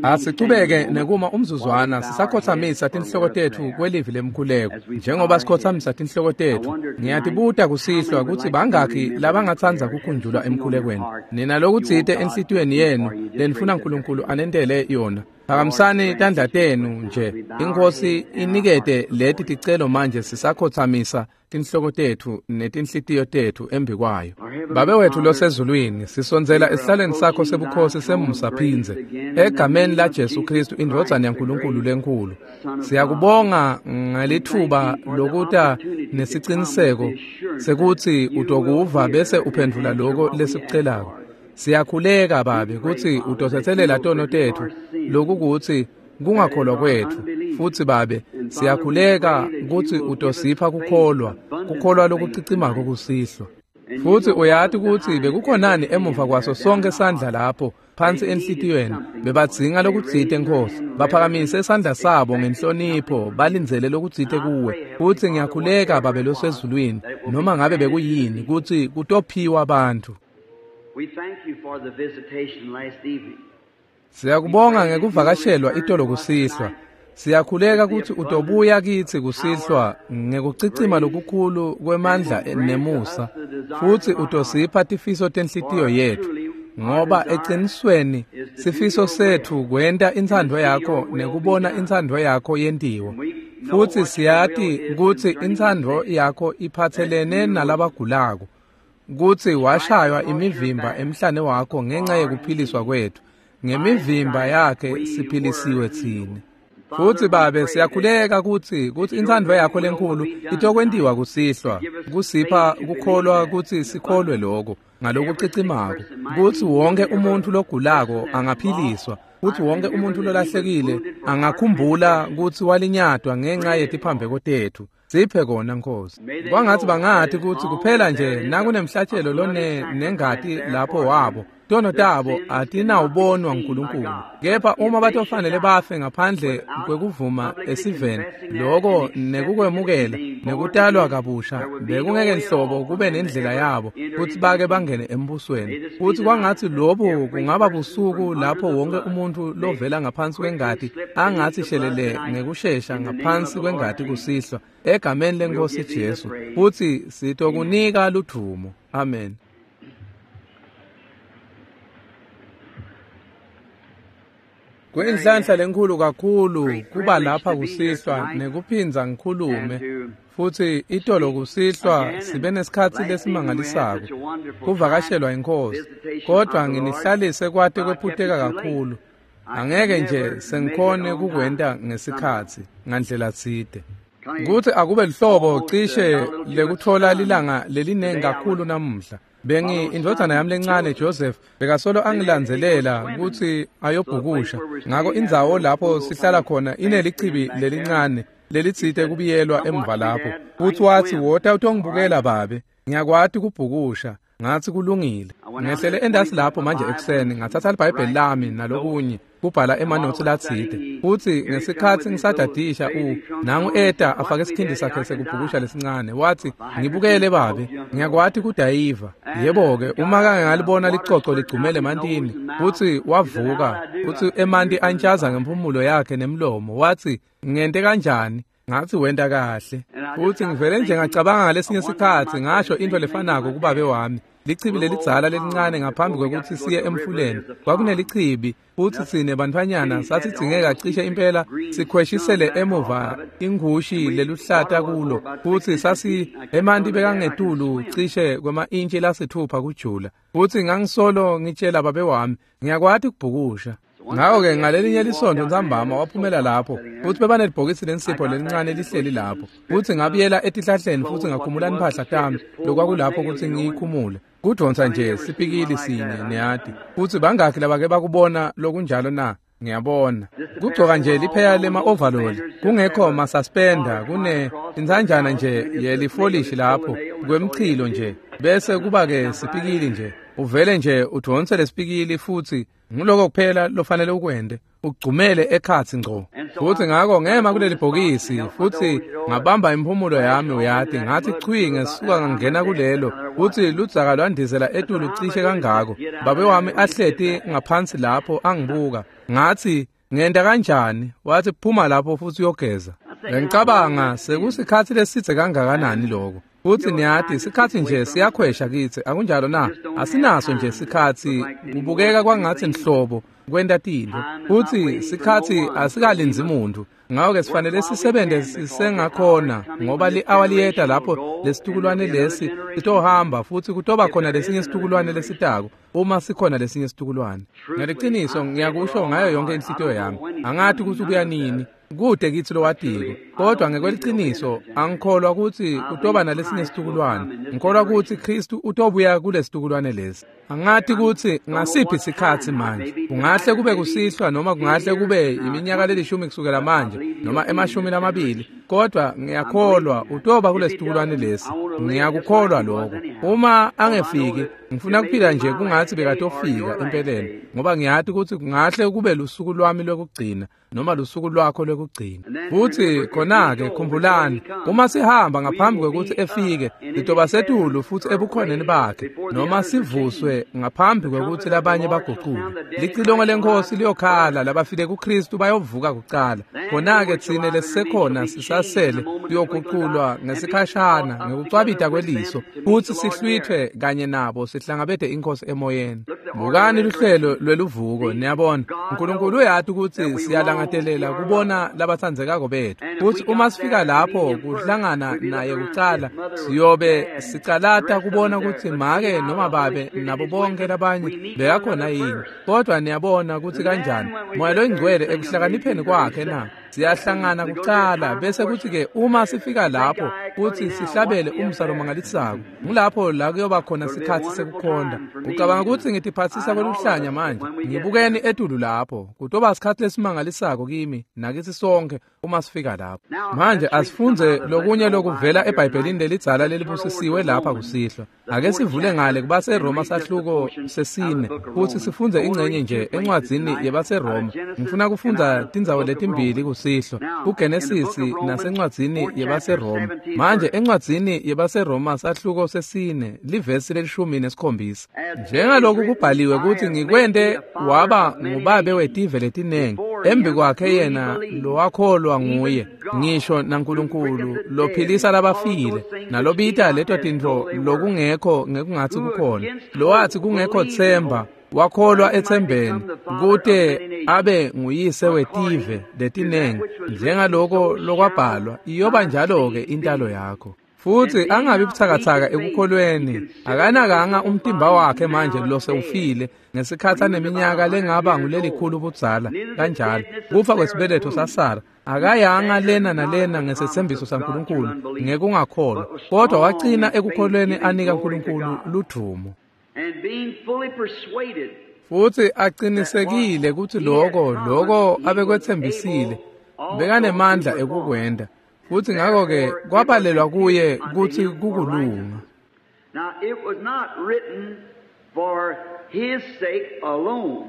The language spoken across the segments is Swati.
Asichubeke nekuma umzuzwana sisakhothamisa tinhloko tetfu kwelivi lemkhuleko. Njengoba sikhothamisa tinhloko tetfu, ngiyatibuta kusihlwa kutsi bangakhi labangatsandza kukhunjulwa emkhulekweni. Nina lokutsite enhlitiyweni yenu lenifuna uNkulunkulu anentele yona. Phakamisani tandla tenu nje. Inkosi inikete leti ticelo manje sisakhothamisa tinhloko tetfu netinhlitiyo tetfu embikwayo. Babe wetfu losezulwini, sisondzela esihlalweni sakho sebukhosi semusa phindze egameni la Jesu Kristu indvodzana yaNkulunkulu lenkhulu. Siyakubonga ngalithuba lokuta nesiciniseko sekutsi utokuva bese uphendvula lokho lesikucelako. Siyakhuleka Babe kutsi utotsetselela tono tetfu lokukutsi kungakholwa kwetfu, futsi Babe siyakhuleka kutsi utosipha kukholwa, kukholwa lokucicimako kusihlwa. Futsi uyati kutsi bekukhonani emuva kwaso sonke sandla lapho phansi enhlitiyweni, bebadzinga lokutsite Nkosi. Baphakamise sandla sabo ngenhlonipho, balindzele lokutsite kuwe. Futsi ngiyakhuleka Babe losezulwini, noma ngabe bekuyini, kutsi kutophiwa bantfu. We thank you for the visitation last evening. Siyakubonga ngekuvakashelwa itolo kusihlwa. Siyakhuleka kutsi utobuya kitsi kusihlwa ngekucicima lokukhulu kwemandla nemusa, futsi utosipha tifiso tenhlitiyo yetfu, ngoba eqinisweni sifiso setfu kwenta intsandvo yakho nekubona intsandvo yakho yentiwa. Futsi siyati kutsi intsandvo yakho iphatselene nalabagulako, kutsi washaywa imivimba emhlane wakho ngenxa yekuphiliswa kwetfu. Ngemivimba yakhe siphilisiwe tsine. Futsi Babe siyakhuleka kutsi intsandvo yakho lenkhulu itokwentiwa kusihlwa, kusipha kukholwa kutsi sikholwe lokho ngalokucicimako, kutsi wonke umuntfu logulako angaphiliswa, kutsi wonke umuntfu lolahlekile angakhumbula kutsi walinyatwa ngenxa yetiphambeko tetfu. Siphe kona Nkosi. Kwangatsi bangati kutsi kuphela nje nakunemhlatshelo lone nengati lapho wabo, tono tabo atinawubonwa nguNkulunkulu. Kepha uma batofanele bafe ngaphandle kwekuvuma esiveni, lokho nekukwemukela nekutalwa kabusha bekungeke nhlobo kube nendlela yabo kutsi bake bangene embusweni. Futsi kwangatsi lobu kungaba busuku lapho wonke umuntfu lovela ngaphansi kwengati angatsi shelele ngekushesha ngaphansi kwengati kusihlwa, egameni leNkosi Jesu. Futsi sitokunika ludvumo. Amen. Kuyinhlanhla lenkhulu kakhulu kuba lapha kusihlwa nekuphindza ngikhulume. Futsi itolo kusihlwa sibe nesikhatsi lesimangalisako kuvakashelwa iNkosi, kodvwa nginihlalise kwate kwephuteka kakhulu. Angeke nje sengikhone kukwenta ngesikhatsi ngandlela tsite. Kutsi akube lihlobo cishe lekutfola lilanga lelinengi kakhulu namuhla. Bengi indvodzana yami lencane Joseph bekasolo angilandzelela kutsi ayobhukusha. Ngako indzawo lapho sihlala khona inelichibi lelincane lelitsite kubiyelwa emva lapho. Futsi watsi, "Wota utongibukela babe, ngiyakwati kubhukusha." Ngatsi kulungile. Ngehlele endasi lapho manje ekuseni, ngatsatsa liBhayibheli lami nalokunye kubhala emanotsi latsite. Futsi ngesikhatsi ngisadadisha nangu eta afake isikhindi sakhe sekubhukusha lesincane, watsi, "Ngibukele babe, ngiyakwati kudayiva." Yebo-ke, uma kake ngalibona licoco ligcumele emantini, futsi wavuka, futsi emanti antjaza ngemphumulo yakhe nemlomo, watsi, "Ngente kanjani?" Ngatsi wenta kahle. Futsi ngivele nje ngacabanga ngalesinye sikhatsi ngasho into lefanako kubabe wami. Lichibi lelidzala lelincane ngaphambi kwekutsi siye emfuleni, kwakunelichibi, futsi tsine bantfwanyana sasidzingeka cishe impela sikhweshisele emuva ingushi leluhlata kulo, futsi sasi emanti bekangetulu cishe kwema-intshi lasithupha kujula. Futsi ngangisolo ngitshela babe wami, ngiyakwati kubhukusha. Ngako-ke ngalelinye lisontfo ntsambama waphumela lapho, futsi bebanelibhokisi lensipho lelincane lihleli lapho. Futsi ngabuyela etihlahleni futsi ngakhumula imphahla tami lokwakulapho kutsi ngiyikhumule. Kudvonsa nje sipikili sinye niyati. Futsi bangakhi labake bakubona lokunjalo na? Ngiyabona. Kugcoka nje lipheya lema-overall, kungekho masuspender, kune intsanjana nje yelifolishi lapho kwemchilo nje, bese kuba-ke sipikili nje. Uvele nje udvonse lesipikili futhi nguloko kuphela lofanele ukwente, ugcumele ekhatsi ngco. Futhi ngako ngema kuleli bhokisi futhi ngabamba imphumulo yami, uyati, ngathi chwi ngesuka ngangena kulelo, futhi ludzaka lwandizela etulu cishe kangako. Babe wami ahleti ngaphansi lapho angibuka. Ngathi, ngenta kanjani? Wathi, phuma lapho futhi uyogeza. Ngicabanga sekusikhathi lesidze kangakanani lokho. Futhi niyati, isikhathi nje siyakhwesha kitsi, akunjalo na? Asinaso nje isikhathi, kubukeka kwangathi nhlobo kwenta tintfo. Futhi sikhathi asikalindzi muntu. Ngako-ke sifanele sisebenze sisengakhona, ngoba li-awa liyeta lapho lesitukulwane lesi sitohamba futhi kutoba khona lesinye situkulwane lesitako, uma sikhona lesinye situkulwane. Ngeliciniso ngiyakusho ngayo yonke inhlitiyo yami, angathi kutsi kuya nini, kude kitsi lowatiko, kodwa ngekweliciniso angikholwa kutsi kutoba nalesinye situkulwane. Ngikholwa kutsi Khristu utobuya kulesitukulwane lesi. Angathi kutsi ngasiphi sikhatsi manje, kungahle kube kusihlwa noma kungahle kube iminyaka lelishumi kusukela manje noma 20, kodwa ngiyakholwa utoba kulesitukulwane lesi. Ngiyakukholwa lokho. Uma angefiki, ngifuna kuphila nje kungathi bekatofika empeleni, ngoba ngiyati kutsi kungahle kube lusuku lwami lwekugcina noma lusuku lwakho lwekugcina. Futhi khona-ke khumbulani, uma sihamba ngaphambi kwekutsi efike, sitoba setulu futhi ebukhoneni bakhe, noma sivuswe ngaphambi kwekutsi labanye bagucuke. Licilongo leNkhosi liyokhala, labafile kuKhristu bayovuka kucala. Khona-ke tsine lesisekhona sisasele siyoguculwa ngesikhashana ngekucwabita kweliso, futsi sihlwithwe kanye nabo sihlangabete iNkhosi emoyeni. Bukani luhlelo lweluvuko, niyabona. Nkulunkulu uyati kutsi siyalangatelela kubona labatsandzekako bethu. Futsi uma sifika lapho kuhlangana naye kucala, siyobe sicalata kubona kutsi make noma babe nabo bonke labanye bekakhona yini. Kodwa niyabona kutsi kanjani Moya loyingcwele ekuhlakanipheni kwakhe na siyahlangana kucala, bese kuthi-ke uma sifika lapho futhi sihlabele umsa lomangalisako, ngulapho la kuyoba khona sikhatsi sekukhonda. Ucabanga kutsi ngitiphatsisa kweluhlanya manje? Ngibukeni etulu lapho. Kutoba sikhatsi lesimangalisako kimi nakithi sonke uma sifika lapho. Manje asifundze lokunye lokuvela eBhayibhelini lelidzala lelibusisiwe lapha kusihlwa. Ake sivule ngale kubaseRoma sahluko sesine futhi sifundze ingcenye nje encwadzini yebaseRoma. Ngifuna kufundza tindzawo letimbili kusihlwa, kuGenesisi nasencwadzini yebaseRoma. Manje encwadzini yebaseRoma sahluko sesine livesi le-17. Njengaloku kubhaliwe kutsi ngikwente waba ngubabe wetive letinengi, embi kwakhe yena lowakholwa nguye, ngisho naNkulunkulu lophilisa labafile, nalobita leto tintfo lokungekho ngekungatsi kukhona, lowathi kungekho tsemba wakholwa etsembeni, kute abe nguyise wetive letinengi, njengaloko lokwabhalwa, iyoba njalo-ke intalo yakho. Futhi angabi buthakathaka ekukholweni, akanakanga umtimba wakhe manje losewufile ngesikhathi aneminyaka lengaba ngulelikhulu budzala kanjalo, kufa kwesibeletho saSara, akayanga lena nalena ngesethembiso saNkulunkulu ngekungakholwa, kodwa wagcina ekukholweni anika uNkulunkulu ludumo. Futhi aqinisekile ukuthi lokho abekwethembisile bekanemandla ekukwenda. Futhi ngakho-ke kwabalelwa kuye kutsi kukulunga. Now it was not written for his sake alone.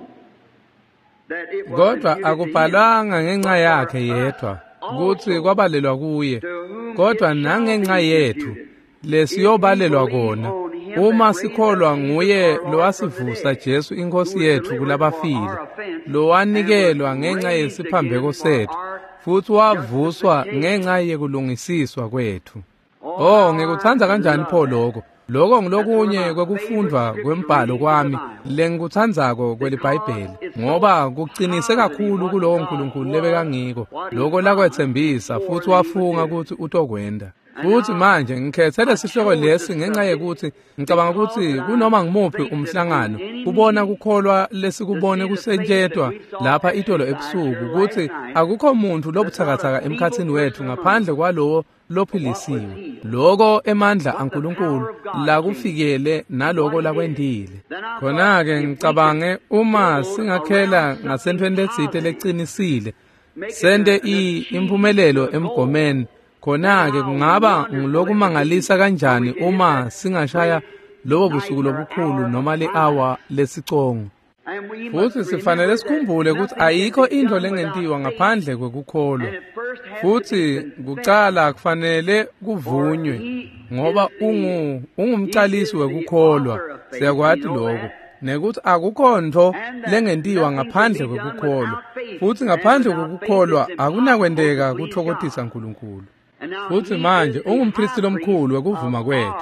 Kodwa akubhalwanga ngenxa yakhe yedwa kutsi kwabalelwa kuye, kodwa nangenxa yethu lesiyobalelwa kona, uma sikholwa nguye lowasivusa Jesu iNkhosi yethu kulabafile, lowanikelwa ngenxa yesiphambeko sethu, futhi wavuswa ngenxa yekulungisiswa kwethu. Oh, ngikutsandza kanjani pho lokho. Lokho ngilokunye kwekufundwa kwembhalo kwami lengikutsandzako kweliBhayibheli, ngoba kuqinise kakhulu kulowo Nkulunkulu lebekangiko, lokho lakwethembisa futhi wafunga kutsi utokwenta. Futhi manje ngikhethe lesihloko lesi ngenxa yekuthi ngicabanga ukuthi kunoma ngimuphi umhlangano kubona kukholwa lesikubone kusetshentwa lapha itolo ebusuku, ukuthi akukho muntu lobuthakathaka emkhathini wethu ngaphandle kwalowo lophilisiwe, lokho emandla aNkulunkulu lakufikele naloko lakwendile. Khona-ke ngicabange uma singakhela ngasentweni letsite lecinisile, sente impumelelo emgomeni, khona-ke kungaba ngulokumangalisa kanjani uma singashaya lobo busuku lobukhulu noma li-awa lesicongo. Futhi sifanele sikhumbule ukuthi ayikho into lengentiwa ngaphandle kwekukholwa. Futhi kucala kufanele kuvunywe ngoba ungumcalisi wekukholwa. Siyakwati lokho. Nekuthi akukho nto lengentiwa ngaphandle kwekukholwa. Futhi ngaphandle kwekukholwa akunakwenteka kuthokothisa uNkulunkulu. Futhi manje ungumpristi lomkhulu wekuvuma kwethu.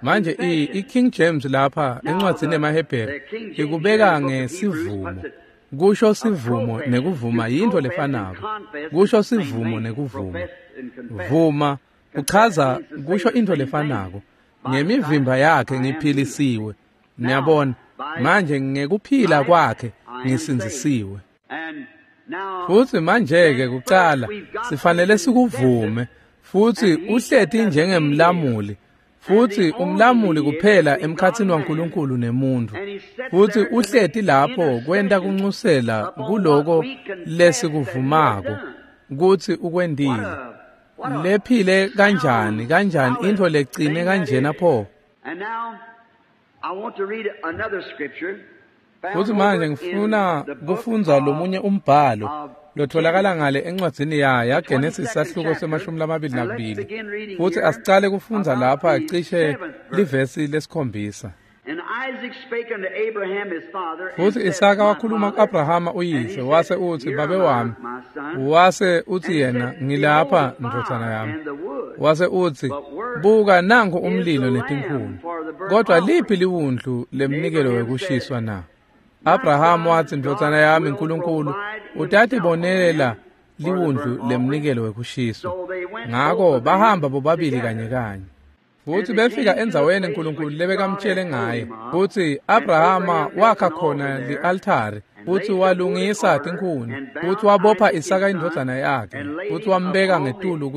Manje i-King James lapha encwadzini yemaHebheru ikubeka ngesivumo. Kusho sivumo nekuvuma yinto lefanako. Kusho sivumo nekuvuma. Vuma kuchaza kusho into lefanako. Ngemivimba yakhe ngiphilisiwe. Niyabona, manje ngekuphila kwakhe ngisindzisiwe. Futhi manje-ke kucala sifanele sikuvume. Futhi uhleti njengemlamuli. Futhi umlamuli kuphela emkhatsini waNkulunkulu nemuntu. Futhi uhleti lapho kwenta kuncusela kuloko lesikuvumako kutsi ukwentile. Lephile kanjani kanjani intfo lecine kanjena pho. Futhi manje ngifuna kufundza lomunye umbhalo lotholakala ngale encwadzini yaGenesis sahluko se-22. Futhi asicale kufundza lapha cishe livesi lesikhombisa. Futhi Isaka wakhuluma ku-Abrahama uyise wase uthi, babe wami. Wase uthi yena, ngilapha ndvodzana yami. Wase uthi, buka nangu umlilo netinkhuni, kodwa liphi liwundlu lemnikelo wekushiswa na? Abraham wathi, ndvodzana yami, uNkulunkulu utatibonelela liwundlu lemnikelo wekushiswa. Ngako bahamba bobabili kanye kanye. Futhi befika endzaweni uNkulunkulu lebekamtshele ngaye. Futhi Abrahama wakha khona li-altari, futhi walungisa tinkhuni, futhi wabopha Isaka indvodzana yakhe, futhi wambeka ngetulu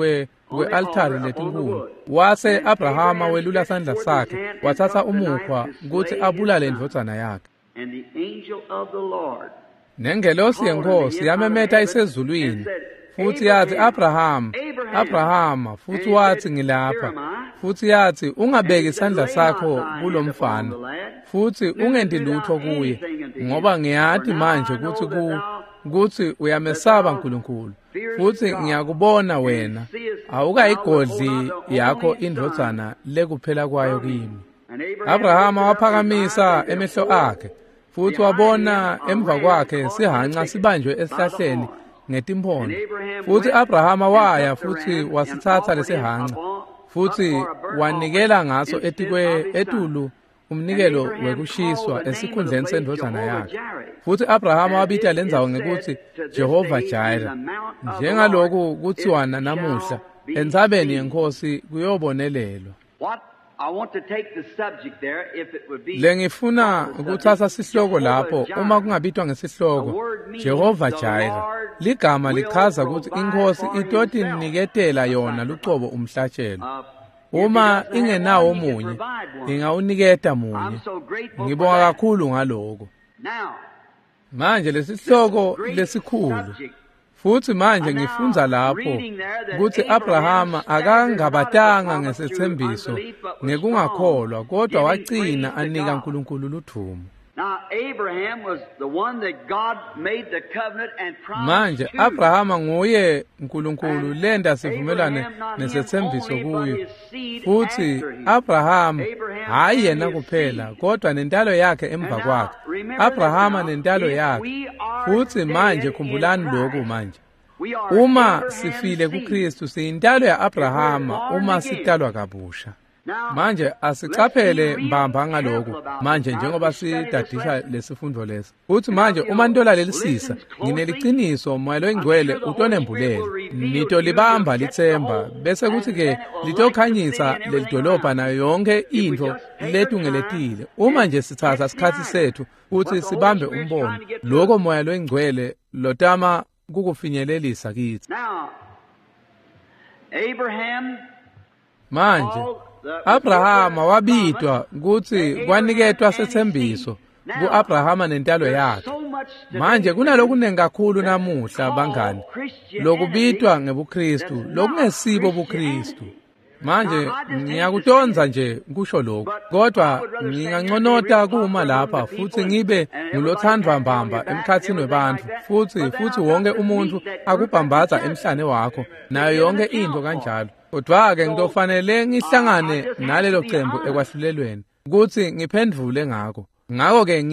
kwe-altari letinkhuni. Wase Abrahama welula sandla sakhe, wathatha umukhwa kutsi abulale indvodzana yakhe. Nengelosi yenkosi yamemeta isezulwini, futhi yathi, Abraham, Abrahama. Futhi wathi, ngilapha. Futhi yathi, ungabeki isandla sakho kulomfana, futhi ungenti lutho kuye, ngoba ngiyati manje kutsi kutsi uyamesaba uNkulunkulu, futhi ngiyakubona wena awukayigodli yakho indvodzana lekuphela kwayo kimi. Abrahama waphakamisa emehlo akhe, futhi wabona emva kwakhe sihanca sibanjwe esihlahleni ngetimpondo. Futhi Abrahama waya futhi wasithatha lesihanca, futhi wanikela ngaso etulu umnikelo wekushiswa esikhundleni sendvodzana yakhe. Futhi Abrahama wabita lendzawo ngekutsi Jehova Jireh, njengaloku kutsiwa namuhla, entsabeni yenkosi kuyobonelelwa. Lengifuna kuthatha sihloko lapho uma kungabitwa ngesihloko Jehova Jireh. Ligama lichaza ukuthi inkosi itotiniketela yona lucobo umhlatshelo. Uma ingenawo munye, ingawuniketa munye. Ngibonga kakhulu ngaloko. Manje lesihloko lesikhulu. Futhi manje ngifundza lapho kutsi Abrahama akangabatanga ngesethembiso ngekungakholwa, kodwa wagcina anika uNkulunkulu ludvumo. Manje Abrahama nguye uNkulunkulu lenda sivumelane nesethembiso kuye. Futhi Abrahama hayi yena kuphela, kodwa nentalo yakhe emva kwakhe. Abrahama nentalo yakhe. Futhi manje khumbulani lokhu manje. Uma sifile kuKristu siyintalo ya-Abrahama uma sitalwa kabusha. Manje asicaphele mbamba ngaloku manje njengoba sidadisha lesifundo lesi. Uthi manje uma nitolalelisisa, ngineliciniso Moya loyiNgcwele utonembulela. Nitolibamba litsemba bese kuthi ke litokhanyisa lelidolobha nayo yonke intfo letungeletile. Uma nje sithatha isikhatsi sethu uthi sibambe umbono, lokho Moya loyiNgcwele lotama kukufinyelelisa kithi. Manje Abrahama wabitwa kutsi kwaniketwa sethembiso ku-Abrahama nentalo yakhe. Manje kunalokunengi kakhulu namuhla bangani lokubitwa ngebuKristu lokungesibo buKristu. Manje ngiyakutonza nje kusho lokhu, kodwa nginganconota kuma lapha futhi ngibe ngulothandwa mbamba emkhathini webantfu, futhi wonke umuntu akubhambatha emhlane wakho nayo yonke into kanjalo. Kodwa-ke ngitofanele ngihlangane nalelo cembu ekwahlulelweni ukuthi ngiphendvule ngako. Ngakho-ke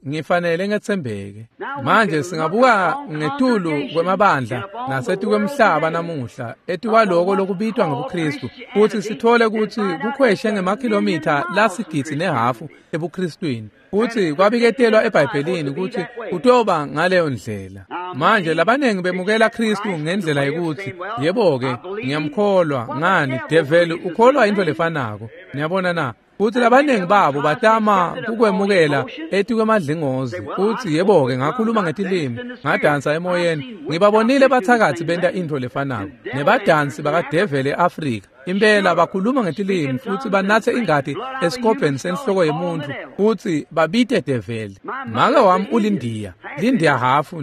ngifanele ngetsembeke. Manje singabuka ngetulu kwemabandla nasetukwemhlaba namuhla etukwaloko lokubitwa ngobuKristu, futhi sithole ukuthi kukhweshe ngemakhilomitha lasigidzi nehafu ebuKristwini, futhi kwabiketelwa eBhayibhelini ukuthi kutoba ngaleyo ndlela. Manje labaningi bemukela Kristu ngendlela yokuthi, yebo-ke, ngiyamkholwa. Ngani, develi ukholwa into lefanako. Niyabona na? Futhi labaningi babo batama kukwemukela etikwemadlingozi, uthi, yebo-ke, ngakhuluma ngetilimi, ngadansa emoyeni. Ngibabonile bathakathi benta into lefanako nebadansi bakadeveli e-Afrika. Impela bakhuluma ngetilimi futhi banathe ingati esikobheni senhloko yemuntu futhi babite develi. Make wami ulindiya, lindiya hafu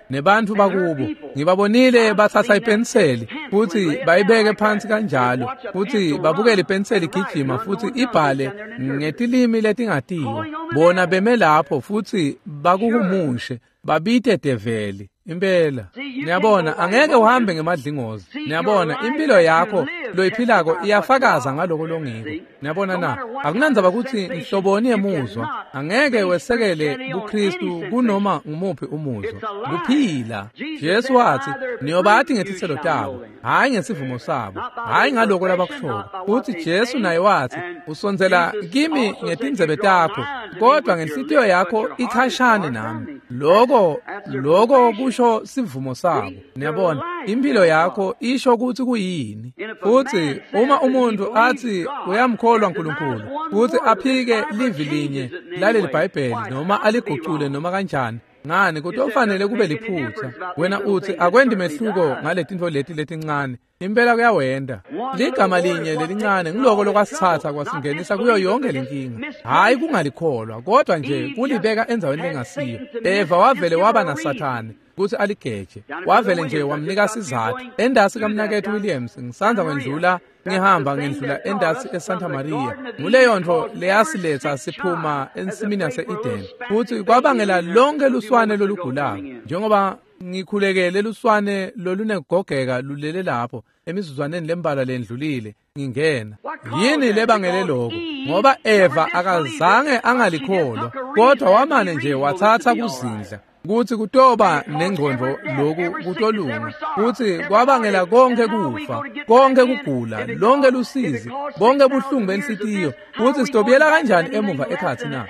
nebantu bakubo. Ngibabonile bathatha ipenseli futhi bayibeke phansi kanjalo, futhi babukele ipenseli igijima futhi ibhale ngetilimi letingatiwa. Bona beme lapho futhi bakuhumushe, babite develi. Impela. Niyabona, angeke uhambe ngemadlingozi. Niyabona, impilo yakho loyiphilako iyafakaza ngaloko longiko. Niyabona na? Akunandzaba ukuthi nhloboni yemuzwa, angeke wesekele buKristu kunoma ngumuphi umuzwa. Kuphila. Jesu wathi, niyobathi ngetitselo tabo, hhayi ngesivumo sabo, hhayi ngaloko labakushoko. Futhi Jesu naye wathi, usondzela kimi ngetindzebe takho, kodwa ngenhlitiyo yakho ikhashane nami. Loko kusho sivumo sabo. Niyabona, impilo yakho isho ukuthi kuyini. Futhi uma umuntu athi uyamkholwa uNkulunkulu futhi aphike livi linye laleli Bhayibheli noma aligucule noma kanjani, ngani, kutofanele kube liphutha. Wena uthi akwendi mehluko ngaletintfo leti letincane. Impela kuyawenda. Ligama linye lelincane ngiloko lokwasithatha kwasingenisa kuyo yonke lenkinga. Hhayi kungalikholwa, kodwa nje kulibeka endzaweni lengasiyo. Eva wavele waba naSathane ukuthi aligeje. Wavele nje wamnika sizathu. Endasi kaMnakethu Williams ngisandza kwendlula, ngihamba ngendlula endasi eSanta Maria. Nguleyo nto leyasiletha siphuma ensimini yase-Eden, futhi kwabangela lonke luswane lolugulako. Njengoba ngikhulekele luswane lolunegogeka lulele lapho emizuzwaneni lembalwa lendlulile ngingena. Yini lebangele lokho? Ngoba Eva akazange angalikholwa, kodwa wamane nje wathatha kuzindla kuthi kutoba nengqondo lokhu kutolunga, futhi kwabangela konke kufa, konke kugula, lonke lusizi, bonke buhlungu benhlitiyo. Futhi sitobuyela kanjani emuva ekhathi na?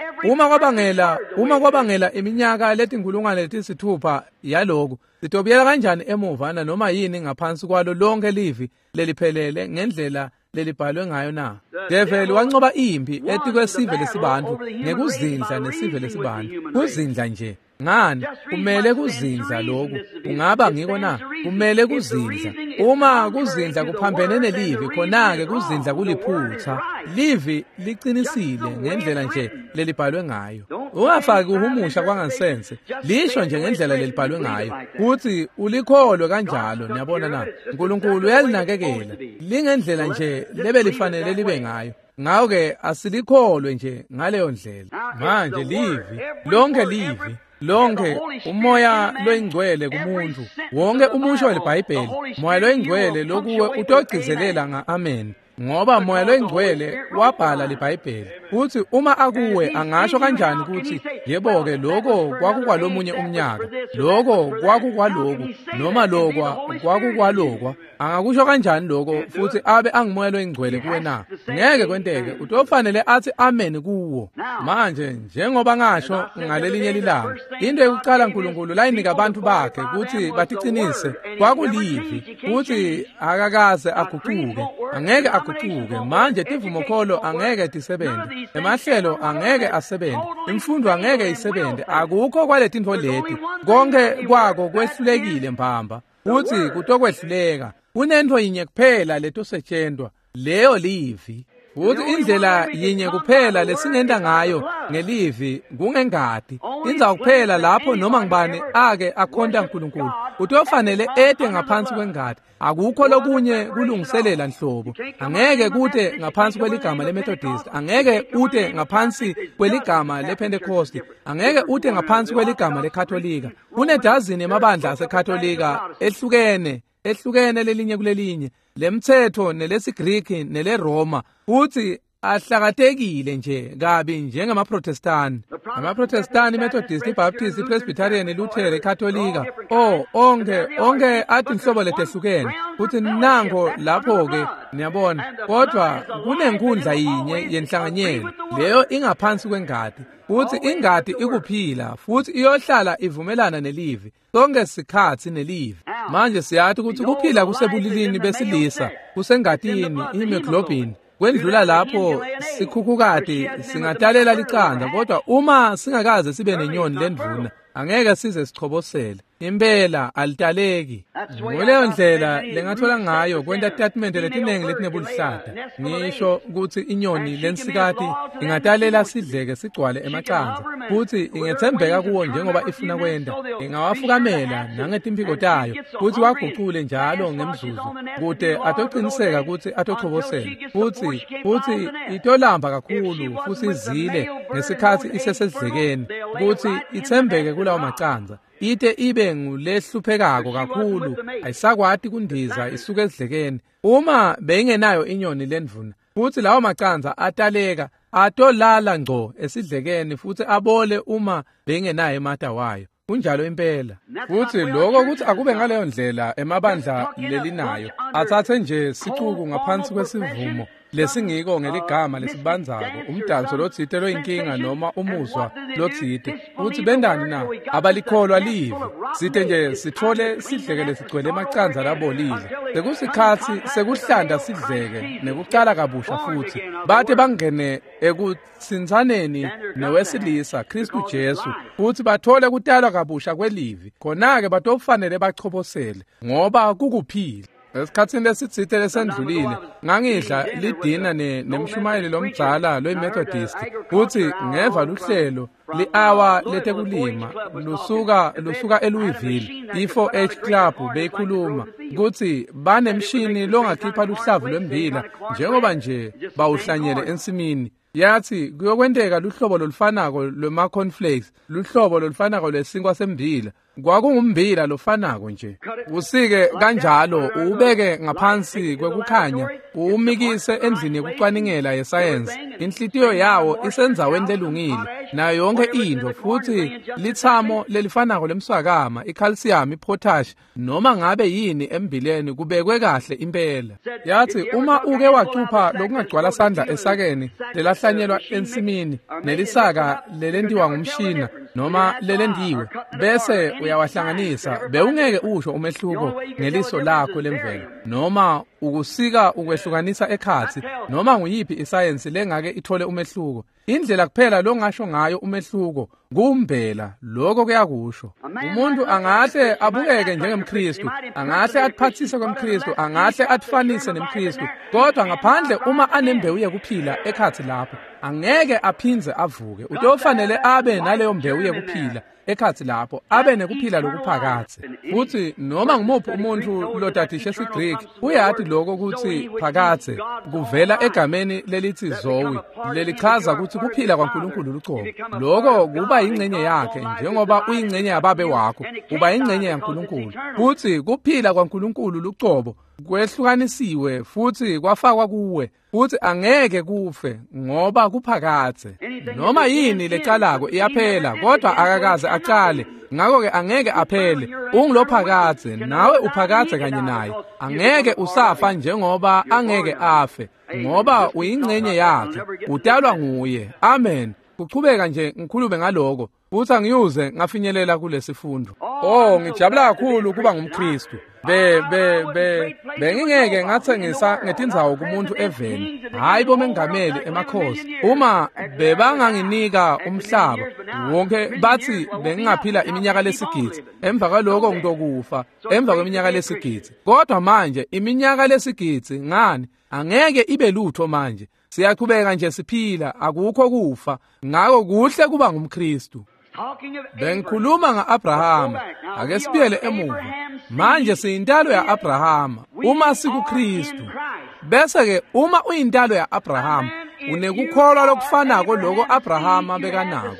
Uma kwabangela iminyaka letinkulungwane letisithupha yaloku, sitobuyela kanjani emuva na noma yini ngaphansi kwalo lonke livi leliphelele ngendlela lelibhalwe ngayo na? Develi wancoba impi etikwesive lesibantu ngekuzindla nesive lesibantu. Kuzindla nje. Ngani, kumele kuzindla lokhu. Kungaba ngiko na? Kumele kuzindla. Uma kuzindla kuphambene nelivi, khona-ke kuzindla kuliphutha. Livi liqinisile ngendlela nje lelibhalwe ngayo. Ungafaki uhumusha kwangansense. Lisho nje ngendlela lelibhalwe ngayo, kuthi ulikholwe kanjalo. Niyabona na? uNkulunkulu uyalinakekela lingendlela nje lebelifanele libe ngayo. Ngakho-ke asilikholwe nje ngaleyo ndlela. Manje livi, lonke livi, lonke umoya loyingcwele kumuntu, wonke umusho weliBhayibheli, moya loyingcwele lokuwe utogcizelela nga-amen, ngoba moya loyingcwele wabhala liBhayibheli. Futhi uma akuwe, angasho kanjani ukuthi, yebo-ke, lokho kwakukwalomunye umnyaka, lokho kwakukwaloku, noma lokwa kwakukwalokwa? Angakusho kanjani lokho futhi abe angumoya loyingcwele kuwe na? Ngeke kwenteke. Utofanele athi amen kuwo. Manje njengoba ngasho ngalelinye lilanga, into yokucala uNkulunkulu layinika abantu bakhe ukuthi batiqinise kwakulivi, futhi akakaze aguquke, angeke aguquke. Manje tivumokholo angeke tisebenze, emahlelo angeke asebenze, imfundo angeke isebenze, akukho kwaletintfo leti. Konke kwako kwehlulekile mbamba, futhi kutokwehluleka. Kunento yinye kuphela letosetshentwa, leyo livi. Futhi indlela yinye kuphela lesingenta ngayo ngelivi kungengati. Indzawo kuphela lapho noma ngibani ake akhonta uNkulunkulu Utofanele ete ngaphansi kwengati. Akukho lokunye kulungiselela nhlobo. Angeke kute ngaphansi kweligama leMethodist, angeke ute ngaphansi kweligama lePentecost, angeke ute ngaphansi kweligama leKatolika. Kunedazini emabandla aseKatolika ehlukene lelinye kulelinye, lemthetho nelesiGriki neleRoma, futhi ahlakatekile nje kabi njengamaProtestani. AmaProtestani, iMethodist, iBaptist, iPresbyterian, iLutheran, iKatolika, onke athi inhlobo letehlukene. Futhi nango lapho-ke niyabona, kodwa kunenkundla yinye yenhlanganyelo, leyo ingaphansi kwengati. Futhi ingati ikuphila, futhi iyohlala ivumelana nelivi sonke sikhathi nelivi. Manje siyathi ukuthi kuphila kusebulilini besilisa, kusengatini, ihemoglobin. Kwendlula lapho sikhukhukati singatalela licanda, kodwa uma singakaze sibe nenyoni lendvuna angeke size sichobosele. Impela alitaleki. Nguleyo ndlela lengathola ngayo kwenta tatimende letinengi letinebulihlata. Ngisho ukuthi inyoni lensikati ingatalela sidleke sigcwale emacandza, futhi ingethembeka kuwo njengoba ifuna kwenta. Ingawafukamela nangetimphiko tayo, futhi wagucule njalo ngemzuzu kute atociniseka ukuthi atochobosela. Futhi itolamba kakhulu futhi izile ngesikhathi isesedlekeni ukuthi ithembeke kulawo macandza. Ite ibe ngulehluphekako kakhulu, ayisakwati kundiza isuke esidlekeni. Uma beyingenayo inyoni lendvuna, futhi lawo macandza ataleka atolala ngco esidlekeni futhi abole uma beyingenayo emata wayo. Kunjalo impela. Futhi lokho kuthi akube ngaleyo ndlela emabandla lelinayo, athathe nje sicuku ngaphansi kwesivumo lesingiko ngeligama lesibanzako, umdanso lotsite loyinkinga noma umuzwa lotsite. Futhi bendani na? Abalikholwa livi. Sithe nje sithole sidleke lesigcwele emacandza labolile. Sekusikhathi sekuhlanda sidleke nekucala kabusha futhi. Bathe bangene ekutsintsaneni nowesilisa Kristu Jesu, futhi bathole kutalwa kabusha kwelivi. Khona-ke batofanele bachobosele ngoba kukuphila. Esikhathini lesitsite lesendlulile ngangidla lidina nemshumayeli lomdzala loyiMethodist, futhi ngeva luhlelo li-hour letekulima lusuka eLouisville. I-4H Club beyikhuluma ukuthi banemshini longakhipha luhlavu lwembila njengoba nje bawuhlanyele ensimini. Yathi kuyokwenteka luhlobo lolufanako lwema-cornflakes, luhlobo lolufanako lwesinkwa sembila. Kwakungumbila lofanako nje. Usike kanjalo, uwubeke ngaphansi kwekukhanya, uwumikise endlini yekucwaningela yesayensi. Inhlitiyo yawo isendzaweni lelungile nayo yonke into, futhi lithamo lelifanako lemswakama, icalcium, ipotash, noma ngabe yini embileni kubekwe kahle impela. Yathi uma uke wacupha lokungagcwala sandla esakeni lelahlanyelwa ensimini nelisaka lelentiwa ngumshina noma lelendiwe, bese uyawahlanganisa, bewungeke usho umehluko ngeliso lakho lemvelo, noma ukusika ukwehlukanisa ekhatsi, noma nguyiphi isayensi lengake ithole umehluko. Indlela kuphela longasho ngayo umehluko kumbela, lokho kuyakusho. Umuntu angahle abukeke njengemKristu, angahle atiphathise kwemKristu, angahle atifanise nemKristu, kodwa ngaphandle uma anembewu yekuphila ekhatsi lapho, angeke aphindze avuke. Utofanele abe naleyo mbewu yekuphila ekhatsi lapho, abe nekuphila lokuphakatse. Futhi noma ngumuphi umuntu lotadishe esiGreek uyati lokho ukuthi phakatse kuvela egameni lelithi Zoe, lelichaza ukuthi kuphila kwaNkulunkulu lucobo. Lokho kuba ingcenye yakhe, njengoba uyingcenye yababe wakho, uba ingcenye yaNkulunkulu. Futhi kuphila kwaNkulunkulu lucobo kwehlukanisiwe futhi kwafakwa kuwe, futhi angeke kufe ngoba kuphakatse. Noma yini lecalako iyaphela, kodwa akakaze acale, ngakho-ke angeke aphele. Ungulophakatse, nawe uphakatse kanye naye. Angeke usafa njengoba angeke afe, ngoba uyingcenye yakhe, utalwa nguye. Amen. Kuchubeka nje ngikhulume ngaloko, futhi angiyuze ngafinyelela kulesifundo. Oh, ngijabula kakhulu kuba ngumKristu. Bengingeke ngathengisa ngetindzawo kumuntu eveni, hayi bomengameli emakhosi. Uma bebanganginika umhlaba wonke, bathi bengingaphila iminyaka lesigidzi, emva kwaloko ngitokufa emva kweminyaka lesigidzi. Kodwa manje iminyaka lesigidzi ngani angeke ibe lutho manje. Siyaqhubeka nje siphila, akukho kufa. Ngakho kuhle kuba ngumKristu. Bengikhuluma nga-Abrahama. Ake sibuyele emuva. Manje siyintalo ya-Abrahama uma sikuKristu. Bese-ke uma uyintalo ya-Abrahama, unekukholwa lokufanako loko Abrahama bekanako,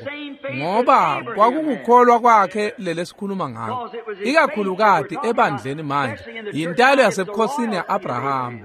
ngoba kwakukukholwa kwakhe lelesikhuluma ngako. Ikakhulukati ebandleni manje, yintalo yasebukhosini ya-Abrahama.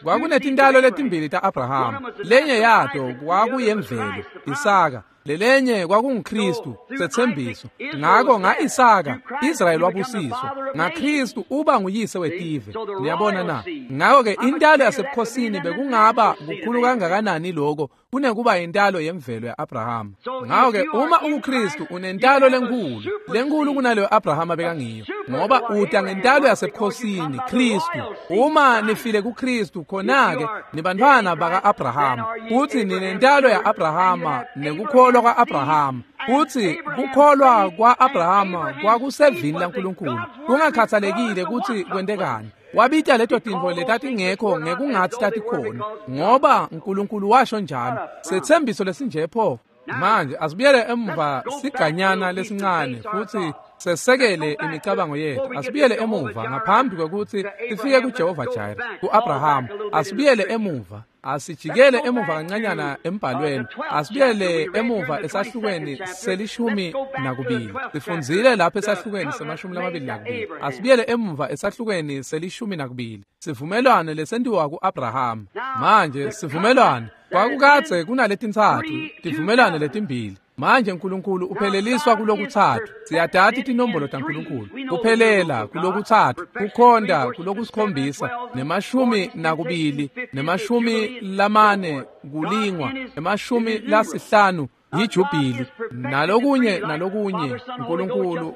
Kwakunetintalo letimbili ta-Abrahama. Lenye yato kwakuyemvelo, Isaka. Lelenye kwakunguKristu, setsembiso. Ngako nga-Isaka, Israyeli wabusiswa. NgaKristu uba nguyise wetive. Niyabona na? Ngako-ke intalo yasebukhosini bekungaba kukhulu kangakanani lokho kunekuba intalo yemvelo ya-Abrahama. Ngako-ke uma ukuKristu unentalo lenkhulu, lenkhulu kunaleyo Abrahama bekangiyo, ngoba uta ngentalo yasebukhosini, Kristu. Uma nifile kuKristu, khona-ke nibantfwana baka-Abrahama, futhi ninentalo ya-Abrahama nekukholwa kwa-Abrahama. Futhi kukholwa kwa-Abrahama kwakusevini laNkulunkulu, kungakhathalekile ukuthi kwentekani. Wabita leto tintfo letatingekho ngekungathi tatikhona, ngoba uNkulunkulu washo njalo. Setsembiso lesinje pho. Manje asibuyele emva siganyana lesincane futhi sesekele imicabango yethu. Asibuyele emuva ngaphambi kwekuthi sifike kuJehova Jireh, ku-Abraham. Asibuyele emuva, asijikele emuva kancanyana embhalweni. Asibuyele emuva esahlukweni se-12. Sifundzile lapha esahlukweni se-22. Asibuyele emuva esahlukweni se-12. Sivumelwano lesentiwa ku-Abraham. Manje sivumelwano kwakukadze kunaletintsatfu tivumelwano letimbili. Manje uNkulunkulu upheleliswa kulokuthathu. Siyadati tinombolo taNkulunkulu. Kuphelela kulokuthathu, kukhonda kulokusikhombisa, ne-22, ne-40 kulingwa, ne-50 yijubili, nalokunye nalokunye. uNkulunkulu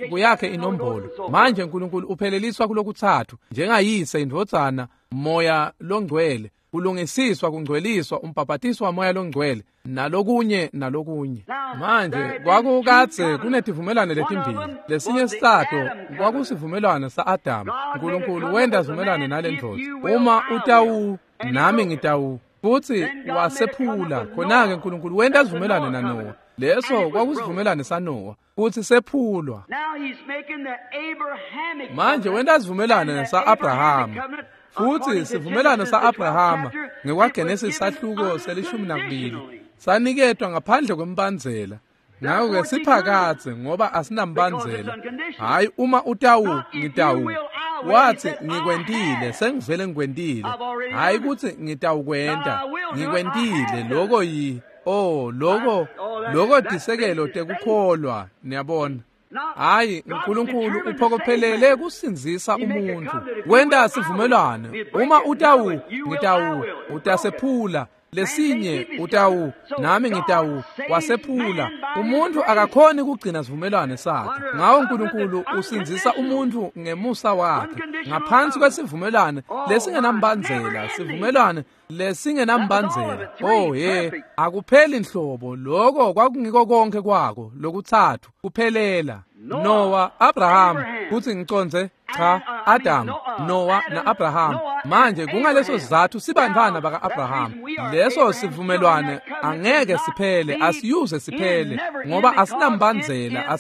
kuyakhe inombolo. Manje uNkulunkulu upheleliswa kulokuthathu njengayise, indvodzana, Moya loNgcwele. Kulungisiswa, kungcweliswa, umbhabhatiso waMoya loNgcwele, nalokunye nalokunye. Manje kwakukadze kunetivumelwano letimbili. Lesinye sitato kwakusivumelwano sa-Adamu. uNkulunkulu wenta sivumelwano nalendvodza, uma utawu nami ngitawu, futhi wasephula. Khona-ke uNkulunkulu wenta sivumelwano naNowa. Leso kwakusivumelwano saNowa, futhi sephulwa. Manje wenta sivumelwano sa-Abrahama, futhi sivumelwano sa-Abrahama ngekwaGenesis sahluko se-12 saniketwa ngaphandle kwembandzela. Ngako-ke siphakadze ngoba asinambandzela. Hhayi uma utawu ngitawu. Wathi ngikwentile, sengivele ngikwentile. Hhayi kutsi ngitawukwenta, ngikwentile. Loko yi oh loko tisekelo tekukholwa, niyabona. Hayi, uNkulunkulu uphokophelele kusindzisa umuntu. Wenta sivumelwano. Uma utawu ngitawu, utasephula. Lesinye utawu nami ngitawu, wasephula. Umuntu akakhoni kugcina sivumelwano sakhe. Ngawo uNkulunkulu usindzisa umuntu ngemusa wakhe ngaphansi kwesivumelwano lesingenambandzela, sivumelwano lesingenambandzela. Oh he, akupheli nhlobo. Lokho kwakungiko konke kwako lokuthathu kuphelela. Noah, Abraham, futhi ngicondze cha, Adam, Noah na-Abraham. Manje kungaleso sizathu sibantfwana baka-Abraham. Leso sivumelwano angeke siphele, asiyuze siphele, ngoba asinambandzela,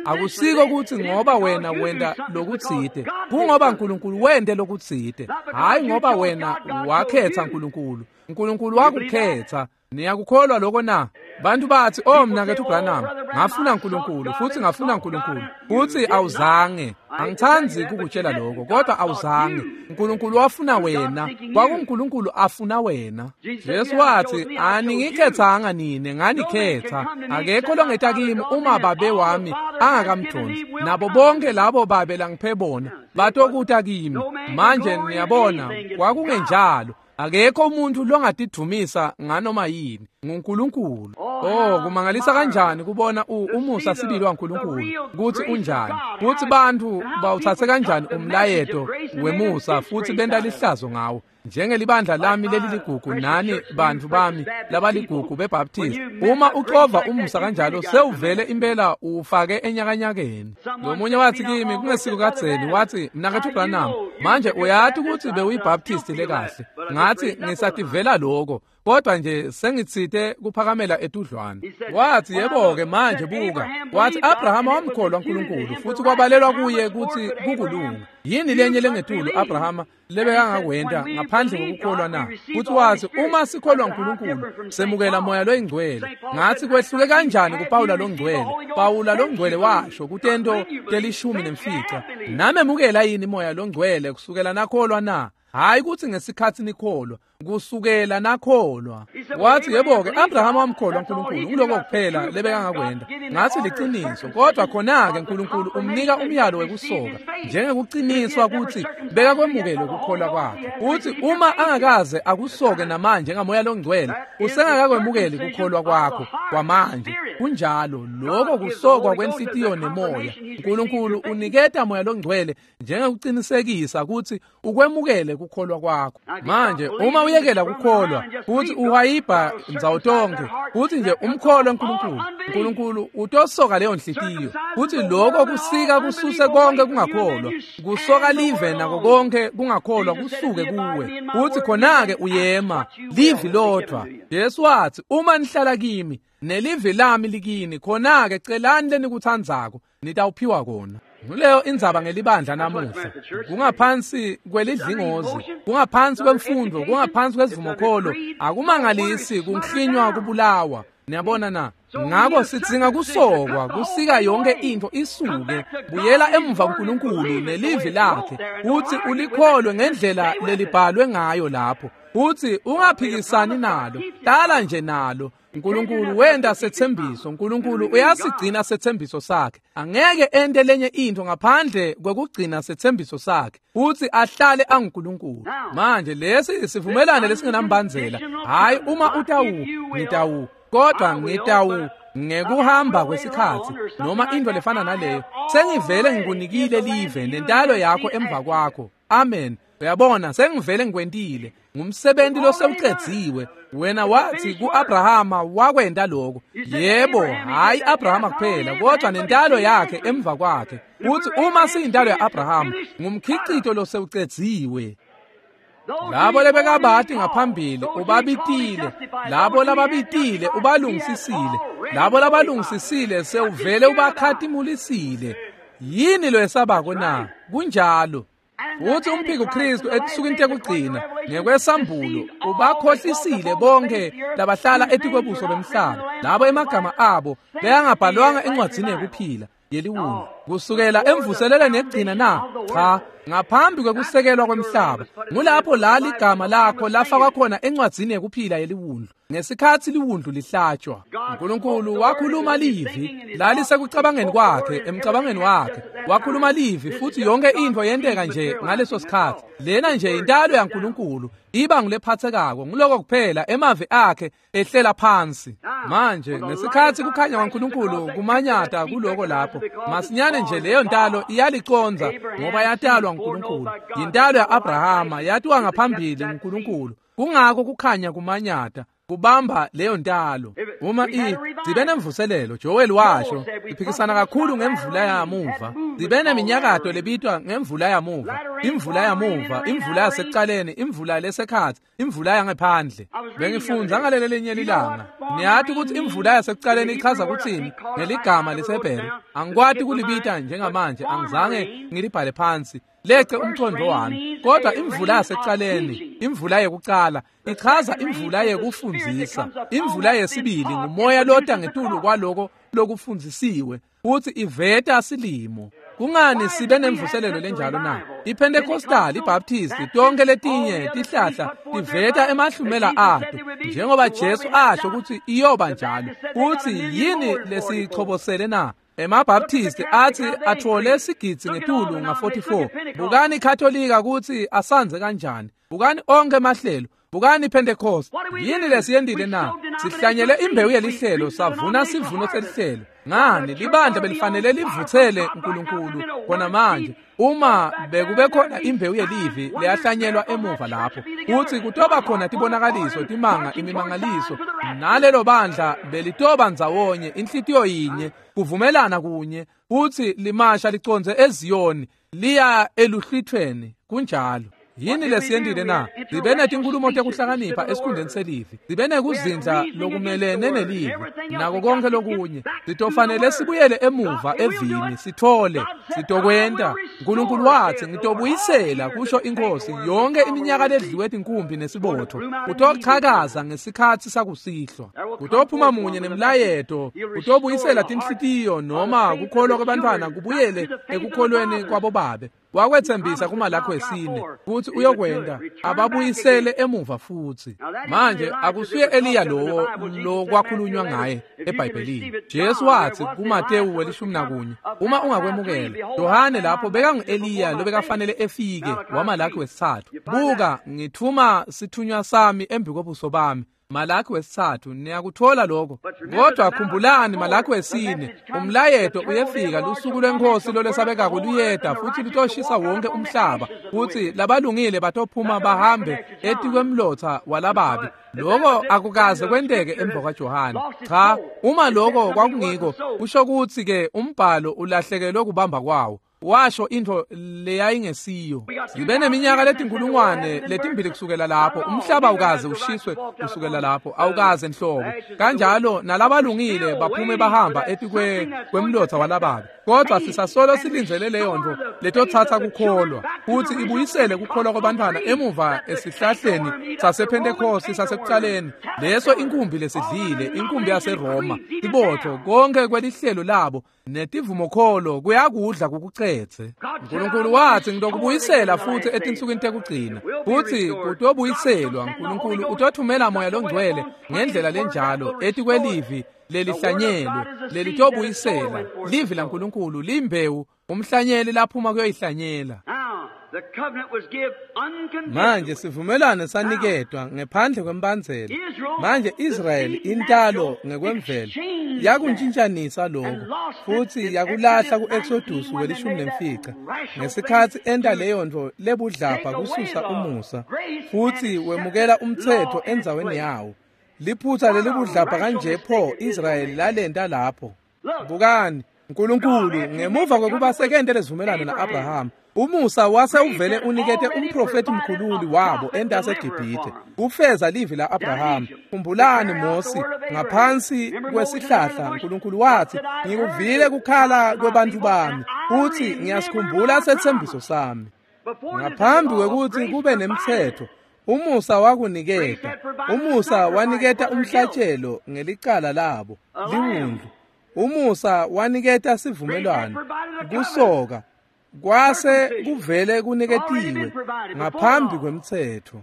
akusiko kutsi ngoba wena wenta lokutsite, kungoba uNkulunkulu wente lokutsite. Hhayi ngoba wena wakhetha uNkulunkulu. uNkulunkulu wakukhetha. Niyakukholwa lokho na? Bantu bathi, oh mnaketfu Branham, ngafuna uNkulunkulu futhi ngafuna uNkulunkulu, futhi awuzange. Angithandi kukutshela lokho, kodwa awuzange. uNkulunkulu wafuna wena, kwakunguNkulunkulu afuna wena. Jesu wathi, aningikhethanga nine, nganikhetha. Akekho longeta kimi uma babe wami angakamdonsi. Nabo bonke labo babe langiphe bona batokuta kimi. Manje niyabona, kwakungenjalo. Akekho umuntu longatidvumisa nganoma yini, nguNkulunkulu. Oh, kumangalisa kanjani kubona umusa sibili waNkulunkulu kutsi unjani, kutsi bantfu bawutsatse kanjani umlayeto wemusa futhi benta lihlazo ngawo. Njengelibandla lami leliligugu nani bantfu bami labaligugu beBaptist, uma ucova umusa kanjalo sewuvele impela uwufake enyakanyakeni. Lomunye wathi kimi kungesiko kadzeni, wathi, mnaketfu Branham, manje uyati kutsi bewuyiBaptist lekahle. Ngathi ngisativela lokho, Kodwa nje sengitsite kuphakamela etudlwana. Wathi yebo-ke manje buka. Wathi Abrahama wamkholwa uNkulunkulu futhi kwabalelwa kuye ukuthi kukulunga. Yini lenye lengetulu Abrahama lebekangakwenta ngaphandle kokukholwa na? Futhi wathi uma sikholwa uNkulunkulu semukela moya loyingcwele. Ngathi kwehluke kanjani kuPawula longcwele? Pawula longcwele washo kutento 15 namemukela yini moya longcwele kusukela nakholwa na? Hayi ukuthi ngesikhathi nikholwa, kusukela nakholwa. Wathi yebo-ke Abrahama wamkholwa uNkulunkulu, nguloko kuphela lebekangakwenta. Ngathi liciniso, kodwa khona-ke uNkulunkulu umnika umyalo wekusoka njengekuqiniswa ukuthi bekakwemukele ukukholwa kwakhe. Uthi uma angakaze akusoke namanje ngamoya longcwele, usengakakwemukeli ukukholwa kwakho kwamanje. Kunjalo, lokho kusokwa kwenhlitiyo nemoya. uNkulunkulu uniketa moya longcwele njengekuqinisekisa ukuthi ukwemukele kukholwa kwakho. Manje uma uyekela kukholwa futhi uhayibha ndzawo tonke futhi nje umkholwe uNkulunkulu, uNkulunkulu utosoka leyo nhlitiyo. Futhi lokho kusika kususe konke kungakholwa, kusoka live nako konke kungakholwa kusuke kuwe. Futhi khona-ke uyema livi lodwa. Jesu wathi uma nihlala kimi nelivi lami likini, khona-ke celani lenikuthandzako nitawuphiwa kona. Nguleyo indzaba ngelibandla namuhla. Kungaphansi kwelidlingozi, kungaphansi kwemfundo, kungaphansi kwesivumokholo. Akumangalisi kuhlinywa kubulawa. Niyabona na? Ngakho sidzinga kusokwa, kusika yonke into isuke. Buyela emva kuNkulunkulu nelivi lakhe, uthi ulikholwe ngendlela lelibhalwe ngayo lapho. Uthi ungaphikisani nalo, hlala nje nalo. uNkulunkulu wenda sethembiso, uNkulunkulu uyasigcina sethembiso sakhe. Angeke ente lenye into ngaphandle kwekugcina sethembiso sakhe. Uthi ahlale anguNkulunkulu. Manje lesi sivumelane lesingenambandzela. Hayi uma utawu, ngitawu, kodwa ngitawu ngekuhamba kwesikhathi noma into lefana naleyo. Sengivele ngikunikile live nentalo yakho emva kwakho. Amen. Uyabona, sengivele ngikwentile. Ngumsebenzi losewucedziwe. Wena wathi kuAbrahama wakwenta lokho. Yebo, hayi Abrahama kuphela, kodwa nentalo yakhe emva kwakhe. Uthi uma siyintalo yaAbrahama, ngumkhicito losewucedziwe. Labo lebekabati ngaphambili ubabitile, labo lababitile ubalungisisile, labo labalungisisile sewuvele ubakhatimulisile. Yini lo esabako na? Kunjalo. Uthi umphiko Kristu etinsukwini tekugcina ngekwesambulo ubakhohlisile bonke labahlala etikwebuso bemhlaba, labo emagama abo beyangabhalwanga encwadzini yekuphila yeliwundlu kusukela emvuselelweni yekugcina na? Cha, ngaphambi kwekusekelwa kwemhlaba. Ngulapho la ligama lakho lafakwa khona encwadzini yekuphila yeliwundlu ngesikhathi liwundlu lihlatshwa. uNkulunkulu wakhuluma livi lalisekucabangeni kwakhe, emcabangeni wakhe wakhuluma livi, futhi yonke into yenteka nje ngaleso sikhathi. Lena nje intalo yaNkulunkulu iba ngulephathekako, nguloko kuphela emavi akhe ehlela phansi. Manje ngesikhathi kukhanya kwaNkulunkulu kumanyata kuloko lapho, masinyane nje leyo ntalo iyaliconza ngoba yatalwa uNkulunkulu. Yintalo yaAbrahama yatiwa ngaphambili nguNkulunkulu. Kungako kukhanya kumanyata kubamba leyo ntalo. Uma sibe nemvuselelo, Joel washo, iphikisana kakhulu ngemvula yamuva. Sibe neminyakato lebitwa ngemvula yamuva, imvula yamuva, imvula yasekuqaleni, imvula lesekhathi, imvula yangephandle. Bengifundza ngaleli linye lilanga. Niyathi ukuthi imvula yasekuqaleni ichaza ukuthini ngeligama leseBhebhe. Angikwati kulibita njengamanje, angizange ngilibhale phansi. Lece umqondo wami. Kodwa imvula yasekuqaleni, imvula yekuqala, ichaza imvula yekufundzisa. Imvula yesibili ngumoya lota ngetulu kwaloko lokufundzisiwe, futhi iveta silimo. Kungani sibe nemvuselelo lenjalo na? IPentecostal, iBaptist, tonke letinye tihlahla tiveta emahlumela ato, njengoba Jesu asho ukuthi iyoba njalo. Futhi yini lesichobosele na? EmaBaptist athi athole sigidzi ngetulu nga-44. Bukani iKatolika ukuthi asanze kanjani. Bukani onke emahlelo. Bukani iPentecost. Yini lesiyendile na? Sihlanyele imbewu yelihlelo, savuna sivuno selihlelo. Ngani libandla belifanele livuthele uNkulunkulu khona manje. Uma bekube khona imbewu yelivi leyahlanyelwa emuva lapho, uthi kutoba khona tibonakaliso, timanga, imimangaliso, nalelo bandla belitoba ndzawonye, inhlitiyo yinye, kuvumelana kunye, uthi limasha liconze eZiyoni liya eluhlwithweni. Kunjalo. Yini lesiyentile na? Sibe netinkhulumo tekuhlakanipha esikhundleni selivi. Sibe nekuzindla lokumelene nelivi nako konke lokunye. Sitofanele sibuyele emuva evini sithole sitokwenta. Nkulunkulu wathi ngitobuyisela kusho inkosi yonke iminyaka ledliwe tinkumbi nesibotho. Kutochakaza ngesikhatsi sakusihlwa. Kutophuma munye nemlayeto, kutobuyisela tinhlitiyo noma kukholwa kwabantwana kubuyele ekukholweni kwabobabe. Wakwethembisa kuMalakhi wesine kutsi uyokwenta ababuyisele emuva futsi. Manje akusuye Eliya lowo lokwakhulunywa ngaye eBhayibhelini. Jesu wathi kuMatewu 11 uma ungakwemukela Yohane lapho bekangu-Eliya lobekafanele efike waMalakhi wesithathu. Buka ngithuma sithunywa sami embi kobuso bami. Malakhi wesithathu niyakuthola lokho. Kodwa khumbulani Malakhi wesine umlayeto uyefika lusuku lwenkosi lolesabekako luyeda futhi lutoshisa wonke umhlaba futhi labalungile batophuma bahambe etikwemlotha walababi. Lokho akukaze kwenteke emva kwaJohane. Cha, uma lokho kwakungiko kusho ukuthi ke umbhalo ulahlekelwe kubamba kwawo. Washo into leyayingesiyo. Sibe neminyaka letinkulungwane letimbili kusukela lapho umhlaba awukaze ushiswe kusukela lapho awukaze nhlobo. Kanjalo nalabalungile baphume bahamba etikwe kwemlotha walababi. Kodwa sisasolo silindzele leyo nto letothatha kukholwa futhi ibuyisele kukholwa kwabantwana emuva esihlahleni sasePhentekoste sasekuqaleni. Leso inkumbi lesidlile, inkumbi yaseRoma, ibotho konke kwelihlelo labo netivumokholo kuyakudla kukucetse. Nkulunkulu wathi ngitokubuyisela futhi etinsukwini tekugcina futhi kutobuyiselwa. Nkulunkulu utothumela moya longcwele ngendlela lenjalo etikwelivi lelihlanyelwe lelitobuyisela. Livi laNkulunkulu limbewu umhlanyeli laphuma kuyoyihlanyela. Manje sivumelwano saniketwa ngephandle kwembandzela. Manje Israyeli intalo ngekwemvelo yakuntshintshanisa lokho futhi yakulahla ku-Exodus 15 ngesikhatsi enta leyo nto lebudlapha kususa umusa futhi wemukela umthetho endzaweni yawo. Liphutha lelibudlapha kanje pho Israyeli lalenta lapho. Bukani Nkulunkulu ngemuva kwekuba sekente lesivumelwano na-Abraham, umusa wase uvele unikete umprofeti mkhululi wabo entaseGibhithe kufeza livi la-Abraham. Khumbulani Mosi ngaphansi kwesihlahla Nkulunkulu wathi ngikuvile kukhala kwebantfu bami futhi ngiyasikhumbula sethembiso sami. Ngaphambi kwekuthi kube nemthetho umusa wakuniketa. Umusa waniketa umhlatshelo ngelicala labo liwundlu. Umusa waniketa sivumelwano kusoka kwase kuvele kuniketiwe ngaphambi kwemthetho.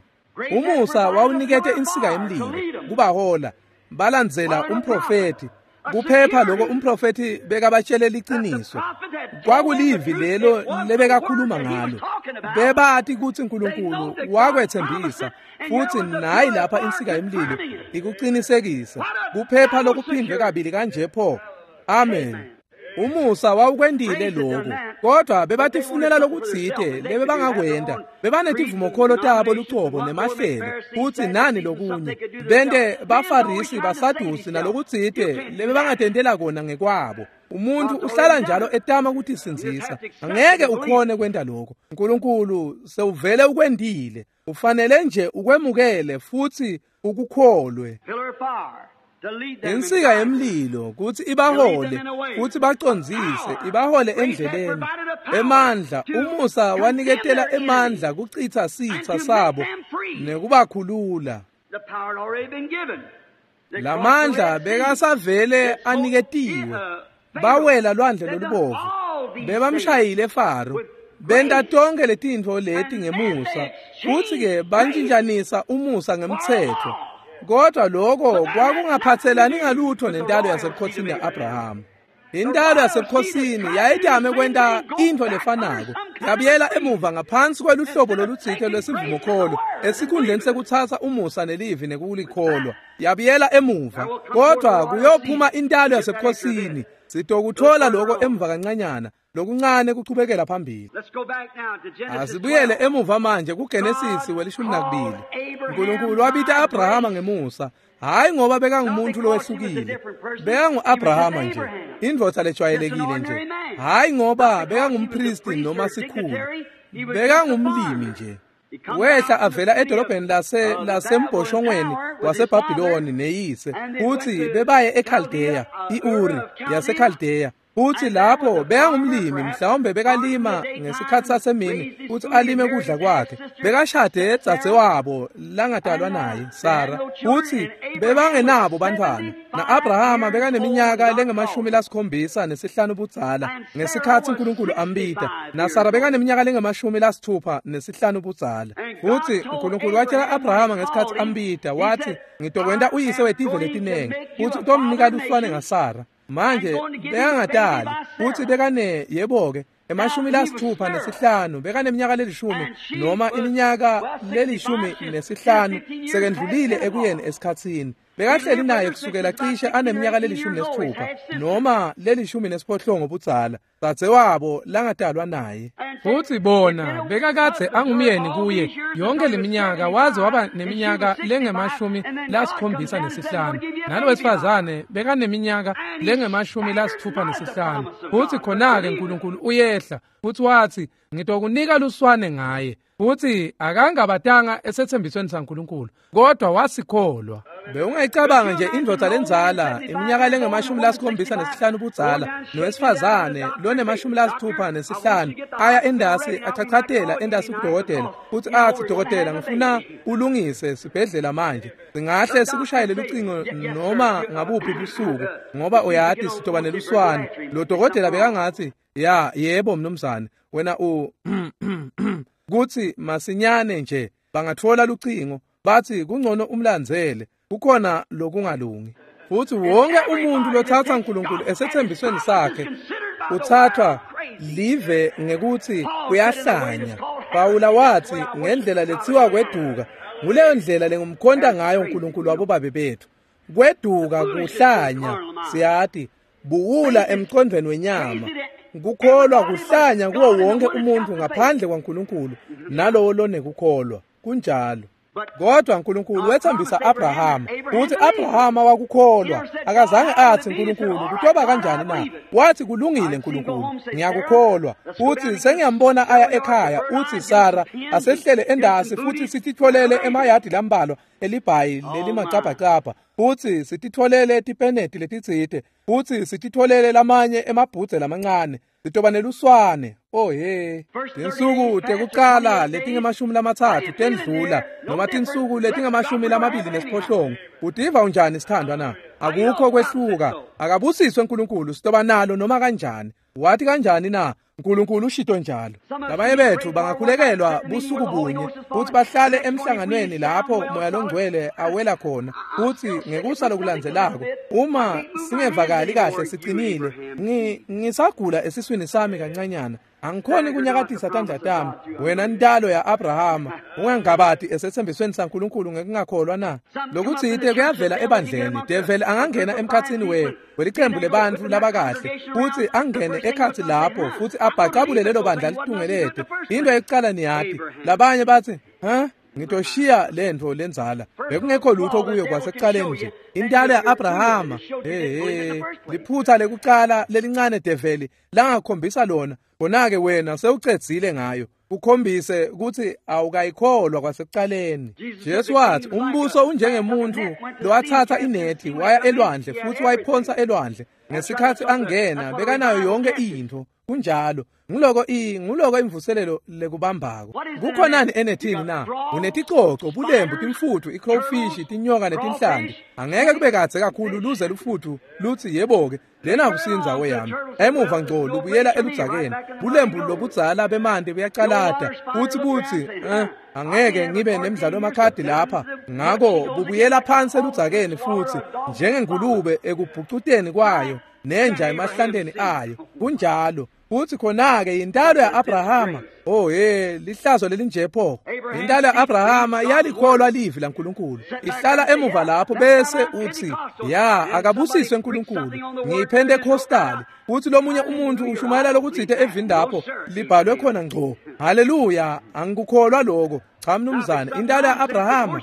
Umusa wawunikete insika yemlilo kubahola balandzela umprofeti kuphepha lokho umprofeti bekabatshelela iqiniso. Kwakulivi lelo lebekakhuluma ngalo. Bebati kutsi Nkulunkulu wakwethembisa futhi nayi lapha insika yemlilo ikuqinisekisa kuphepha lokuphindwe kabili kanje pho. Amen. Umusa wawukwendile lokho kodwa bebatifunela lokutsite lebebangakwenda. Bebanetivumokholo tabo lucobo nemahlelo futhi nani lokunye bente bafarisi basadusi nalokutsite lebebangatentela kona ngekwabo. Umuntu uhlala njalo etama ukutisindzisa. Angeke ukhone kwenta lokho. Nkulunkulu sewuvele ukwendile. Ufanele nje ukwemukele futhi ukukholwe. Insika yemlilo kuthi ibahole futhi bacondzise ibahole endleleni. Emandla umusa waniketela emandla kuchitha sitha sabo nekubakhulula. Lamandla bekasavele aniketiwe. Bawela lwandle lolubovu bebamshayile Faro benta tonke letintfo leti ngemusa futhi ke bantshintshanisa umusa ngemthetho. Kodwa lokho kwakungaphathelani ngalutho nentalo yasebukhosini ya-Abraham. Intalo yasebukhosini yayitame kwenta intfo lefanako. Yabuyela emuva ngaphansi kweluhlobo lolutsite lwesivumokholo esikhundleni sekutsatsa umusa nelivi nekulikholwa. Yabuyela emuva kodwa kuyophuma intalo yasebukhosini. Sitokuthola lokho emva kancanyana lokuncane kuchubekela phambili. Asibuyele emuva manje kuGenesis 12. Nkulunkulu wabita Abrahama ngemusa, hayi ngoba bekangumuntu lowehlukile. Bekangu-Abrahama nje, indvodza lejwayelekile nje. Hayi ngoba bekangumpristi noma sikhulu. Bekangumlimi nje. Wehla avela edolobheni lasembhoshongweni waseBhabhiloni neyise, futhi bebaye eKhaldeya, iUri yaseKhaldeya. Futhi lapho bekangumlimi, mhlawumbe bekalima ngesikhathi sasemini futhi alime kudla kwakhe. Bekashade dzadzewabo langadalwa naye, Sara, futhi bebangenabo bantwana. Na-Abrahama bekaneminyaka lengamashumi-75 budzala ngesikhathi uNkulunkulu ambita, naSara bekaneminyaka lengamashumi-65 budzala. Futhi uNkulunkulu watshela Abrahama ngesikhathi ambita, wathi, "Ngitokwenta uyise wetive letinengi," futhi utomnika luswane ngaSara. Manje bekangadali, futhi bekane yebo-ke 65 bekaneminyaka lelishumi noma iminyaka le-15 sekendlulile ekuyeni esikhatsini. Bekahleli naye kusukela cishe aneminyaka le-16 noma le-18 budzala, dzadzewabo langadalwa naye. Futhi bona bekakadze angumyeni kuye yonke leminyaka, waze waba neminyaka lengamashumi-75, nalowesifazane bekaneminyaka lengamashumi-65. Futhi khona-ke uNkulunkulu uyehla futhi wathi, "Ngitokunika luswane ngaye." Futhi akangabatanga esethembisweni saNkulunkulu, kodwa wasikholwa. Bewungayicabanga nje indvodza lendzala iminyaka lengamashumi-75 budzala nowesifazane lonemashumi-65 aya endasi achachatela endasi kudokotela futhi athi, "Dokotela, ngifuna ulungise sibhedlela manje. Singahle sikushayele lucingo noma ngabuphi busuku, ngoba uyati sitoba neluswane." Lo dokotela bekangathi, "Ya, yebo mnumzane, wena u kuthi masinyane nje bangathola lucingo bathi kungcono umlandzele, kukhona lokungalungi." Futhi wonke umuntu lothatha uNkulunkulu esethembisweni sakhe uthathwa live ngekuthi uyahlanya. Pawula wathi ngendlela lethiwa kweduka, nguleyo ndlela lengumkhonta ngayo uNkulunkulu wabobabe bethu. Kweduka kuhlanya, siyati, buwula emqondweni wenyama. Kukholwa kuhlanya kuwo wonke umuntu ngaphandle kwaNkulunkulu nalowo lonekukholwa. Kunjalo. Kodwa uNkulunkulu wethembisa Abrahama, futhi Abrahama wakukholwa. Akazange athi, "Nkulunkulu, kutoba kanjani na?" Wathi, "Kulungile Nkulunkulu, ngiyakukholwa." Futhi sengiyambona aya ekhaya, uthi, "Sara, asehlele endasi futhi sititholele emayadi lambalwa elibhayi lelimacabhacabha, futhi sititholele tipeneti letitsite, futhi sititholele lamanye emabhudze lamancane, sitoba neluswane." Oh he, tinsuku tekucala letingamashumi-30 tendlula, noma tinsuku letingamashumi-28. Utiva unjani sithandwa na? Akukho kwehluka. Akabusiswe uNkulunkulu, sitoba nalo noma kanjani. Wathi kanjani na? uNkulunkulu ushito njalo. Labanye bethu bangakhulekelwa busuku bunye futhi bahlale emhlanganweni lapho Moya Longcwele awela khona, futhi ngekusa lokulandzelako uma singevakali kahle sicinile, ngisagula esiswini sami kancanyana, angikhoni kunyakatisa tandla tami. Wena ntalo ya-Abrahama, ungangabati esethembisweni saNkulunkulu ngekungakholwa na? Lokutsite kuyavela ebandleni. Develi angangena emkhatsini welicembu lebantfu labakahle, futhi angene ekhatsi lapho futhi abhacabule lelo bandla litungelete. Into yekucala niyati, labanye bathi, "Ha, ngitoshiya lentfo lendzala." Bekungekho lutho kuyo kwasekucaleni nje. Intalo ya-Abrahama, liphutha lekucala lelincane develi langakhombisa lona, khona-ke wena sewucedzile ngayo, ukhombise ukuthi awukayikholwa kwasekucaleni. Jesu wathi umbuso unjengemuntu lowathatha inethi waya elwandle futhi wayiphonsa elwandle. Ngesikhathi angena bekanayo yonke intfo. Kunjalo. Nguloko imvuselelo lekubambako. Kukhonani enethini na? Uneticoco, bulembu, timfuthu, icrawfish, tinyoka netinhlanti. Angeke kube kadze kakhulu luze lufuthu lutsi, "Yebo-ke, lena kusindzawo yami." Emuva ngco lubuyela eludzakeni. Bulembu lobudzala bemanti buyacalata futhi butsi, "Angeke ngibe nemdlalo wemakhadi lapha." Ngako bubuyela phansi eludzakeni futhi njengengulube ekubhucuteni kwayo nenja emahlanteni ayo. Kunjalo. Futhi khona-ke yintalo ya-Abrahama. Oh he, lihlazo lelinje pho. Intalo ya-Abrahama yalikholwa livi laNkulunkulu. Ihlala emuva lapho bese uthi, "Ya, akabusiswe uNkulunkulu, ngiyiPentecostal." Futhi lomunye umuntu ushumayela lokutsite evini lapho libhalwe khona ngco. Haleluya, angikukholwa lokho. Cha mnumzane, intalo ya-Abrahama.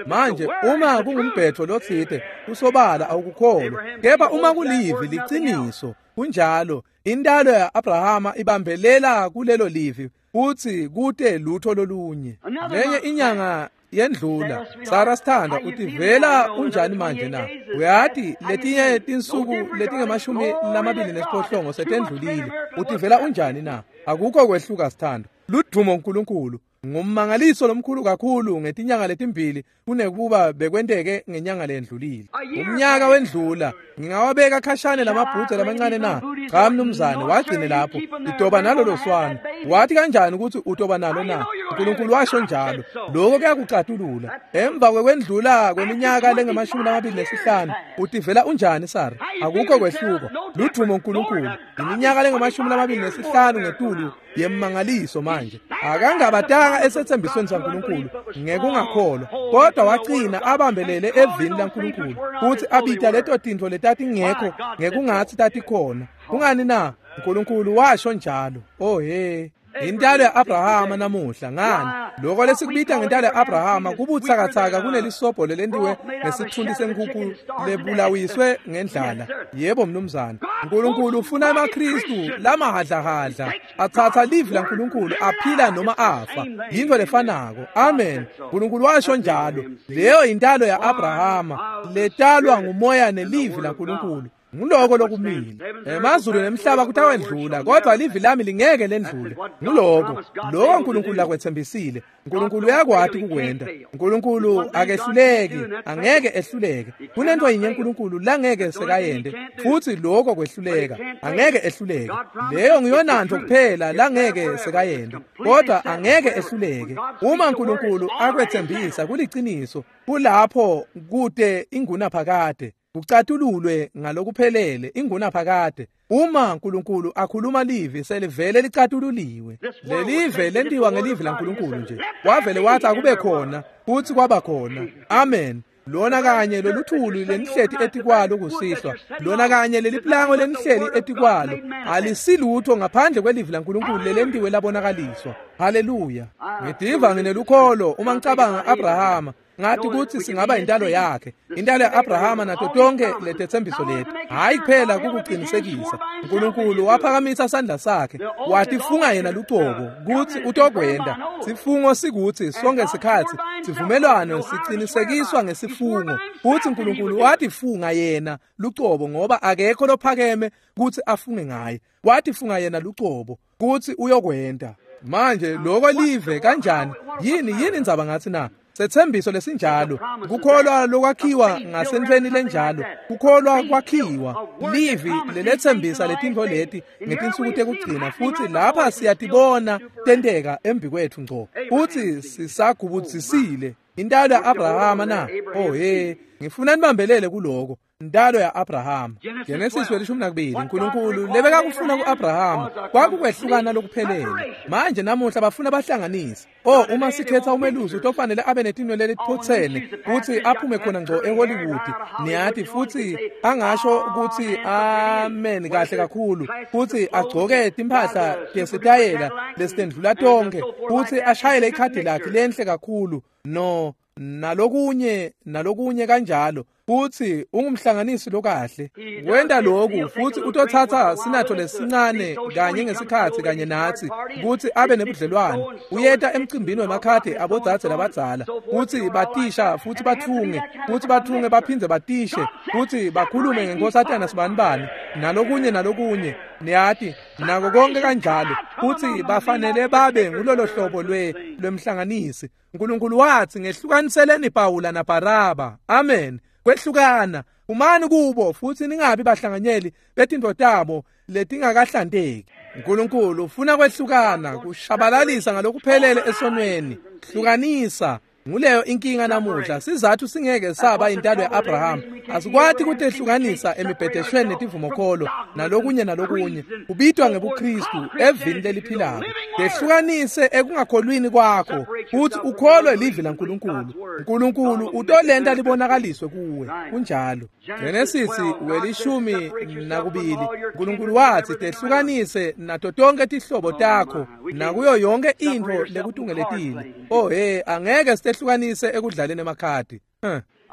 Manje uma kungumbhetho lotsite, kusobala awukukholwa. Kepha uma kulivi liciniso, kunjalo. Intalo ya-Abrahama ibambelela kulelo livi futhi kute lutho lolunye. Lenye inyanga yendlula, Sara sithanda utivela unjani manje na? Uyati letinye tinsuku letinge-28 setendlulile. Utivela unjani na? Akukho kwehluka sithanda. Ludumo uNkulunkulu. Ngummangaliso lomkhulu kakhulu ngetinyanga letimbili kunekuba bekwenteke ngenyanga lendlulile. Umnyaka wendlula, ngingawabeka khashane lamabhudze lamancane na? Cha mnumzane, wagcine lapho. Utoba nalolo swana. Wathi kanjani ukuthi utoba nalo na? uNkulunkulu washo njalo. Lokho kuyakucatulula. Emva kwekwendlula kweminyaka lenge-25 utivela unjani Sara? Akukho kwehluka. Ludumo uNkulunkulu. Iminyaka lenge-25 ngetulu yemmangaliso manje. Akangabatanga esethembisweni saNkulunkulu ngekungakholwa, kodwa wagcina abambelele evini laNkulunkulu futhi abita leto tintfo letatingekho ngekungathi tatikhona. Kungani na? uNkulunkulu washo njalo. Oh he. Intalo ya-Abrahama namuhla ngani? Lokho lesikubita ngentalo ya-Abrahama kubutsakatsaka kunelisobho lelentiwe ngesithunti senkukhu lebulawiswe ngendlala. Yebo mnumzane. uNkulunkulu ufuna amaKristu lamahadlahadla athatha livi laNkulunkulu aphila noma afa. Yinto lefanako. Amen. uNkulunkulu washo njalo. Leyo intalo ya-Abrahama letalwa ngumoya nelivi laNkulunkulu. Nguloko lokumile. Emazulu nemhlaba kutawendlula, kodwa livi lami lingeke lendlule. Nguloko lokho uNkulunkulu akwethembisile. uNkulunkulu uyakwati kukwenta. uNkulunkulu akehluleki, angeke ehluleke. Kunento yinye uNkulunkulu langeke sekayende, futhi lokho kwehluleka. Angeke ehluleke. Leyo ngiyonanto kuphela langeke sekayende, kodwa angeke ehluleke. Uma uNkulunkulu akwethembisa kuliciniso, kulapho kude ingunaphakade. Kucatululwe ngalokuphelele ingunaphakade. Uma uNkulunkulu akhuluma livi selivele licatululiwe. Lelive lentiwa ngelivi laNkulunkulu nje. Wavele wathi akube khona futhi kwaba khona. Amen. Lona kanye loluthuli lenihleti etikwalo kusihlwa, lona kanye leliplango lenihleli etikwalo alisilutho ngaphandle kwelivi laNkulunkulu lelentiwe labonakaliswa. Haleluya. Ngidiva nginelukholo uma ngicabanga Abrahama. Ngathi ukuthi singaba intalo yakhe, intalo ya-Abrahama nato tonke letethembiso lethu. Hayi kuphela kukuqinisekisa. uNkulunkulu waphakamisa sandla sakhe watifunga yena lucobo kutsi utokwenda. Sifungo sikuthi sonke sikhathi sivumelwano sicinisekiswa ngesifungo. Futhi uNkulunkulu watifunga yena lucobo ngoba akekho lophakeme kutsi afunge ngaye. Watifunga yena lucobo kutsi uyokwenda. Manje lokho live kanjani? Yini indzaba ngathi na? Sethembiso lesinjalo, kukholwa lokwakhiwa ngasentweni lenjalo, kukholwa kwakhiwa livi lelethembisa letintfo leti ngetinsuku tekugcina, futhi lapha siyatibona tenteka embi kwethu ngco. Futhi sisagubudzisile intalo ya-Abrahama na? Oh he, ngifuna nibambelele kuloko. Intalo ya-Abrahama. Genesis 12, uNkulunkulu lebekakufuna ku-Abrahama kwakukwehlukana lokuphelele. Manje namuhla bafuna bahlanganise. Oh, uma sikhetha umelusi utofanele abe netinwele letiphotsene futhi aphume khona ngco eHollywood. Niyathi futhi angasho ukuthi amen kahle kakhulu, futhi agcoke timphahla tesitayela lesitendlula tonke, futhi ashayele ikhadi lakhe lenhle kakhulu no nalokunye nalokunye kanjalo. Futhi ungumhlanganisi lokahle. Wenda lokhu futhi utothatha sinatho lesincane kanye ngesikhathi kanye nathi kuthi abe nebudlelwane. Uyeta emcimbini wemakhadi abodzadze labadzala kuthi batisha futhi bathunge, futhi bathunge baphindze batishe, futhi bakhulume ngenkosatana sibanibani nalokunye nalokunye. Niyati nako konke kanjalo. Futhi bafanele babe ngulolo hlobo lwemhlanganisi. uNkulunkulu wathi ngehlukaniseleni Pawula naBaraba. Amen. Kwehlukana, umani kubo futhi ningabi bahlanganyeli betintfo tabo letingakahlanteki. uNkulunkulu ufuna kwehlukana, kushabalalisa ngalokuphelele esonweni. Hlukanisa. Nguleyo inkinga namuhla. Sizathu singeke saba intalo ya-Abraham. Asikwati kutehlukanisa emibhedeshweni netivumokholo nalokunye nalokunye. Kubitwa ngebuKristu evini leliphilako. Tehlukanise ekungakholwini kwakho futhi ukholwe livi laNkulunkulu. uNkulunkulu utolenta libonakaliswe kuwe. Kunjalo. Genesis 12, uNkulunkulu wathi tehlukanise nato tonke tihlobo takho nakuyo yonke intfo lekutungeletile. Oh he, angeke sitehlukanise ekudlaleni emakhadi.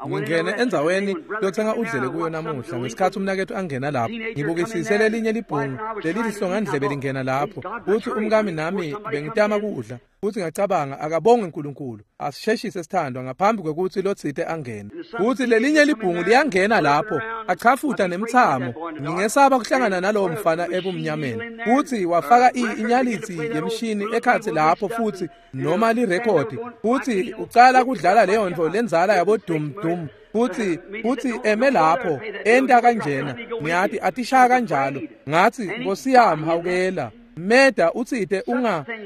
Ngingene endzaweni lotsenga udlele kuyo namuhla ngesikhathi umnaketfu angena lapho. Ngibukisise lelinye libhungu lelilihlongandlebe lingena lapho. Uthi umkami nami bengitama kudla. Futhi ngacabanga akabongwe uNkulunkulu. Asisheshise sithandwa ngaphambi kwekuthi lotsite angene. Futhi lelinye libhungu liyangena lapho, achafuta nemthamo. Ngingesaba kuhlangana nalowo mfana ebumnyameni. Futhi wafaka inyalitsi yemshini ekhatsi lapho futhi noma lirekhodi. Futhi ucala kudlala leyo nto lenzala yabo dum dum. Futhi eme lapho enta kanjena. Ngiyathi atishaya kanjalo. Ngathi Nkosi yami hawukela. Meda utsite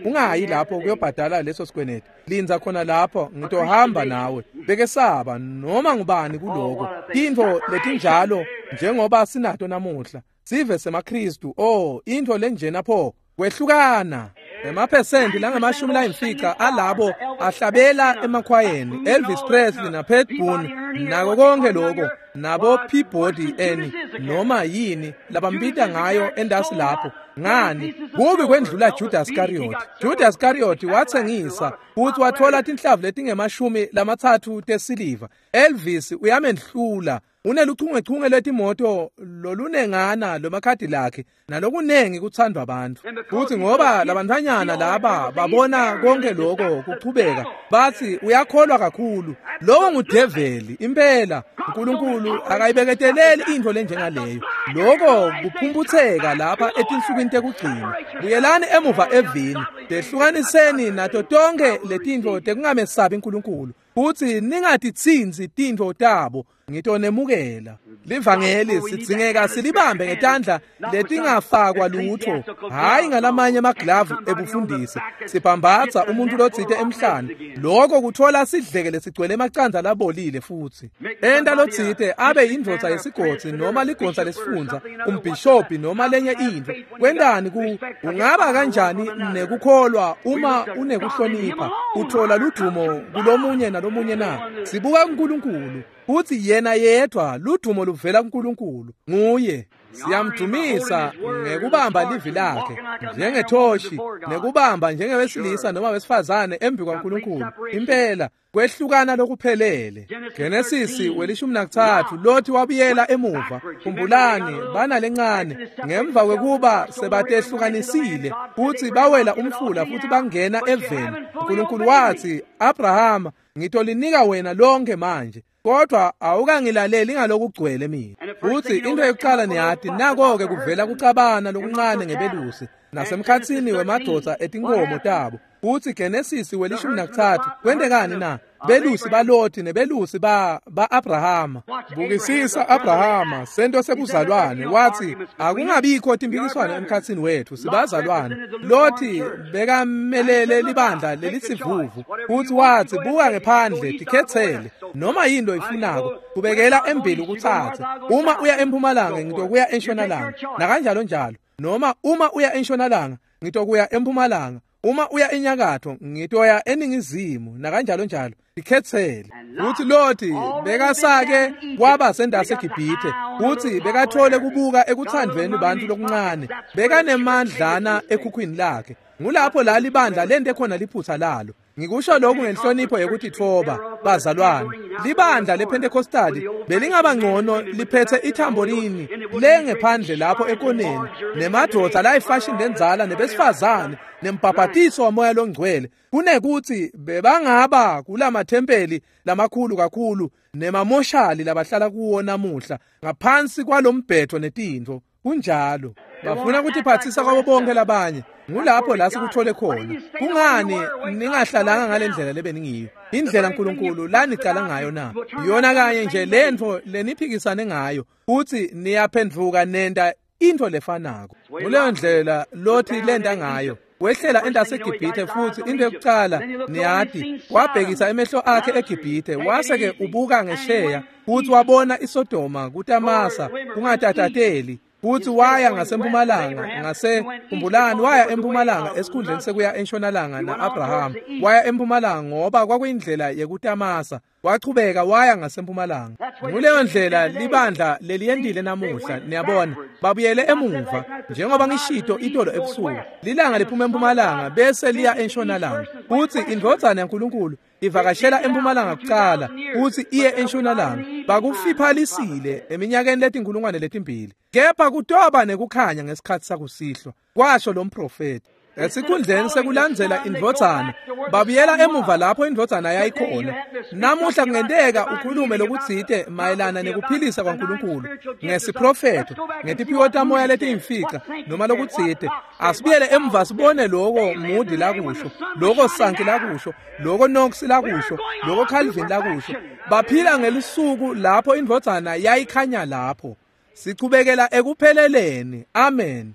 ungayi lapho kuyobhadala leso sikweneti. Linza khona lapho ngitohamba nawe. Bekesaba noma ngubani kuloko. Tintfo letinjalo njengoba sinato namuhla. Sive semaKristu, oh intfo lenjena pho kwehlukana. Emaphesenti langama-50 alabo ahlabela emakhwayeni Elvis Presley na Pat Boone nako konke lokho nabo Peabody eni noma yini labambita ngayo endasi lapho. Ngani kubi kwendlula Judas Iscariot. Judas Iscariot wathengisa futhi wathola tinhlavu letingama-30 tesiliva. Elvis uyamendlula uneluchungechunge letimoto lolunengana lomakhadi lakhe nalokunengi kuthandwa abantu. Futhi ngoba labantfanyana laba babona konke lokho kuchubeka bathi uyakholwa kakhulu. Lowo ngudeveli impela. uNkulunkulu akayibeketeleli intfo lenjengaleyo. Lokho kuphumputseka lapha etinsukwini tekugcina. Buyelani emuva evini, tehlukaniseni nato tonke letintfo tekungamesabi uNkulunkulu. Futhi ningatitsintsi tintfo tabo, ngitonemukela. Livangeli sidzingeka silibambe ngetandla letingafakwa lutho, hhayi ngalamanye amaglavu ebufundisi. Sibhambatsa umuntu lotsite emhlane, lokho kuthola sidleke lesigcwele emacandza labolile futhi. Enta lotsite abe yindvodza yesigodzi noma ligonsa lesifundza, umbhishobhi noma lenye intfo. Kwentani ku ungaba kanjani nekukholwa uma unekuhlonipha? Uthola ludumo kulomunye nalomunye na? Sibuka uNkulunkulu. Futhi yena yedwa ludumo luvela kuNkulunkulu. Nguye siyamdumisa ngekubamba livi lakhe njengethoshi nekubamba njengewesilisa noma wesifazane embi kwaNkulunkulu. Impela kwehlukana lokuphelele. Genesis 13 Lothi wabuyela emuva. Khumbulani bana lencane ngemva kwekuba sebatehlukanisile futhi bawela umfula futhi bangena eveni. uNkulunkulu wathi Abrahama ngitolinika wena lonke manje, kodwa awukangilaleli ngalokugcwele mina. Futhi into yokuqala niyati nako-ke kuvela kucabana lokuncane ngebelusi nasemkhatsini wemadoda etinkomo tabo. Futhi Genesis 13 kwentekani na? Belusi baLothi nebelusi ba-Abrahama. Bukisisa Abrahama sento sebuzalwane wathi akungabikho timpikiswano emkhatsini wethu sibazalwane. Lothi bekamelele libandla lelisivuvu futhi wathi buka ngephandle tikhetsele noma yini loyifunako kubekela embili ukutsatse. Uma uya empumalanga ngitokuya entshonalanga nakanjalo njalo, noma uma uya entshonalanga ngitokuya empumalanga, uma uya enyakatho ngitoya eningizimu nakanjalo njalo, tikhetsele. Uthi Lothi bekasake kwaba sendase eGibhithe, uthi bekathole kubuka ekuthandweni bantu lokuncane, bekanemandlana ekhukhwini lakhe. Ngulapho la libandla lente khona liphutha lalo. Ngikusho lokhu ngenhlonipho yokuthi thoba bazalwane. Libandla lePentecostali belingaba ngcono liphethe ithamborini lengephandle lapho ekoneni nemadoda la ifashion lenzala nebesifazane nembhabhatiso wamoya longcwele, kunekuthi bebangaba kulamathempeli lamakhulu kakhulu nemamoshali labahlala kuwo namuhla ngaphansi kwalombhetho netintfo. Kunjalo bafuna ukutiphathisa kwabo bonke labanye. Ngulapho la sikuthole khona. Kungani ningahlalanga ngale ndlela lebeningiyo? Indlela uNkulunkulu lanicala ngayo na? Yona kanye nje lentfo leniphikisane ngayo, futhi niyaphendvuka nenta intfo lefanako. Kuleyo ndlela Lothi lenta ngayo. Wehlela endaseGibhithe futhi into yokuqala niyati wabhekisa emehlo akhe eGibhithe, wase-ke ubuka ngesheya futhi wabona iSodoma kutamasa kungatatateli. Futhi waya ngasempumalanga ngasekhumbulani waya empumalanga esikhundleni sekuya entshonalanga na-Abraham. Waya empumalanga ngoba kwakuyindlela yekutamasa. Wachubeka waya ngasempumalanga. Nguleyo ndlela libandla leliyendile namuhla, niyabona, babuyele emuva. Njengoba ngishito itolo ebusuku, lilanga liphuma empumalanga bese liya entshonalanga. Futhi indvodzana yaNkulunkulu ivakashela empumalanga kucala futhi iye entshonalanga. Bakufiphalisile eminyakeni letinkulungwane letimbili. Kepha kutoba nekukhanya ngesikhathi sakusihlwa, kwasho lo mprofeti. Esikhundleni sekulandzela indvodzana, babuyela emuva lapho indvodzana yayikhona. Namuhla kungenteka ukhulume lokutsite mayelana nekuphilisa kwaNkulunkulu ngesiprofetho, ngetiphiwo tamoya letiyimfica noma lokutsite. Asibuyele emuva sibone loko Moody lakusho, loko Sankey lakusho, loko Knox lakusho, loko Calvin lakusho. Baphila ngelisuku lapho indvodzana yayikhanya lapho. Sichubekela ekupheleleni. Amen.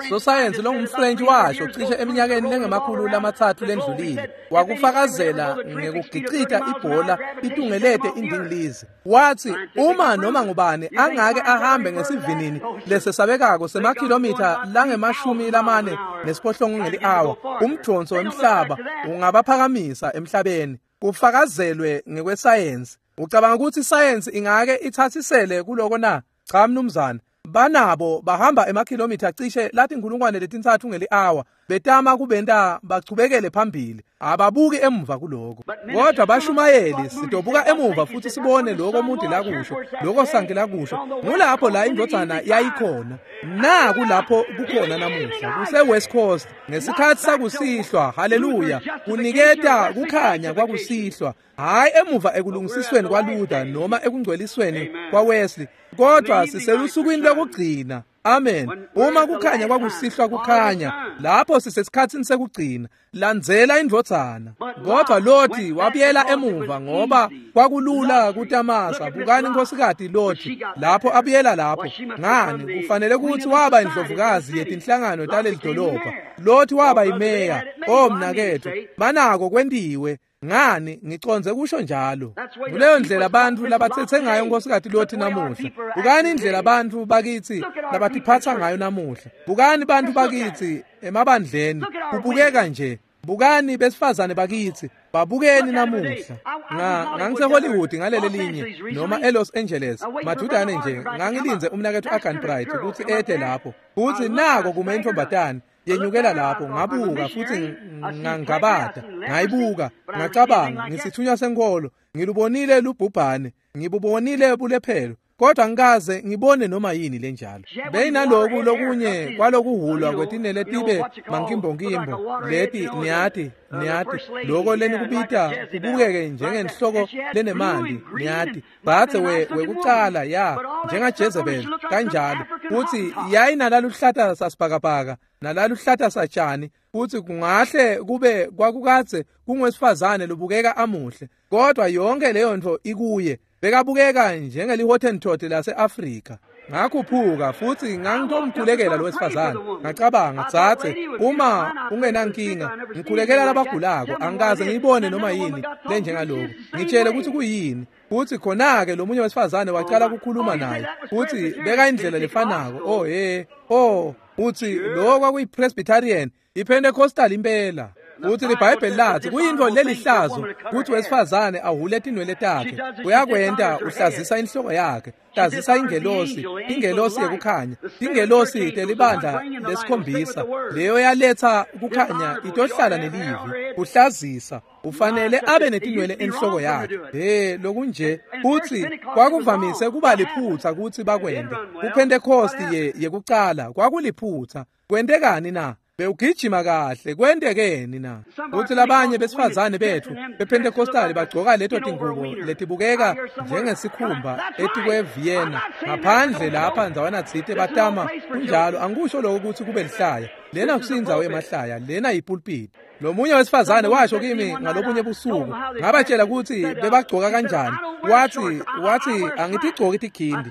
Sosayensi longumFrench washo cishe eminyakeni lengama-300 lendlulile, wakufakazela ngekugicita ibhola itungelete indingilizi. Wathi uma noma ngubani angake ahambe ngesivinini lesesabekako semakhilomitha langama-48 ngeli-awa, umdonso wemhlaba ungabaphakamisa emhlabeni. Kufakazelwe ngekwesayensi. Ucabanga ukuthi isayensi ingake ithathisele kuloko na? Cha mnumzane. Banabo bahamba emakhilomitha cishe latinkulungwane 3 ngeli-awa betama kubenta bachubekele phambili, ababuki emuva kuloko. Kodwa bashumayeli sidobuka emuva futhi sibone lokho Moody lakusho, lokho Sankey lakusho. Ngulapho la indvodzana yayikhona. Naku lapho kukhona namuhla, kuse-West Coast ngesikhathi sakusihlwa. Haleluya! Kuniketa kukhanya kwakusihlwa, hhayi emuva ekulungisisweni kwaLuther noma ekungcwelisweni kwaWesley, kodwa siselusukwini lokugcina. Amen. Uma kukhanya kwakusihlwa kukhanya, lapho sisesikhatsini sekugcina. Landzela indvodzana. Kodwa Loti wabuyela emuva ngoba kwakulula kutamasa. Bukani inkhosikati Loti lapho abuyela lapho. Ngani, kufanele ukuthi waba indlovukazi yetinhlangano taleli dolobha. Loti waba yimeya. Oh mnaketfu, banako kwentiwe. Ngani, ngicondze kusho njalo. Kuleyo ndlela bantfu labatsetse ngayo inkhosikati Loti namuhla. Bukani indlela bantfu bakitsi labatiphatsa ngayo namuhla. Bukani bantfu bakitsi emabandleni, kubukeka nje. Bukani besifazane bakitsi, babukeni namuhla. NgangiseHollywood ngalele linye noma eLos Angeles madudane nje, ngangilindze umnaketfu Agan Bright kutsi ete lapho. Futsi nako kume intfombatane yenyukela lapho, ngabuka futhi ngangabata, ngayibuka, ngacabanga, ngisithunywa senkolo, ngilubonile lubhubhane, ngibubonile bulephelo, kodwa ngikaze ngibone noma yini lenjalo. Beyinaloku lokunye kwalokuhulwa kwetinele tibe mankimbonkimbo leti, niyati, loko lenikubita kubukeke njengenhloko lenemandi, niyati, bathe wekucala ya njengaJezebel kanjalo. Futhi yayinalaluhlata sasibhakabhaka nalaluhlata satshani, futhi kungahle kube kwakukadze kungwesifazane lobukeka amuhle, kodwa yonke leyo nto ikuye bekabukeka njengeli-Hottentot lase-Afrika. Ngakhuphuka futhi ngangitomkhulekela lo wesifazane. Ngacabanga, dzadze, uma ungenankinga, ngikhulekela labagulako, angikaze ngiyibone noma yini lenjengaloku. Ngitshele ukuthi kuyini. Futhi khona-ke lo munye wesifazane wacala ukukhuluma naye, futhi beka indlela lefanako. Oh he, oh, uthi lo kwakuyi-Presbyterian, iPentecostal impela. Futhi iBhayibheli lathi kuyintfo lelihlazo kutsi wesifazane ahule tinwele takhe. Uyakwenta, uhlazisa inhloko yakhe, hlazisa ingelosi, ingelosi yekukhanya, ingelosi telibandla lesikhombisa. Leyo yaletha kukhanya itohlala nelivi. Uhlazisa, ufanele abe netinwele enhloko yakhe. He, lokunje. Futhi kwakuvamise kuba liphutha kutsi bakwente. KuPentecost yekucala kwakuliphutha. Kwentekani na? Bewugijima kahle, kwentekeni na? Futhi labanye besifazane bethu bePentecostal bagcoka leto tingubo letibukeka njengesikhumba etikwe-Vienna ngaphandle lapha ndzawana tsite batama. Kunjalo, angikusho lokho ukuthi kube lihlaya. Lena kusindzawo yemahlaya, lena yipulpiti. Lo munye wesifazane washo kimi ngalobunye busuku, ngabatshela ukuthi bebagcoka kanjani. Wathi angitigcoki tikhindi,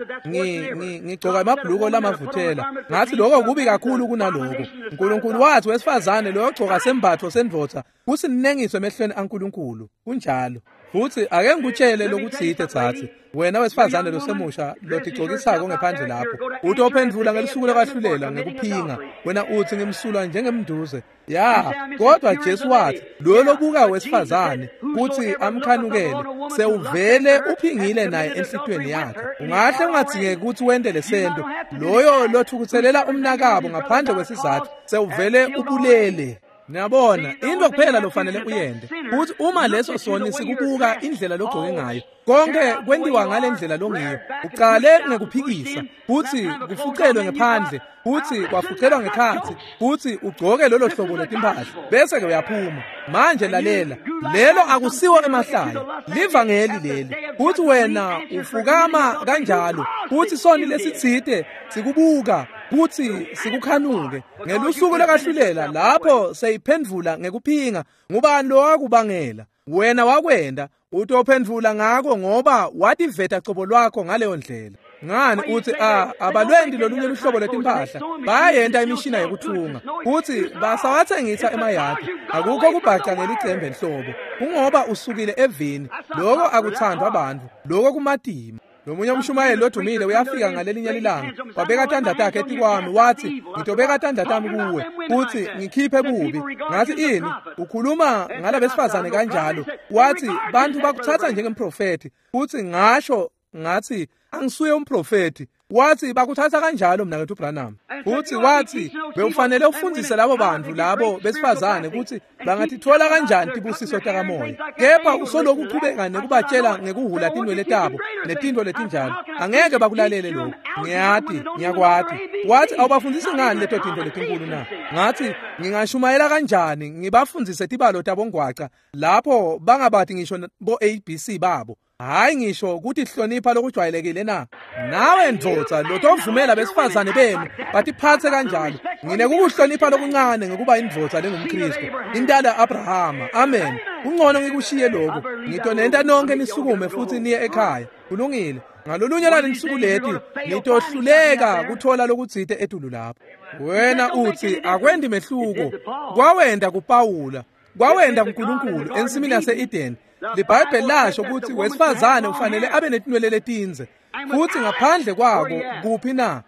ngigcoka emabhuluko lamavuthela. Ngathi lokho kubi kakhulu kunaloko. uNkulunkulu wathi wesifazane loyogcoka sembatfo sendvodza kusinengiso emehlweni aNkulunkulu. Kunjalo. Futhi ake ngikutshele lokutsite tsatsi, wena wesifazane losemusha lotigcokisako ngephandle lapho, utophendvula ngelisuku lokwahlulela ngekuphinga. Wena uthi ngimsulwa njengemnduze. Ya, kodwa Jesu wathi Lo lobuka wesifazane kutsi amkhanukele sewuvele uphingile naye enhlitiyweni yakhe. Ungahle ungadzingeki kutsi wente lesento. Loyo lothukutselela umnakabo ngaphandle kwesizatfu sewuvele ubulele. Niyabona, into kuphela lofanele uyente kutsi uma leso soni sikubuka indlela logcoke ngayo, konke kwentiwa ngale ndlela longiyo. Ucale ngekuphikisa, futsi kufucelwe ngephandle, futsi kwafucelwa ngekhatsi, futsi ugcoke lolo hlobo letimpahla, bese-ke uyaphuma. Manje lalela, lelo akusiwo emahlaya, livangeli leli. Futsi wena ufukama kanjalo, futsi soni lesitsite sikubuka, kutsi sikukhanuke. Ngelusuku lokahlulela lapho seyiphendvula ngekuphinga, ngubani lowakubangela? Wena wakwenda, utophendvula ngako ngoba wativeta cobo lwakho ngaleyo ndlela. Ngani uthi abalwendi lolunye luhlobo letimpahla, bayayenta imishina yekuthunga, futsi basawatsengisa emayadi. Akukho kubhaca ngelicembe nhlobo, kungoba usukile evini. Loko akuthandwa bantfu, loko kumatima. Lomunye umshumayeli lodumile uyafika ngalelinye lilanga, wabeka tandla takhe etikwami, wathi, ngitobeka tandla tami kuwe futhi ngikhiphe bubi. Ngathi, ini? Ukhuluma ngalabesifazane kanjalo? Wathi, bantu bakuthatha njengemprofethi. Futhi ngasho ngathi, angisuye umprofethi. Wathi, bakuthatha kanjalo mnaketfu Branham. Futhi wathi, bewufanele ufundise labo bantu labo besifazane ukuthi bangatithola kanjani tibusiso takamoya, kepha usoloku uchubeka nekubatshela ngekuhula tinwele tabo netintfo letinjalo. Angeke bakulalele lokho. Ngiyati, ngiyakwati. Wathi, awubafundisi ngani leto tintfo letinkulu na? Ngathi, ngingashumayela kanjani ngibafundzise tibalo tabongwaca lapho bangabati ngisho bo ABC babo? Hayi ngisho kutihlonipha lokujwayelekile na? Nawe ndvodza lotovumela besifazane benu batiphatse kanjalo. Nginekukuhlonipha lokuncane ngekuba indvodza lengumKristu, intala Abrahama. Amen. Kungcono ngikushiye lokho. Ngitonenta nonke nisukume futhi niye ekhaya. Kulungile. Ngalolunye lwalensuku leti nitohluleka kuthola lokutsite etulu lapho. Wena uthi akwendi mehluko. Kwawenda kuPawula, kwawenda kuNkulunkulu ensimini yase-Eden. LiBhayibheli lasho ukuthi wesifazane ufanele abe netinwele letindze, futhi ngaphandle kwako kuphi na?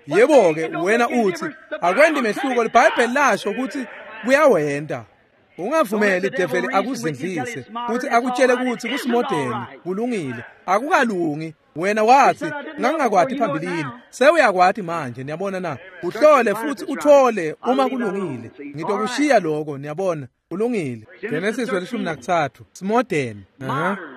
Yebo-ke, wena uthi akwendi mehluko. LiBhayibheli lasho ukuthi kuyawenda. Ungavumeli develi akuzindlise futhi akutshele ukuthi kusimodeni kulungile. Akukalungi. Wena wathi ngangingakwati phambilini, sewuyakwati manje. Niyabona na? Uhlole futhi uthole uma kulungile. Ngitokushiya lokho, niyabona. Kulungile. Genesis 13, simodeni.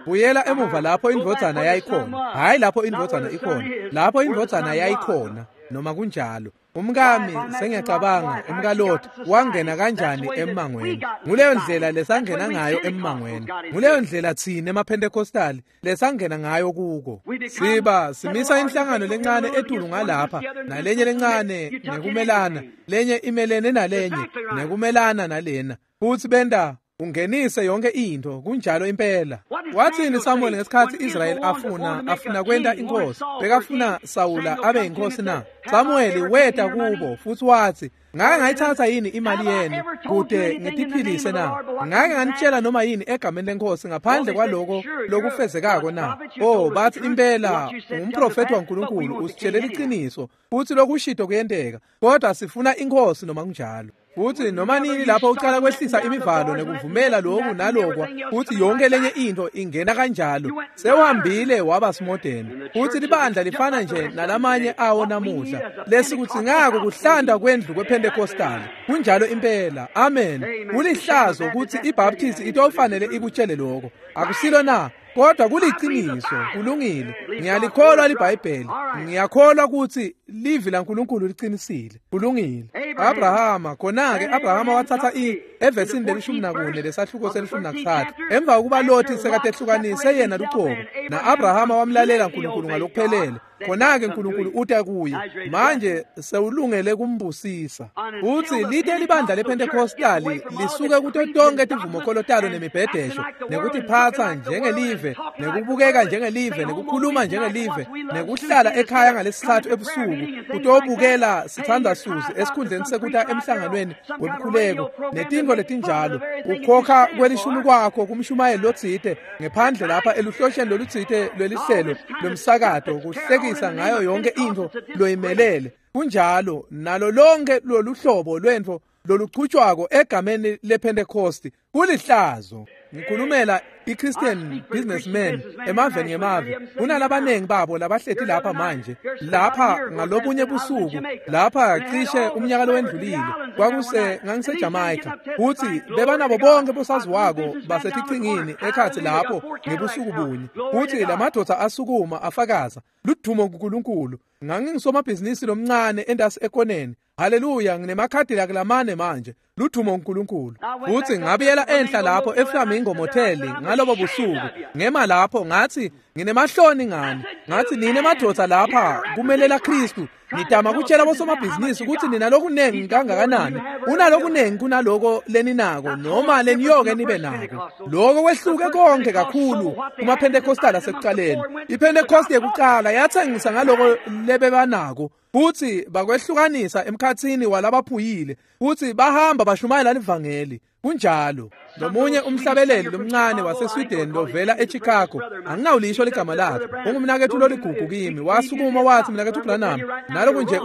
Buyela emuva lapho indvodzana yayikhona. Hayi lapho indvodzana ikhona, lapho indvodzana yayikhona. Noma kunjalo, umkami sengiyacabanga umkaLot wangena kanjani emmangweni. Nguleyo ndlela lesangena ngayo emmangweni. Nguleyo ndlela thina emaPentecostali lesangena ngayo kuko. Siba simisa inhlangano lencane etulu ngalapha nalenye lencane nekumelana, lenye imelene nalenye nekumelana nalena, futhi benda ungenise yonke into. Kunjalo impela. Wathini Samuel ngesikhathi Israel afuna kwenta inkosi? Bekafuna Sawula abe inkosi na? Samuel weta kubo futhi wathi, ngake ngayithatha yini imali yenu kude ngitiphilise na? Ngake nganitshela noma yini egameni lenkosi ngaphandle kwaloko lokufezekako na? Oh, bathi impela ungumprofethi waNkulunkulu, usitshelela iqiniso futhi lokushito kuyenteka, kodwa sifuna inkosi noma kunjalo. Futhi noma nini lapho ucala kwehlisa imivalo nekuvumela lokhu nalokwa, futhi yonke lenye into ingena kanjalo, sewuhambile waba simodeni. Futhi libandla lifana nje nalamanye awo namuhla. Lesikudzingako kuhlanda kwendlu kwePentecostal. Kunjalo impela. Amen. Kulihlazo ukuthi iBaptist itofanele ikutshele lokho. Akusilo na? Kodwa kuliqiniso. Kulungile. Ngiyalikholwa liBhayibheli. Ngiyakholwa ukuthi livi laNkulunkulu liqinisile. Kulungile. Abrahama, khona-ke Abrahama wathatha evesini le-14 lesahluko se-13. Emva kokuba Loti sekatehlukanise yena lucobo, na-Abrahama wamlalela uNkulunkulu ngalokuphelele. Khona-ke uNkulunkulu uta kuye. Manje sewulungele kumbusisa. Uthi lite libandla lePentecostali lisuke kuto tonke tivumokholo talo nemibhedesho, nekutiphatsa njengelive, nekubukeka njengelive, nekukhuluma njengelive, nekuhlala ekhaya ngalesithathu ebusuku kutobukela sithanda Suzi esikhundleni sekuta emhlanganweni wemkhuleko netintfo letinjalo. Ukhokha kwelishumi kwakho kumshumayeli lotsite ngephandle lapha eluhlosheni lolutsite lwelihlelo lomsakato, kuhlekisa ngayo yonke intfo loyimelele. Kunjalo nalo lonke loluhlobo lwentfo loluchutshwako egameni lePentecost kulihlazo. Ngikhulumela i-Christian businessmen emaveni ngemave. Kunalabanengi babo labahleti lapha manje, lapha ngalobunye busuku, lapha cishe umnyaka lowendlulile, kwakuse ngangiseJamaica, futhi bebanabo bonke bosaziwako basetichingini ekhatsi lapho ngebusuku bunye, futhi lamadoda asukuma afakaza ludumo kuNkulunkulu. Ngangingisomabhizinisi lomncane endasi ekoneni. Haleluya, nginemakhadi lamane manje. Ludumo uNkulunkulu. Futhi ngabuyela enhla lapho eFlamingo Motel ngalobo busuku. Ngema lapho ngathi nginemahloni ngani. Ngathi nine madoda lapha kumelela Kristu. Nitama kutshela bosomabhizinisi ukuthi nina lokunengi kangakanani. Unalokunengi kunaloko leninako noma leniyoke nibe nako. Lokho kwehluke konke kakhulu kuma Pentecostal asekuqaleni. IPentecost yekuqala yathengisa ngaloko lebebanako. Futhi bakwehlukanisa emkhathini walabaphuyile, futhi bahamba bashumayela livangeli. Kunjalo. Lomunye umhlabeleli lomncane waseSweden lovela eChicago, anginawulisho ligama lakhe, ungumnakethu loligugu kimi, wasukuma wathi, mnakethu Branham, naloku nje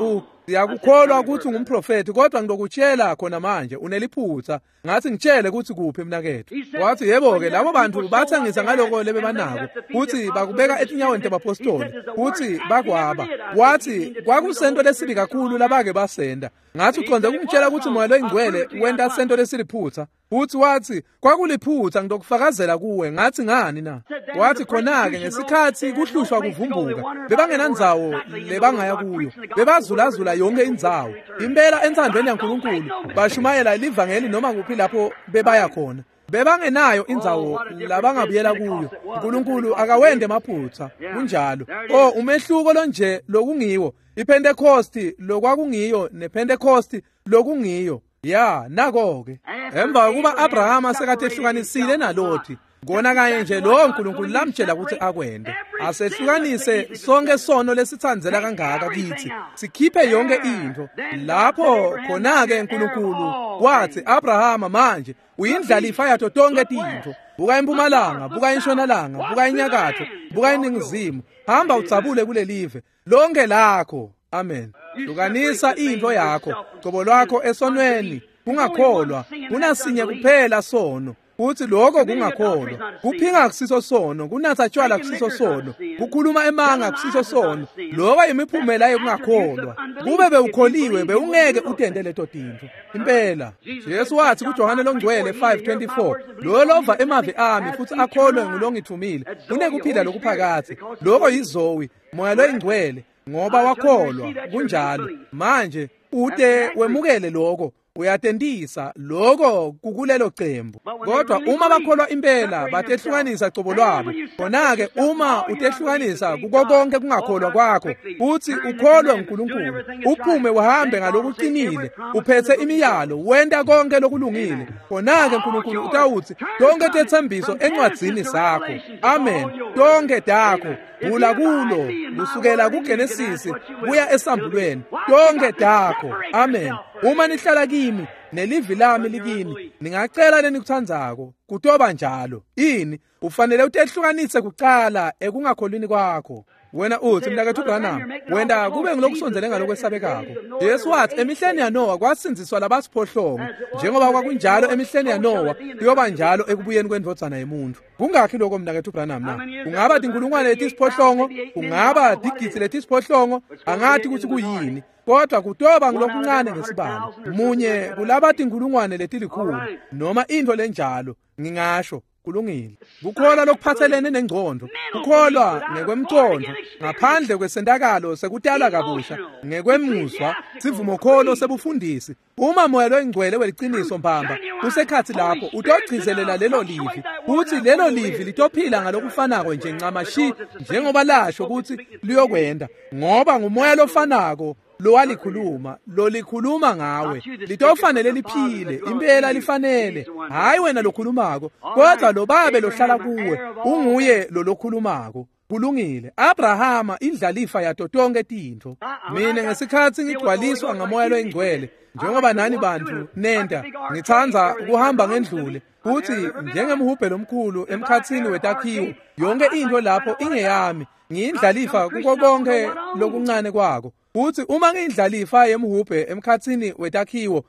siyakukholwa ukuthi ungumprofethi, kodwa ngizokutshela khona manje uneliphutha. Ngathi ngitshele ukuthi kuphi mnakethu. Wathi yebo-ke, labo bantu bathengisa ngaloko lebebanako, futhi bakubeka etinyaweni tebapostoli, futhi bakwaba. Wathi kwakusento lesibi kakhulu labake basenda. Ngathi uconde ukungitshela ukuthi moya loyingcwele wenta sento lesiliphutha. Futhi wathi kwakuliphutha, ngizokufakazela kuwe. Ngathi ngani na? Wathi khona-ke ngesikhathi kuhlushwa kuvumbuka, bebangenandzawo lebangaya kuyo, bebazulazula yonke indzawo. Impela entsandvweni yaNkulunkulu bashumayela livangeli noma kuphi lapho bebaya khona. Bebangenayo indzawo labangabuyela kuyo. uNkulunkulu akawende emaphutha. Kunjalo. Oh, umehluko lonje lokungiwo, iPentecost lokwakungiyo nePentecost lokungiyo. Ya, nako-ke. Emva kokuba Abrahama sekatehlukanisile naLothi, kona kanye nje lo uNkulunkulu lamtshela ukuthi akwende. Asehlukanise sonke sono lesithandzela kangaka kithi, sikhiphe yonke into. Lapho khona-ke uNkulunkulu wathi, Abrahama manje uyindlalifa yato tonke tintfo. Buka impumalanga, buka intshonalanga, buka inyakatho, buka iningizimu. Hamba udzabule kulelive lonke lakho. Amen. Hlukanisa into yakho, qobo lwakho esonweni, kungakholwa. Kunasinye kuphela sono, futhi lokho kungakholwa. Kuphinga kusiso sono, kunatha tshwala kusiso sono, kukhuluma emanga kusiso sono. Lokho imiphumela yokungakholwa. Kube bewukholiwe bewungeke utende leto tintfo. Impela Jesu wathi kuJohane longcwele 5:24, lo lova emavi ami futhi akholwe ngulongithumile unekuphila lokuphakadze. Lokho yizowi, moya loyingcwele, ngoba wakholwa. Kunjalo. Manje ute wemukele lokho, uyatentisa lokho kukulelo cembu. Kodwa uma bakholwa impela batehlukanisa cobo lwabo. Khona-ke uma utehlukanisa kuko konke kungakholwa kwakho, futhi ukholwe uNkulunkulu, uphume uhambe ngalokuqinile, uphethe imiyalo, wenta konke lokulungile, khona-ke uNkulunkulu utawuthi tonke tetsembiso encwadzini sakho. Amen. Tonke takho vula kulo, kusukela kuGenesisi kuya esambulweni, tonke takho. Amen. Uma nihlala kimi nelivi lami likini, ningacela lenikuthandzako, kutoba njalo. Ini ufanele utehlukanise kuqala ekungakholwini kwakho. Wena uthi, mnakethu Branham, wenda kube ngilokusondzele ngalokwesabekako. Jesu wathi emihleni yaNowa kwasindziswa labasiphohlongo, njengoba kwakunjalo emihleni yaNowa kuyoba njalo ekubuyeni kwendvodzana yemuntu. Kungakhi lokho mnakethu Branham na? Kungaba tinkulungwane letisiphohlongo, kungaba tigidzi letisiphohlongo, angathi ukuthi kuyini, kodwa kutoba ngilokuncane ngesibalo. Munye kulaba tinkulungwane letilikhulu noma into lenjalo, ngingasho. Kulungile. Kukholwa lokuphathelene nengqondo, kukholwa ngekwemqondo, ngaphandle kwesentakalo sekutala kabusha, ngekwemuzwa, sivumokholo sebufundisi. Uma moya loyingcwele weliciniso mbamba usekhathi lapho, utogcizelela lelo livi, futhi lelo livi litophila ngalokufanako nje ncamashi njengoba lasho ukuthi liyokwenda, ngoba ngumoya lofanako lowalikhuluma, lolikhuluma ngawe. Litofanele liphile, impela lifanele. Hayi wena lokhulumako, kodwa lo babe lohlala kuwe unguye lolokhulumako. Kulungile. Abrahama indlalifa yato tonke tintfo. Mina ngesikhathi ngigcwaliswa ngamoya loyingcwele, njengoba nani bantu nenda, ngitsandza kuhamba ngendlule, futhi njengemhubhe lomkhulu emkhathini wetakhiwo, yonke into lapho ingeyami, ngiyindlalifa kuko konke lokuncane kwako. Futhi uma ngiyindlalifa yemhubhe emkhathini wetakhiwo,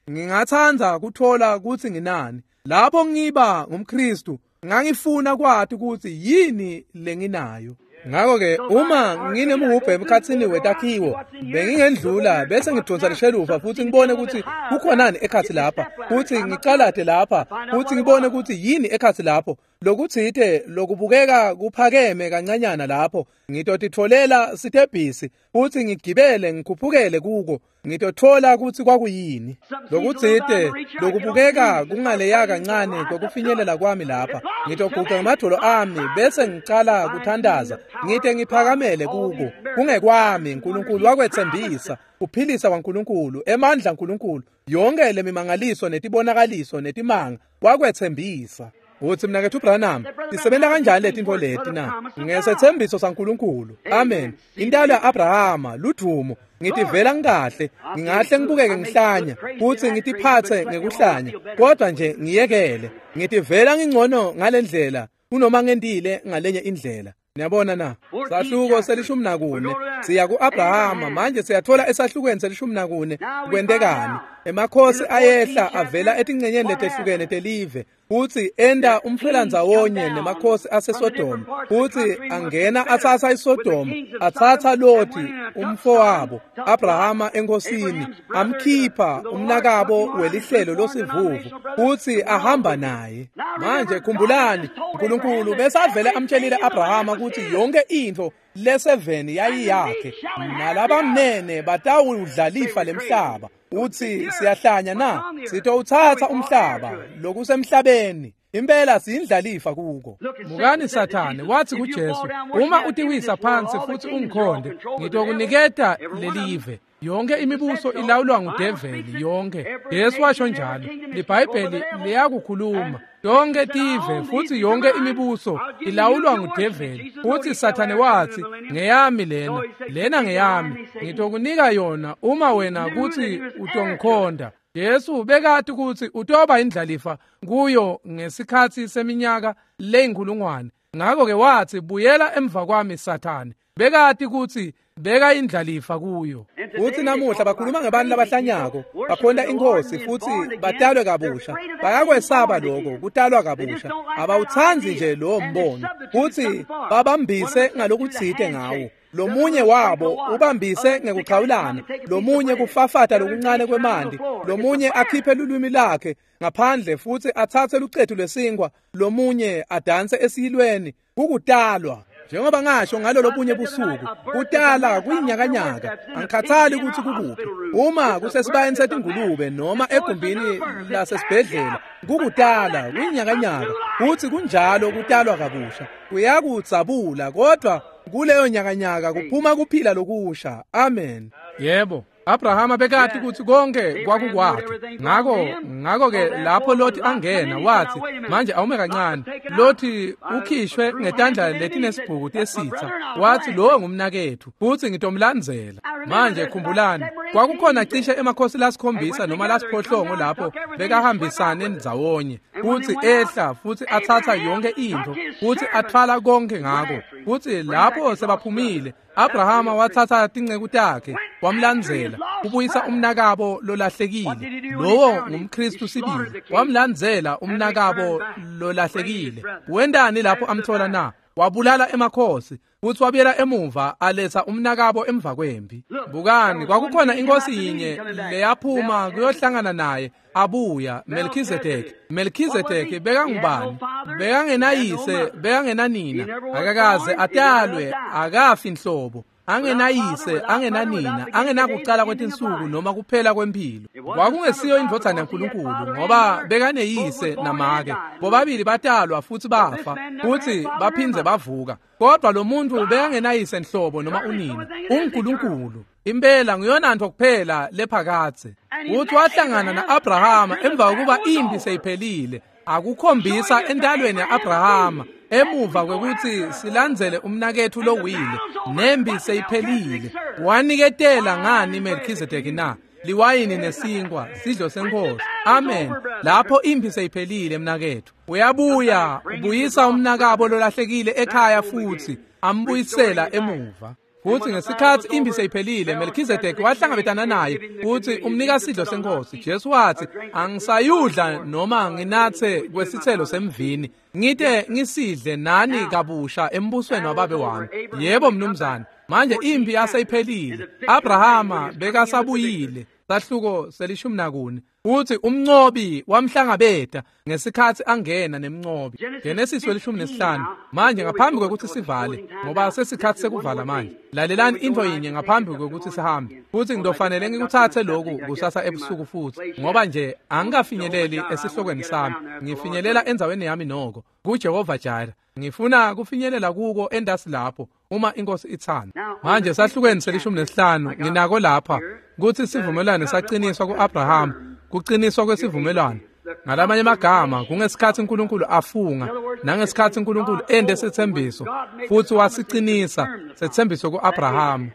Ngingatsandza kutfola kutsi nginani. Lapho ngiba ngumKhristu, ngangifuna kwati kutsi yini lenginayo. Ngakho-ke uma nginemhubhe emkhatsini wetakhiwo, bengingendlula bese ngidonsa lishelufa futhi ngibone kutsi kukhonani ekhatsi lapha, futhi ngicalate lapha futhi ngibone kutsi yini ekhatsi lapho. Lokutsite lokubukeka kuphakeme kancanyana lapho, ngitotitfolela sitebhisi futhi ngigibele ngikhuphukele kuko, ngitotfola kutsi kwakuyini. Lokutsite lokubukeka kungaleya kancane kokufinyelela kwami lapha, ngitoguca ngemadvolo ami bese ngicala kuthandaza, ngite ngiphakamele kuko. Kungekwami, uNkulunkulu wakwetsembisa, kuphilisa kwaNkulunkulu, emandla aNkulunkulu, yonke lemimangaliso netibonakaliso netimanga wakwetsembisa. Utsi mnaketfu Branham, tisebenta kanjani letintfo leti na? Ngesetsembiso saNkulunkulu. Amen. Intalo ya-Abrahama, ludvumo. Ngitivela ngikahle, ngingahle ngibukeke ngihlanya, futsi ngitiphatse ngekuhlanya, kodwa nje ngiyekele. Ngitivela ngingcono ngalendlela kunoma ngentile ngalenye indlela. Niyabona na? Sahluko se-14 siya ku-Abrahama. Manje siyathola esahlukweni se-14 kwentekani. Emakhosi ayehla avela etincenyeni letehlukene telive, futsi enta umfelandzawonye nemakhosi aseSodoma, futsi angena atsatsa iSodoma, atsatsa Loti umfowabo Abrahama enkhosini, amkhipha umnakabo welihlelo losivuvu, futsi ahamba naye. Manje khumbulani, uNkulunkulu besavele amtshelile Abrahama kutsi yonke intfo leseveni yayiyakhe, nalabamnene batawudla lifa lemhlaba. Utsi siyahlanya na? Sitowutsatsa umhlaba lokusemhlabeni. Impela siyindlalifa kuko. Mukani Sathane wathi kuJesu, uma utiwisa phansi futhi ungikhonde, ngitokuniketa lelive. Yonke imibuso ilawulwa ngudeveli yonke. Jesu washo njalo. LiBhayibheli liyakukhuluma. Yonke tive futhi yonke imibuso ilawulwa ngudeveli. Futhi Sathane wathi, ngeyami lena, lena ngeyami, ngitokunika yona uma wena kuthi utongikhonda. Jesu bekati kutsi utoba indlalifa kuyo ngesikhatsi seminyaka leyinkhulungwane. Ngakho-ke wathi, buyela emva kwami Sathane. Bekati kutsi beka indlalifa kuyo. Futhi namuhla bakhuluma ngebantu labahlanyako, bakhonta iNkhosi futhi batalwe kabusha. Bayakwesaba lokho kutalwa kabusha. Abawutsandzi nje lowo mbono, futhi babambise ngalokutsite ngawo. Lomunye wabo ubambise ngekuchawulana, lomunye kufafata lokuncane kwemanti, lomunye akhiphe lulwimi lakhe ngaphandle futhi atsatse lucetu lwesinkwa, lomunye adanse esiyilweni. Kukutalwa. Njengoba ngasho ngalolo bunye busuku, kutala kuyinyakanyaka. Angikhathali ukuthi kukuphi, uma kusesibayeni setingulube noma egumbini lasesibhedlela, kukutala kuyinyakanyaka. Futhi kunjalo kutalwa kabusha, kuyakudzabula, kodwa kuleyo nyakanyaka kuphuma kuphila lokusha. Amen. Yebo, Abrahama bekati kutsi konke kwakukwakhe. Ngakho-ke lapho Loti angena wathi, manje awume kancane. Loti ukhishwe ngetandla letinesibhuku tesitha. Wathi lowo ngumnaketfu futhi ngitomlandzela. Manje khumbulani, kwakukhona cishe emakhosi lasikhombisa noma lasiphohlongo lapho bekahambisane ndzawonye, futhi ehla futhi atsatsa yonke intfo futhi atfwala konke ngako. Futhi lapho sebaphumile, Abrahama watsatsa tinceku takhe wamlandzela kubuyisa umnakabo lolahlekile. Lowo ngumKhristu sibili, wamlandzela umnakabo lolahlekile. Wentani lapho amthola na? Wabulala emakhosi futhi wabuyela emuva aletha umnakabo emva kwempi. Bukani, kwakukhona inkosi yinye leyaphuma kuyohlangana naye abuya, Melchizedek. Melchizedek bekangubani? Bekangenayise, bekangenanina, akakaze atalwe, akafi nhlobo, angenayise, angenanina, angenakucala kwetinsuku noma kuphela kwemphilo. Kwakungesiyo indvodzana yaNkulunkulu, ngoba bekaneyise namake, bobabili batalwa futhi bafa, futhi baphindze bavuka. Kodwa lo muntu bekangenayise nhlobo noma unina, unguNkulunkulu. Impela nguyona nto kuphela lephakadze. Uthi wahlangana na-Abrahama emva kokuba impi seyiphelile, akukhombisa entalweni ya-Abrahama emuva kwekuthi silandzele umnaketfu lowile, nempi seyiphelile. Waniketela ngani Melchizedeki na? Liwayini nesinkwa, sidlo senkosi. Amen. Lapho impi seyiphelile mnaketfu, uyabuya ubuyisa umnakabo lolahlekile ekhaya futhi ambuyisela emuva. Futsi ngesikhatsi impi seyiphelile, Melchizedek wahlangabetana naye futsi umnika sidlo senkosi. Jesu watsi, angisayudla noma nginatse kwesitselo semvini, ngite ngisidle nani kabusha embusweni wababe wami. Yebo mnumzane. Manje impi yaseyiphelile. Abrahama bekasabuyile. Sahluko 14. Uthi umncobi wamhlangabeta ngesikhatsi angena nemncobi. Genesis 15. Manje ngaphambi kwekuthi sivale, ngoba sesikhatsi sekuvala manje. Lalelani intfo yinye ngaphambi kwekuthi sihambe. Futhi ngidofanele ngikutsatse lokhu kusasa ebusuku futhi, ngoba nje angikafinyeleli esihlokweni sami. Ngifinyelela endzaweni yami noko, kuJehova Jireh. Ngifuna kufinyelela kuko endasi lapho uma inkosi ithanda. Manje sahlukweni 15 nginako lapha kutsi sivumelwano saqiniswa kuAbraham, kuqiniswa kwesivumelwano. Ngalamanye amagama kungesikhatsi uNkulunkulu afunga nangesikhatsi uNkulunkulu ende sethembiso futhi wasiqinisa sethembiso kuAbraham.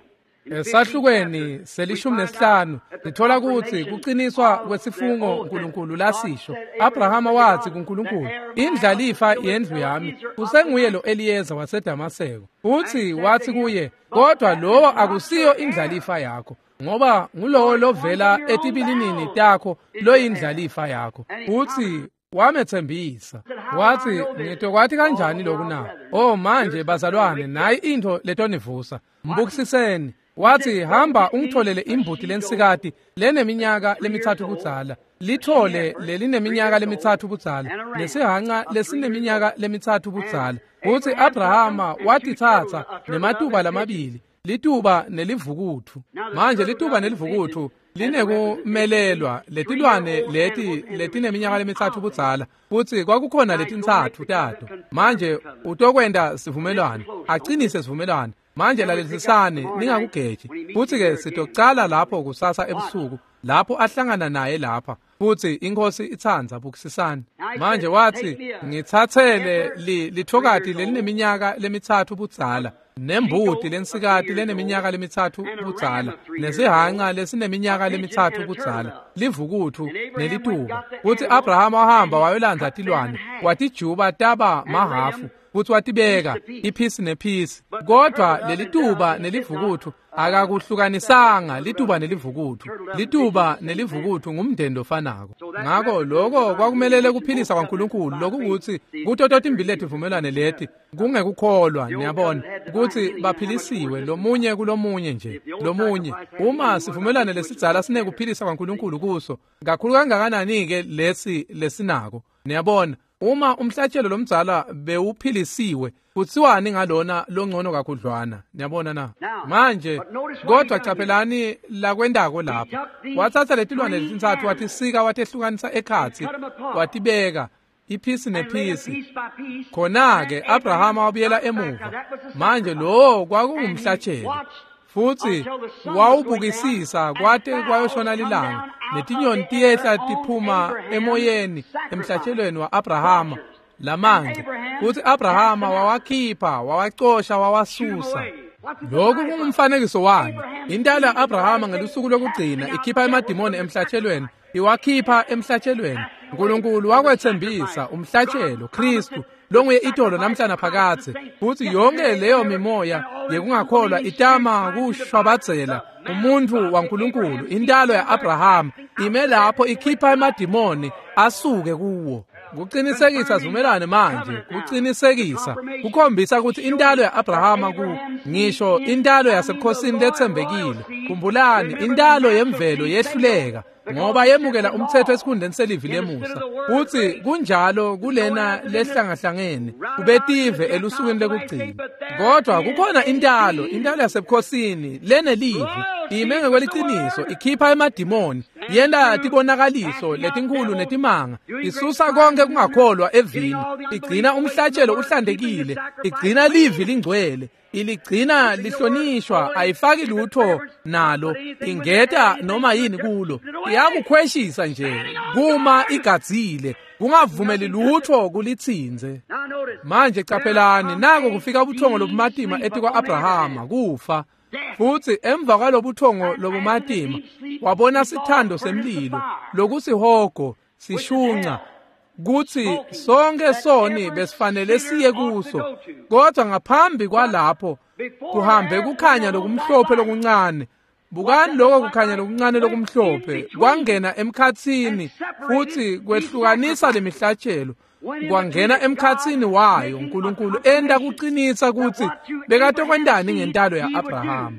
Esahlukweni 15 sithola kutsi kuqiniswa kwesifungo uNkulunkulu lasisho. Abrahama wathi kuNkulunkulu, indlalifa yendlu yami usenguye lo Eliyeza waseDamaseko. Uthi wathi kuye, kodwa lowo akusiyo indlalifa yakho, ngoba ngulowo lovela etibilinini takho loyindlalifa yakho. Uthi wamethembisa wathi, ngitokwathi kanjani lokhu na? Oh manje bazalwane, nayi into letonivusa. Mbukisiseni. Wathi, hamba ungitholele imbuti lensikati leneminyaka 3 budzala, lithole lelineminyaka 3 budzala, nesihanca lesineminyaka 3 budzala. Uthi Abrahama watitsatsa nematuba lamabili, lituba nelivukutfu. Manje lituba nelivukutfu linekumelelwa letilwane leti letineminyaka 3 budzala, futhi kwakukhona letintsatfu tato. Manje utokwenta sivumelwano, acinise sivumelwano. Manje lalelisisani, ningakugeji. Futhi ke sitocala lapho kusasa ebusuku, lapho ahlangana naye lapha. Futhi inkosi itsandza, bukisisani. Manje wathi, ngithathele lithokati lelineminyaka 3 budzala, nembuti lensikati leneminyaka 3 budzala, nesihanca lesineminyaka 3 budzala, livukutfu nelituba. Futhi Abrahama wahamba wayolandza tilwane, watijuba taba mahafu, futhi watibeka iphisi nephisi. Kodwa lelituba nelivukutfu akakuhlukanisanga. Lituba nelivukutfu, lituba nelivukutfu ngumndeni lofanako. Ngako lokho kwakumelele kuphilisa kwaNkulunkulu, lokukuthi kuto totimbili letivumelwane leti kungekukholwa, niyabona ukuthi baphilisiwe lomunye kulomunye nje lomunye. Uma sivumelwane lesidzala sinekuphilisa kwaNkulunkulu kuso, kakhulu kangakanani ke lesi lesinako, niyabona. Uma umhlatshelo lomdzala bewuphilisiwe, kutsiwani ngalona longcono kakhudlwana, niyabona na? Manje kodwa caphelani lakwendako lapha. Watsatsa letilwane letintsatfu watisika watehlukanisa ekhatsi, watibeka iphisi nephisi. Khona-ke Abrahama wabuyela emuva. Manje lowo kwakungumhlatshelo, futhi wawubukisisa kwate kwayoshona lilanga, netinyoni tiyehla tiphuma emoyeni emhlatshelweni wa-Abrahama lamanje. Futhi Abrahama wawakhipha, wawacosha, wawasusa. Lokhu kungumfanekiso wami. Intalo ya-Abrahama ngelusuku lokugcina ikhipha emadimoni emhlatshelweni, iwakhipha emhlatshelweni. uNkulunkulu wakwethembisa umhlatshelo Kristu longuye itolo namhlana phakathe. Futhi yonke leyo mimoya yekungakholwa itama kushwabadzela umuntu waNkulunkulu. Intalo ya-Abrahama ime lapho ikhipha emadimoni asuke kuwo. Kuqinisekisa sivumelwane manje, kuqinisekisa, kukhombisa ukuthi intalo ya-Abrahama ku ngisho intalo yasebukhosini lethembekile. Khumbulani, intalo yemvelo yehluleka ngoba yemukela umthetho esikhundleni selivi lemusa. Uthi kunjalo kulena lehlangahlangene kubetive elusukwini lekugcina. Kodwa kukhona intalo, intalo yasebukhosini lenelivi, ime ngekweliciniso, ikhipha emadimoni, yenta tibonakaliso letinkulu netimanga, isusa konke kungakholwa evini, igcina umhlatshelo uhlantekile, igcina livi lingcwele, iligcina lihlonishwa, ayifaki lutho nalo, ingeta noma yini kulo, iyakukhweshisa nje kuma igadzile, kungavumeli lutho kulitsinze. Manje caphelani, nako kufika ubuthongo lobumatima etikwa-Abrahama, kufa. Futhi emva kwalobuthongo lobumatima wabona sithando semlilo lokusihogo sishunca, kuthi sonke soni besifanele siye kuso. Kodwa ngaphambi kwalapho Kuhambe kukhanya lokumhlophe lokuncane. Bukani lokho kukhanya lokuncane lokumhlophe kwangena emkhatsini futhi kwehlukanisa lemihlatshelo. Kwangena emkhatsini wayo uNkulunkulu enda kuqinisa ukuthi bekatokwendani ngentalo yaAbraham.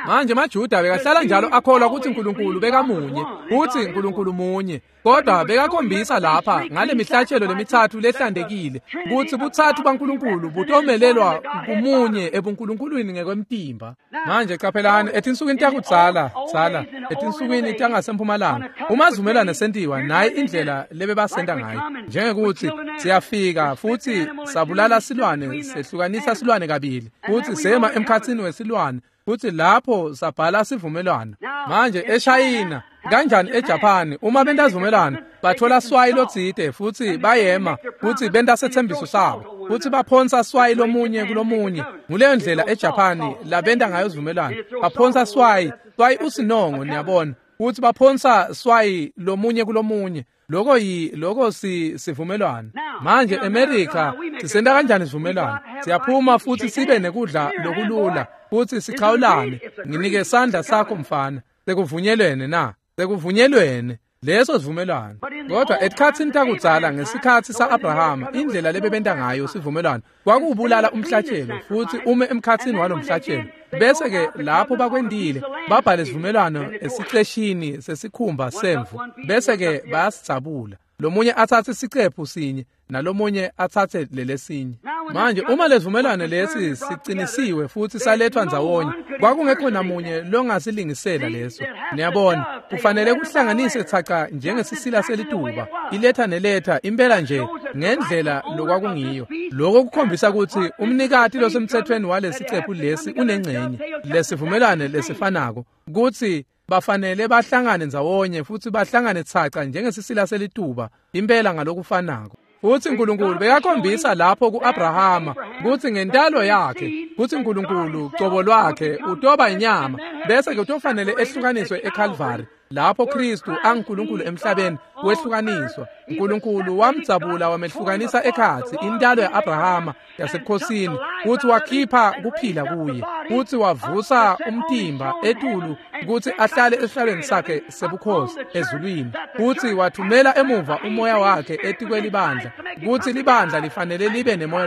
Manje maJuda bekahlala njalo akholwa ukuthi uNkulunkulu bekamunye, futhi uNkulunkulu munye. Kodwa bekakhombisa lapha ngale mihlatshelo lemithathu lehlantekile ukuthi buthathu baNkulunkulu butomelelwa kumunye ebunkulunkulwini ngekwemtimba. Manje qaphelani etinsukwini takudzala dzala etinsukwini tangasempumalanga uma sivumelwano sentiwa nayi indlela lebebasenta ngayo, njengekuthi siyafika futhi sabulala silwane, sehlukanisa silwane kabili futhi sema emkhatsini wesilwane futhi lapho sabhala sivumelwano. Manje eShayina kanjani eJapan uma benta sivumelwano bathola swayi lotsite futhi bayema futhi benta sethembiso sabo futhi baphonsa swayi lomunye kulomunye. Nguleyo ndlela eJapan labenta ngayo sivumelwano, baphonsa swayi swayi usinongo niyabona, futhi baphonsa swayi lomunye kulomunye. Lokho lokho sivumelwano. Manje eMerica sisenta kanjani sivumelwano? Siyaphuma futhi sibe nekudla lokulula futhi sichawulane. Nginike sandla sakho mfana. Sekuvunyelwene na? Sekuvunyelwene. Leso sivumelwano. Kodwa etikhatsini takudzala ngesikhatsi saAbrahama indlela lebebenta ngayo sivumelwano kwakubulala umhlatshelo futhi ume emkhatsini walomhlatshelo. Bese ke lapho bakwendile babhale sivumelwano esiceshini sesikhumba semvu, bese ke bayasidzabula. Lomunye atsatse isicephu sinye nalomunye atsatse lelesinye. Manje uma lesivumelwano lesi siqinisiwe futhi salethwa ndzawonye, kwakungekho namunye longasilungisela leso. Niyabona, kufanele kuhlanganise thaca njengesisila selituba, iletha neletha impela nje ngendlela lokwakungiyo. Lokho kukhombisa ukuthi umnikati losemthethweni walesicephu lesi unengcenye lesivumelwano lesifanako, kuthi bafanele bahlangane ndzawonye futhi bahlangane thaca njengesisila selituba impela ngalokufanako. Futhi uNkulunkulu bekakhombisa lapho kuAbrahama kuthi ngentalo yakhe kuthi uNkulunkulu cobo lwakhe utoba inyama, bese ke utofanele ehlukaniswe eCalvary lapho Kristu anguNkulunkulu emhlabeni wehlukaniswa. uNkulunkulu wamdzabula wamehlukanisa ekhatsi intalo yaAbrahama yasebukhosini, futhi wakhipha kuphila kuye futhi wavusa umtimba etulu ukuthi ahlale esihlalweni sakhe sebukhosi ezulwini, futhi wathumela emuva umoya wakhe etikwelibandla ukuthi libandla lifanele libe nemoya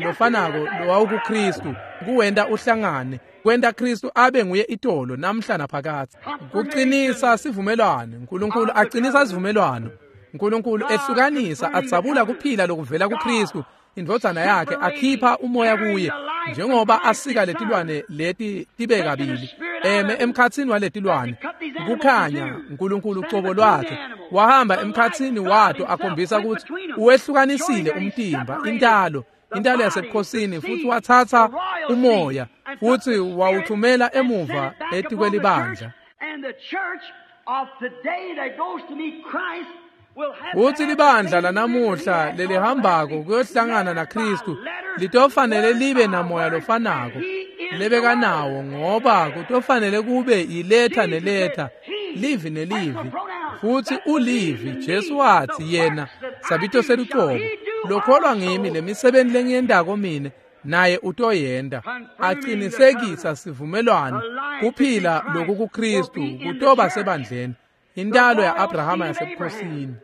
lofanako lowawukuKristu kuwenta uhlangane, kwenta Kristu abe nguye itolo namhla naphakadze. Kuqinisa sivumelwano, uNkulunkulu aqinisa sivumelwano. uNkulunkulu ehlukanisa adzabula kuphila lokuvela kuKristu indvodzana yakhe, akhipha umoya kuye njengoba asika letilwane leti tibe kabili eme emkhatsini waletilwane. Kukhanya uNkulunkulu cobo lwakhe wahamba emkhatsini wato akhombisa ukuthi uwehlukanisile umtimba, intalo yasebukhosini, futhi wathatha umoya futhi wawuthumela emuva etikwelibandla. Futhi libandla lanamuhla lelihambako kuyohlangana naKristu litofanele libe namoya lofanako lebekanawo, ngoba kutofanele kube iletha neletha, livi nelivi. Futhi ulivi, Jesu wathi yena sabito selucobo, lokholwa ngimi lemisebenzi lengiyendako mine naye utoyenda. Aqinisekisa sivumelwano kuphila loku kuKristu kutoba sebandleni, intalo yaAbrahama yasebukhosini.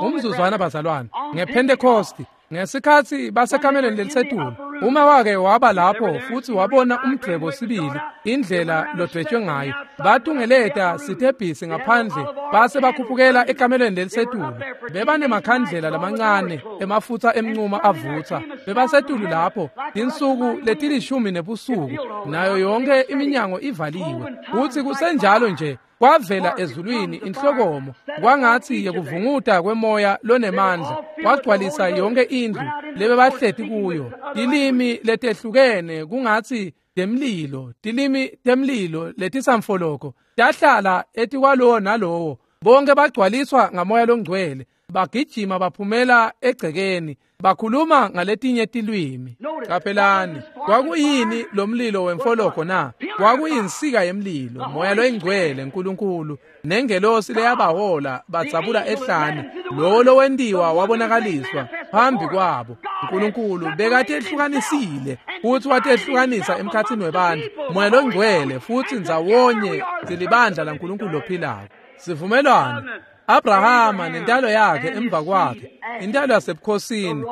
Umzuzwana bazalwane, ngePentecost ngesikhatsi basekameleni lelisetulu, uma wake waba lapho futhi wabona umdvwebo sibili indlela lodwetshwe ngayo, batungeleta sitebhisi ngaphandle base bakhuphukela ekameleni lelisetulu. Bebanemakhandlela lamancane emafutha emncuma avutha. Bebasetulu lapho tinsuku letilishumi nebusuku, nayo yonke iminyango ivaliwe. Futhi kusenjalo nje kwavela ezulwini inhlokomo kwangathi yekuvunguta kwemoya lonemandla, kwagcwalisa yonke indlu lebebahleti kuyo. Tilimi letehlukene kungathi temlilo, tilimi temlilo letisamfoloko tahlala etikwalowo nalowo. Bonke bagcwaliswa ngamoya longcwele, bagijima baphumela egcekeni bakhuluma ngaletinye tilwimi. Qaphelani, kwakuyini lo mlilo wemfoloko na? Kwakuyinsika yemlilo, moya loyingcwele uNkulunkulu nengelosi leyabahola badzabula ehlane, lowo lowentiwa wabonakaliswa phambi kwabo. Nkulunkulu bekatehlukanisile futhi watehlukanisa emkhatsini webantfu, Moya loNgcwele, futsi ndzawonye silibandla laNkulunkulu lophilako. Sivumelwano Abrahama nentalo yakhe emva kwakhe, intalo yasebukhosini,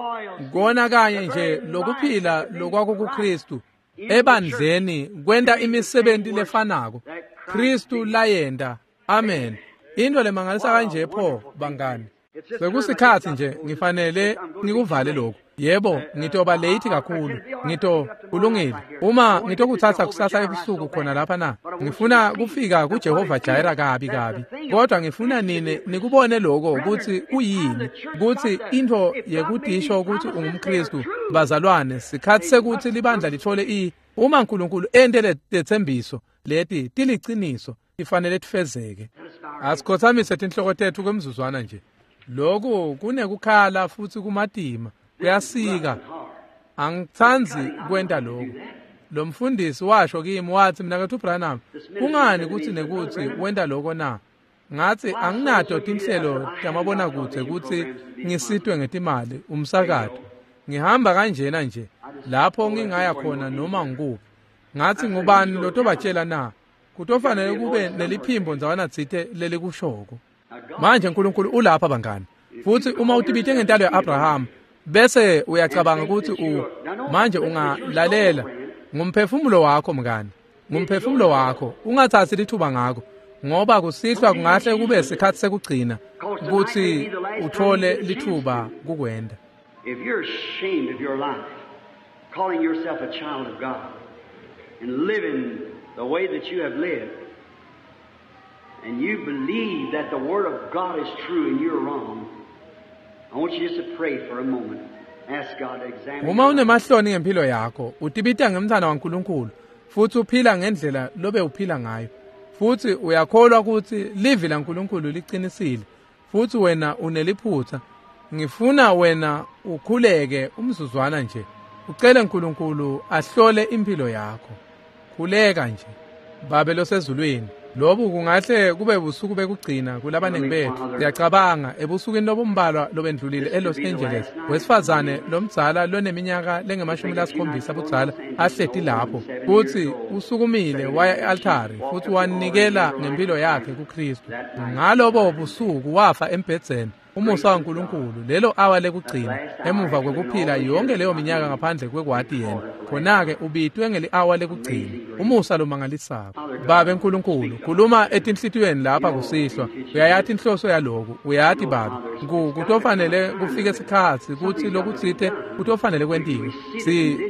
kona kanye nje lokuphila lokwakukuKristu ebandleni kwenta imisebenti lefanako Kristu layenta. Amen. Into lemangalisa kanje pho bangani. Sekusikhatsi nje ngifanele ngikuvale lokhu. Yebo, ngitoba late kakhulu. Kulungile. Uma ngitokutsatsa kusasa ebusuku khona lapha na, ngifuna kufika kuJehova Jireh kabi kabi. Kodwa ngifuna nine nikubone lokho kutsi kuyini, kutsi intfo yekudisho kutsi ungumKristu. Bazalwane, sikhatsi sekutsi libandla lithole uma uNkulunkulu ente letsembiso leti tiliciniso, ifanele tifezeke. Asikhothamise tinhloko tetfu kwemzuzwana nje. Lokhu kunekukhala futhi kumatima, kuyasika. Angitsandzi kwenta lokhu. Lo mfundisi washo kimi wathi, "Mnaketfu Branham, kungani kutsi nekutsi wenta lokho na?" Ngathi anginato tinhlelo tamabonakudze kutsi ngisitwe ngetimali umsakato. Ngihamba kanjena nje lapho ngingaya khona noma ngikuphi. Ngathi ngubani lotobatshela na? Kutofanele kube neliphimbo ndzawana tsite lelikushoko. Manje uNkulunkulu ulapha bangani. Futhi uma utibite ngentalo ya-Abraham bese uyacabanga ukuthi manje ungalalela, ngumphefumulo wakho mngani, ngumphefumulo wakho, ungathathi lithuba ngako, ngoba kusihlwa kungahle kube sikhatsi sekugcina kutsi uthole lithuba kukwenda. If you're ashamed of your life, calling yourself a child of God and living the way that you have lived, and you believe that the Word of God is true and you're wrong, I want you just to pray for a moment. Ask God to examine. Uma unemahloni ngempilo yakho, utibita ngemntwana waNkulunkulu, futhi uphila ngendlela lobe uphila ngayo, futhi uyakholwa ukuthi livi laNkulunkulu liqinisile, futhi wena uneliphutha, ngifuna wena ukhuleke umzuzwana nje, ucele uNkulunkulu ahlole impilo yakho. Khuleka nje. Babe losezulwini, lobu kungahle kube busuku bekugcina kulabaningi bethu. Siyacabanga ebusukwini lobumbalwa lobendlulile eLos Angeles, wesifazane lomdzala loneminyaka lengemashumi lasikhombisa budzala ahleti lapho, futhi usukumile waya e-altari futhi wanikela ngempilo yakhe kuKristu. Ngalobo busuku wafa embhedzeni. Umusa waNkulunkulu, lelo awa lekugcina emuva kwekuphila yonke leyo minyaka ngaphandle kwekwati yena, khona-ke ubitwe ngeli-awa lekugcina. Umusa lomangalisako. Babe Nkulunkulu, khuluma etinhlitiyweni lapha kusihlwa. Uyayati inhloso yaloku, uyati Babe. Kutofanele kufike sikhatsi kutsi lokutsite kutofanele kwentiwe.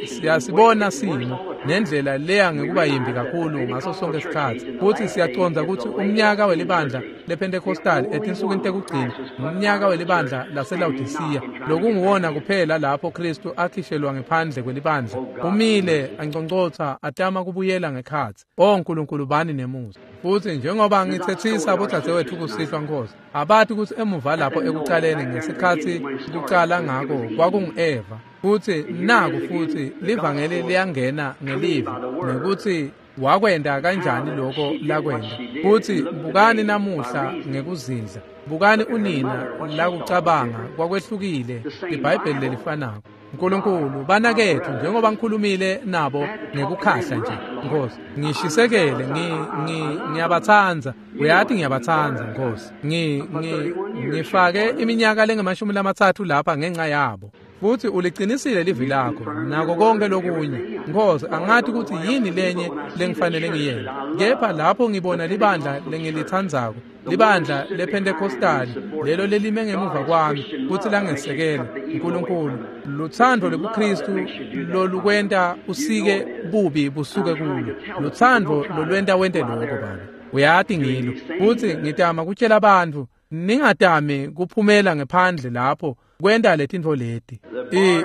Siyasibona simo nendlela leya ngekuba yimbi kakhulu ngaso sonke isikhatsi, futsi siyacondza kutsi umnyaka welibandla lePentecostal etinsukwini tekugcina ngumnyaka welibandla laseLaodicea, lokunguwona kuphela lapho Kristu akhishelwa ngephandle kwelibandla, umile anconcotsa atama kubuyela ngekhatsi. O Nkulunkulu, bani nemusa. Futhi njengoba ngithethisa bodzadzewethu kusihlwa, Nkosi, abati kutsi emuva lapho ekucaleni ngesikhatsi kucala ngako kwakungu-Eva, futhi naku futhi livangeli liyangena ngelivi, nekuthi wakwenda kanjani lokho lakwenda. Futhi bukani namuhla ngekuzindla, bukani unina lakucabanga kwakwehlukile, iBhayibheli lelifanako. Nkulunkulu, banakethu, njengoba ngikhulumile nabo ngekukhahla nje, Nkosi, ngishisekele, ngiyabatsandza, uyati ngiyabatsandza, Nkosi. Ngifake iminyaka lengamashumi lamathathu lapha ngenxa yabo. Futhi uliqinisile livi lakho nako konke lokunye. Nkosi, angathi ukuthi yini lenye lengifanele ngiyente, kepha lapho ngibona libandla lengilitsandzako, libandla lePentecostal, lelo lelime ngemuva kwami kutsi langesekela. Nkulunkulu, lutsandvo lwebuKristu lolukwenta usike bubi busuke kulo, lutsandvo lolwenta wente lokho, Baba. Uyati ngilo. Futhi ngitama kutshela abantu, ningatami kuphumela ngephandle lapho kwenta letintfo leti.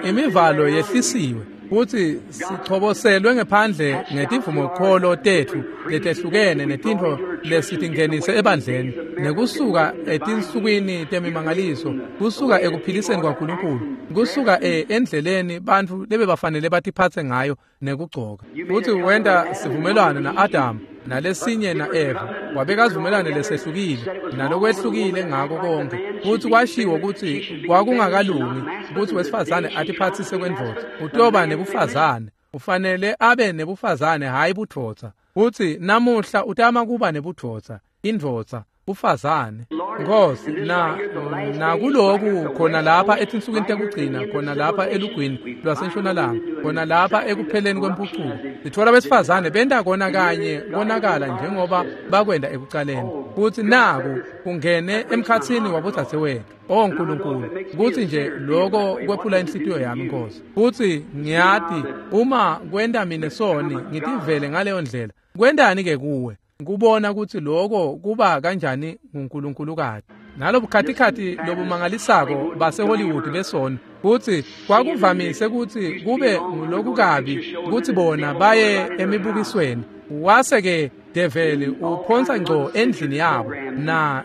Imivalo yehlisiwe. Futsi sichoboselwe ngephandle ngetivumokholo tetfu letehlukene netintfo lesitingenise ebandleni, nekusuka etinsukwini temimangaliso, kusuka ekuphiliseni kwaNkulunkulu, kusuka endleleni bantfu lebebafanele batiphatse ngayo nekugcoka. Futsi wenta sivumelwano na-Adamu nalesinye na-Eva, wabeka sivumelwano lesehlukile nalokwehlukile ngako konke. Futsi kwashiwo kutsi kwakungakalungi kutsi wesifazane atiphatsise kwendvodza, utoba nebufazane, ufanele abe nebufazane, hhayi budvodza. Futsi namuhla utama kuba nebudvodza, indvodza, bufazane. Nkosi, nakuloku khona lapha etinsukwini tekugcina, khona lapha elugwini lwasentshonalanga, khona lapha ekupheleni kwempucuko, sitfola besifazane benta kona kanye konakala njengoba bakwenta ekucaleni. Futsi naku kungene emkhatsini wabodzadzewethu. O Nkulunkulu, kutsi nje loko kwephula inhlitiyo yami, Nkosi. Futsi ngiyati uma kwenta mine soni ngitivele ngaleyo ndlela, kwentani-ke kuwe kubona kutsi loko kuba kanjani nguNkulunkulukazi nalobukhatikhathi lobumangalisako baseHollywood besona. Kutsi kwakuvamise kutsi kube ngulokukabi kutsi bona baye emibukisweni, wase-ke develi uphonsa ngco endlini yabo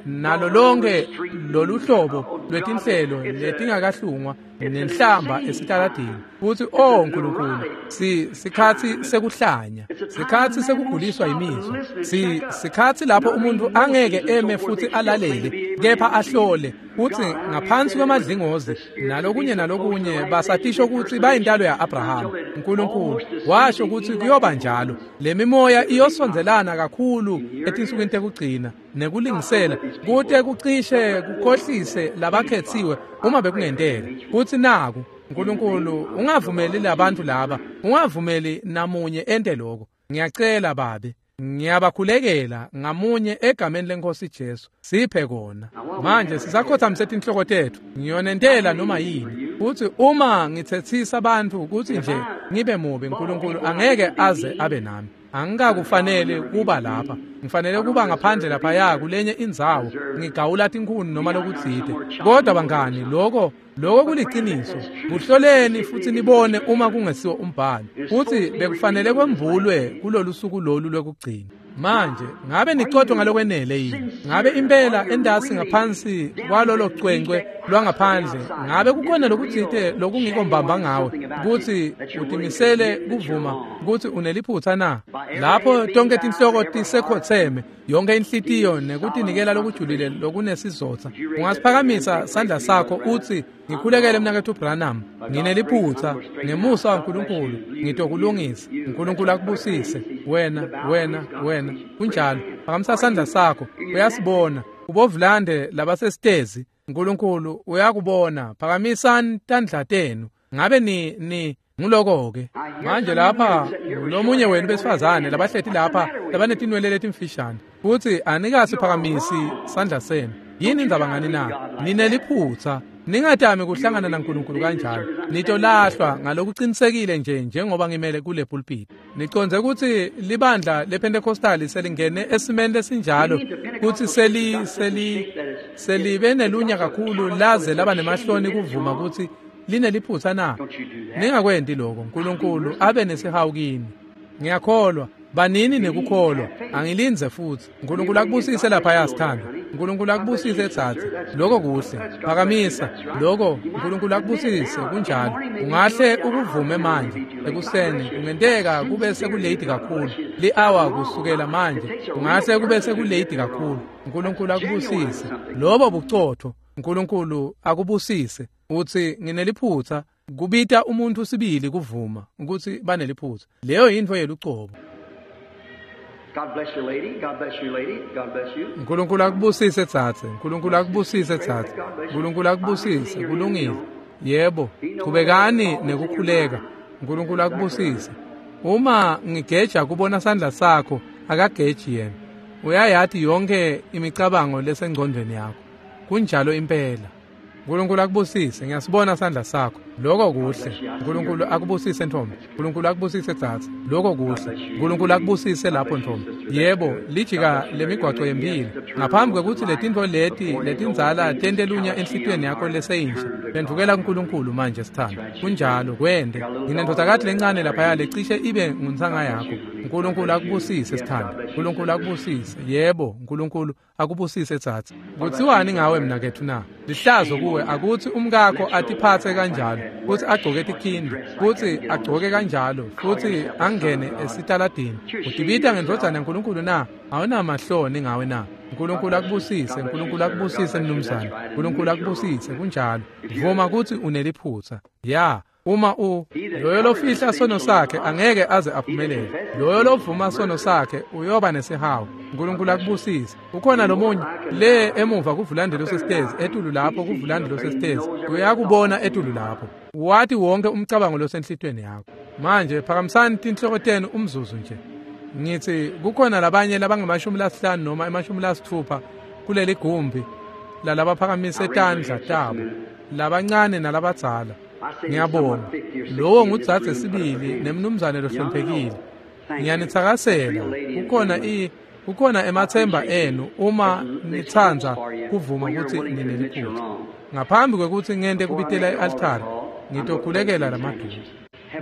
nalo lonke lolu hlobo lwetinhlelo letingakahlungwa nenhlamba esitaladini. Futsi o Nkulunkulu, sikhatsi sekuhlanya, sikhatsi sekuguliswa imizwa, sikhatsi lapho umuntu angeke eme futsi alalele kepha ahlole kutsi ngaphansi kwemadlingozi nalokunye nalokunye basatisho kutsi bayintalo ya-Abrahama. Nkulunkulu washo kutsi kuyoba njalo, lemimoya iyosondzelana kakhulu etinsukwini tekugcina nekulingisela kute kucishe kukhohlise labakhetsiwe uma bekungenteka. Futsi naku Nkulunkulu, ungavumeli labantu laba, ungavumeli namunye ente lokho. Ngiyacela Babe, ngiyabakhulekela ngamunye egameni leNkosi Jesu, siphe kona. Manje sisakhothamise tinhloko tetfu, ngiyonentela noma yini. Futsi uma ngitsetsisa bantfu kutsi nje ngibe mubi, Nkulunkulu angeke aze abe nami. Angikakufanele kuba lapha, ngifanele kuba ngaphandle laphaya kulenye indzawo, ngigawula tinkhuni noma lokutsite. Kodwa bangani, loko kuliciniso. Kuhloleni futsi nibone uma kungesiwo umbhalo. Futsi bekufanele kwembulwe kulolu suku lolu lwekugcina. Manje ngabe nicotho ngalokwenele yini? Ngabe impela endasi ngaphansi kwalolo cwencwe lwangaphandle ngabe kukhona lokutsite lokungiko mbamba ngawe kutsi utimisele kuvuma kutsi uneliphutsa na? Lapho tonke tinhloko tisekhotseme, yonke inhlitiyo nekutinikela lokujulile lokunesizotsa, ungasiphakamisa sandla sakho utsi, ngikhulekele mnaketfu Branham, ngineliphutsa, ngemusa waNkulunkulu ngitokulungisa. Nkulunkulu akubusise wena, wena, wena. Kunjalo, phakamisa sandla sakho. Uyasibona ubovulande labasesitezi, Nkulunkulu uyakubona. Phakamisani tandla tenu. Ngabe ni nguloko-ke manje lapha lomunye wenu besifazane labahleti lapha labanetinwele letimfishane, futsi anikasiphakamisi sandla senu. Yini indzaba ngani na? Nineliphutsa. Ningatami kuhlangana naNkulunkulu kanjalo. Nitolahlwa ngalokuqinisekile nje njengoba ngimele kule pulpit. Niconze kutsi libandla lePentecostal selingene esimeni lesinjalo kutsi selibe nelunya kakhulu laze laba nemahloni kuvuma kutsi lineliphutsa na? Ningakwenti lokho. Nkulunkulu abe nesihawu kini. Ngiyakholwa. Banini nekukholwa. Angilindze futsi. Nkulunkulu akubusise lapha sithandwa. Nkulunkulu akubusise tsatsi. Lokho kuhle. Phakamisa. Lokho Nkulunkulu akubusise kunjalo. Ungahle ukuvume manje ekuseni, kungenteka kube sekulate kakhulu. Li-hour kusukela manje kungahle kube sekulate kakhulu. Nkulunkulu akubusise. Lobo bucotho. Nkulunkulu akubusise. Utsi ngineliphutsa. Kubita umuntu sibili kuvuma ukuthi baneliphutsa. Leyo yintfo yelucobo. God bless you, lady. God bless you, lady. God bless you. Nkulunkulu akubusise tsatse. Nkulunkulu akubusise tsatse. Nkulunkulu akubusise. Kulungile. Yebo, qhubekani nekukhuleka. Nkulunkulu akubusise. Uma ngigeja kubona sandla sakho, akageji yena. Uyayati yonke imicabango lesengcondvweni yakho. Kunjalo impela. Nkulunkulu akubusise. Ngiyasibona sandla sakho. Lokho kuhle. uNkulunkulu akubusise ntombi. uNkulunkulu akubusise dzadze. Lokho kuhle. uNkulunkulu akubusise lapho ntombi. Yebo, lijika lemigwaco yempilo. Ngaphambi kwekutsi letintfo leti letindzala tente lunya enhlitiyweni yakho leseyinhle, phendvukela kuNkulunkulu manje sithando. Kunjalo, kwente. Nginendvodzakati lencane laphaya lecishe ibe nguntsanga yakho. uNkulunkulu akubusise sithando. uNkulunkulu akubusise. Yebo, uNkulunkulu akubusise dzadze. Kutsiwani ngawe mnaketfu na? Lihlazo kuwe akutsi umkakho atiphatse kanjalo, kutsi agcoke tikhindi, kutsi agcoke kanjalo, futsi angene esitaladini. Utibita ngendvodzana yaNkulunkulu na? Awunamahloni ngawe na? uNkulunkulu akubusise, uNkulunkulu akubusise mnumzane. uNkulunkulu akubusise, kunjalo. Vuma kutsi uneliphutsa. Ya. Uma loyo lofihla sono sakhe angeke aze aphumelele. Loyo lovuma sono sakhe uyoba nesihawu. uNkulunkulu akubusise. Ukhona lomunye le emuva kuvulande losesitezi, etulu lapho kuvulande losesitezi. Uyakubona etulu lapho. Wati wonke umcabango losenhlitweni yakho. Manje phakamisani tinhloko tenu umzuzu nje. Ngithi kukhona labanye labangama-50 noma ema-60 kuleli gumbi lalabaphakamise tandla tabo, labancane nalabadzala. Ngiyabonga. Lowo ngudzadze sibili nemnumzane lohloniphekile. Ngiyanitsakasela. Kukhona emathemba enu uma nitsandza kuvuma kutsi nineliphutsa. Ngaphambi kwekutsi ngente kubitela i-altari, ngitokhulekela lamaduku.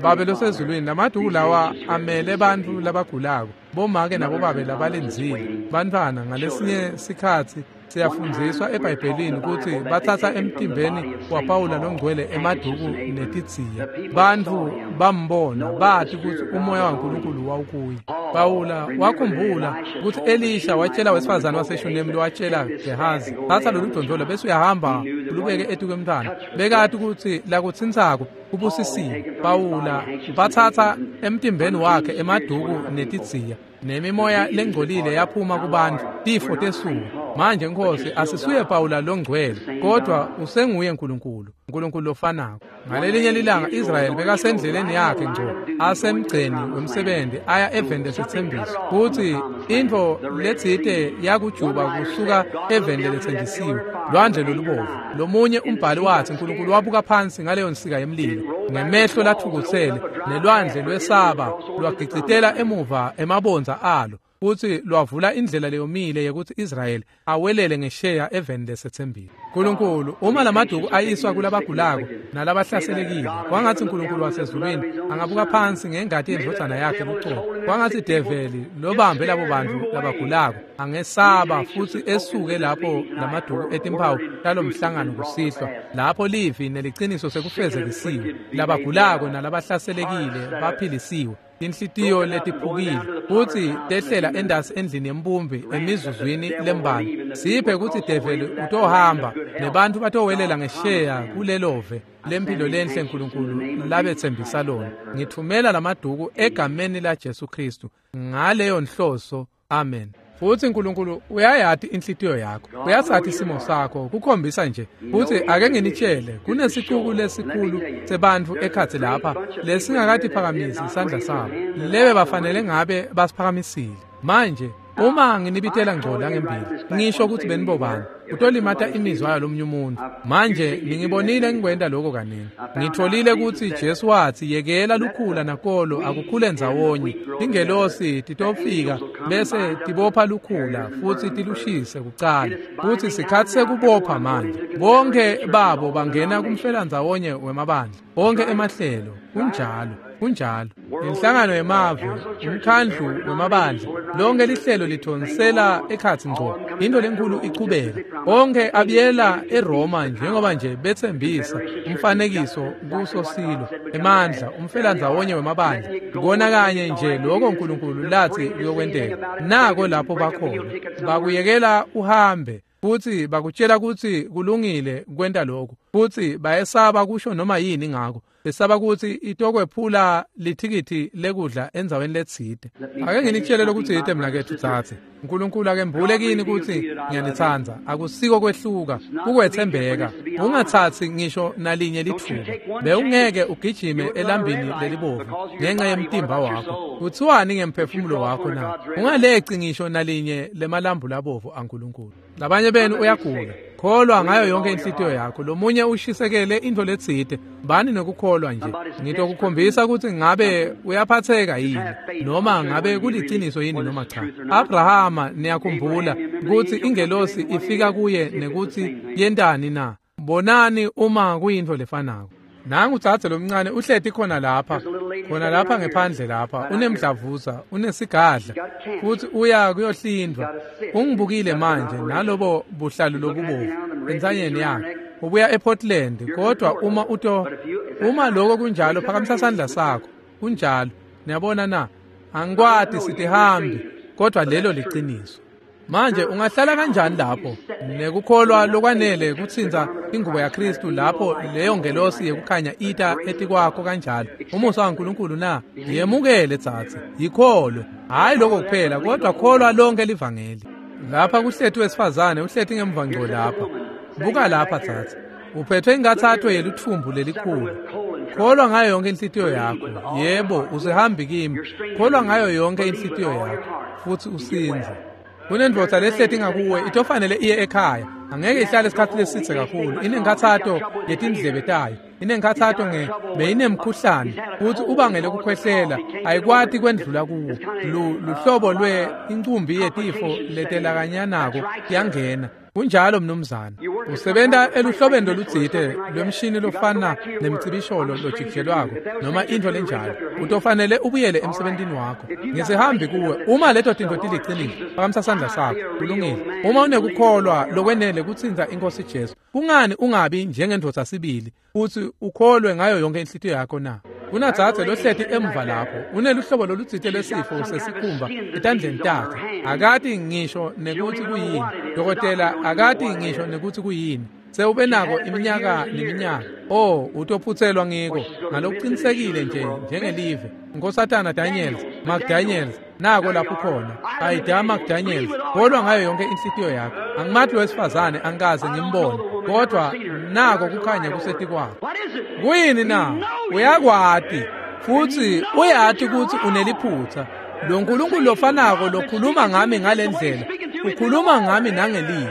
Babe losezulwini, lamaduku lawa amele bantfu labagulako, bomake nabobabe labalindzile, bantfwana. Ngalesinye sikhatsi siyafundziswa eBhayibhelini kutsi batsatsa emtimbeni waPawula longcwele emaduku netidziya. Bantfu bambona, bati kutsi umoya waNkulunkulu wawukuye. Pawula wakhumbula kutsi Elisha watshela wesifazane waseShunemi lowatshela Gehazi, thatha lolu dondolo bese uyahamba ulubeke etukwemntfwana. Bekati kutsi lakutsintsako kubusisiwe. Pawula batsatsa emtimbeni wakhe emaduku netidziya, nemimoya lengcolile yaphuma kubantu, tifo tesuka. Manje Nkosi, asisuye Pawula longcwele, kodwa usenguye uNkulunkulu, uNkulunkulu lofanako. Ngalelinye lilanga Israyeli bekasendleleni yakhe ngco, asemgceni wemsebenzi aya eveni lesetsembiso, kutsi intfo letsite yakujuba kusuka eveni leletsenjisiwe, lwandle lolubovu. Lomunye umbhali watsi uNkulunkulu wabuka phansi ngaleyo nsika yemlilo ngemehlo latfukutsele, nelwandle lwesaba lwagicitela emuva emabondza alo, futsi lwavula indlela leyomile yekutsi Israyeli awelele ngesheya eveni lesetsembile. Nkulunkulu, uma lamaduku ayiswa kulabagulako nalabahlaselekile, kwangatsi uNkulunkulu wasezulwini angabuka phansi ngengati yendvodzana yakhe lucobo. Kwangatsi develi lobambe labo bantfu labagulako angesaba futsi esuke lapho lamaduku etimphawu talomhlangano kusihlwa, lapho livi neliciniso sekufezekisiwe, labagulako nalabahlaselekile baphilisiwe, tinhlitiyo letiphukile futsi tehlela endasi endlini yembumbi emizuzwini lembalwa. Siphe kutsi develi utohamba nebantfu batowelela ngesheya kulelove lempilo lenhle Nkulunkulu labetsembisa lona. Ngithumela lamaduku egameni laJesu Kristu ngaleyo nhloso. Amen. Futsi uNkulunkulu uyayati inhlitiyo yakho, uyasathi isimo sakho, kukhombisa nje. Futsi ake nginitshele, kunesicuku lesikhulu sebantfu ekhatsi lapha lesingakatiphakamisi isandla sabo, lebe bafanele ngabe basiphakamisile. Manje uma nginibitela ngco la ngembili, ngisho kutsi benibobani, utolimata imizwa yalomunye umuntu. Manje ningibonile ngikwenta lokho kaningi. Ngitholile kutsi Jesu watsi yekela lukhula nakolo akukhule ndzawonye. Tingelosi titofika bese tibopha lukhula futsi tilushise kucala. Futsi sikhatsi sekubopha manje. Bonke babo bangena kumfelandzawonye wemabandla, bonke emahlelo. Kunjalo, kunjalo. Inhlangano yemave, umkhandlu wemabandla, lonke lihlelo lithonsela ekhatsi ngco. Into lenkulu ichubeka. Bonke abiyela eRoma njengoba nje betsembisa umfanekiso kuso silo, emandla, umfelandzawonye wemabandla. Kona kanye nje lokho uNkulunkulu lathi kuyokwenteka. Nako lapho bakhona. Bakuyekela uhambe, futsi bakutshela kutsi kulungile kwenta lokho, futsi bayesaba kusho noma yini ngako. Besaba kutsi itokwephula lithikithi lekudla endzaweni letsite. Ake nginitshele lokutsite mnaketfu dzadze. uNkulunkulu akembule kini kutsi ngiyanitsandza. Akusiko kwehluka, kukwetsembeka. Ungatsatsi ngisho nalinye litfuba. Bewungeke ugijime elambini lelibovu ngenxa yemtimba wakho. Kuthiwani ngemphefumulo wakho na? Ungaleci ngisho nalinye lemalambu labovu aNkulunkulu. Labanye benu uyagula. Kholwa ngayo yonke inhlitiyo yakho. Lomunye ushisekele intfo letsite, bani nekukholwa nje. Ngitokukhombisa ukuthi ngabe uyaphatheka yini noma ngabe kuliciniso yini noma cha. Abrahama, niyakhumbula ukuthi ingelosi ifika kuye nekuthi yentani na? Bonani uma kuyintfo lefanako. Nangu dzadze lomncane uhleti khona lapha, khona lapha ngephandle lapha, unemdlavuza, unesigadla, futhi uya kuyohlindwa. Ungibukile manje nalobo buhlalu lobubovu entsanyeni yakhe. Ubuya ePortland, kodwa uma lokho kunjalo, phakamisa sandla sakho. Kunjalo. Niyabona na? Angikwati sitihambi, kodwa lelo liciniso. Manje ungahlala kanjani lapho nekukholwa lokwanele kutsinza ingubo yaKristu lapho leyo ngelosi yekukhanya ita etikwakho kanjalo? Umusa waNkulunkulu na? Yemukele tsatsi, yikholwe. Hhayi lokho kuphela, kodwa kholwa lonke livangeli. Lapha kuhleti wesifazane uhleti ngemva ngco lapha. Buka lapha tsatsi, uphethwe ingathatho yelutfumbu lelikhulu. Kholwa ngayo yonke inhlitiyo yakho. Yebo, usehambi kimi. Kholwa ngayo yonke inhlitiyo yakho futhi usinze. Kunendvodza lehleti ngakuwe, itofanele iye ekhaya. Angeke ihlale isikhathi lesitse kakhulu. Inenkhathato yetindlebe tayo, inenkhathato beyinemkhuhlane, futhi ubangele kukhwehlela, ayikwati kwendlula kuwo. Luhlobo lwe incumbi yetifo letelakanyanako yangena. Kunjalo mnumzane. Usebenta eluhlobeni lolutsite lwemshini lofana nemcibisholo lojikijelwako noma intfo lenjalo. Utofanele ubuyele emsebentini wakho. Ngisihambi kuwe. Uma leto tintfo tiliciniso, phakamisa sandla sakho. Kulungile. Uma unekukholwa lokwenele kutsinza iNkosi Jesu, kungani ungabi njengendvodza sibili futhi ukholwe ngayo yonke inhlitiyo yakho na? Kunadzadze lohleti emva lapho, uneluhlobo lolutsite lwesifo sesikhumba etandleni takhe. Akati ngisho nekutsi kuyini. Dokotela akati ngisho nekutsi kuyini. Sewube nako iminyaka neminyaka. Oh, utophutselwa ngiko ngalokuqinisekile nje njengelive. Nkosatana Daniels, McDaniels, nako lapho khona. Ayida McDaniels, kholwa ngayo yonke inhlitiyo yakho. Angimati wesifazane, angikaze ngimbone, kodwa nako kukhanya kusetikwakho. Kuyini na? Uyakwati futhi uyati ukuthi uneliphutha. Lo Nkulunkulu lofanako lokhuluma ngami ngalendlela, ukhuluma ngami nangelivi.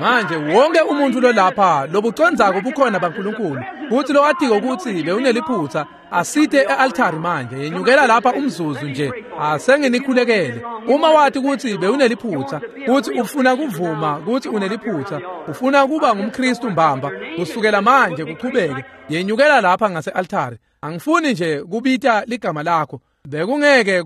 Manje wonke umuntu lolapha lobucondzako bukhona baNkulunkulu, kuthi lowatiko ukuthi bewuneliphutha, asite e-altari manje. Yenyukela lapha umzuzu nje, asenginikhulekele. Uma wathi ukuthi bewuneliphutha, kuthi ufuna kuvuma ukuthi uneliphutha, ufuna kuba ngumKristu mbamba kusukela manje kuchubeke, yenyukela lapha ngase-altari. Angifuni nje kubita ligama lakho, bekungeke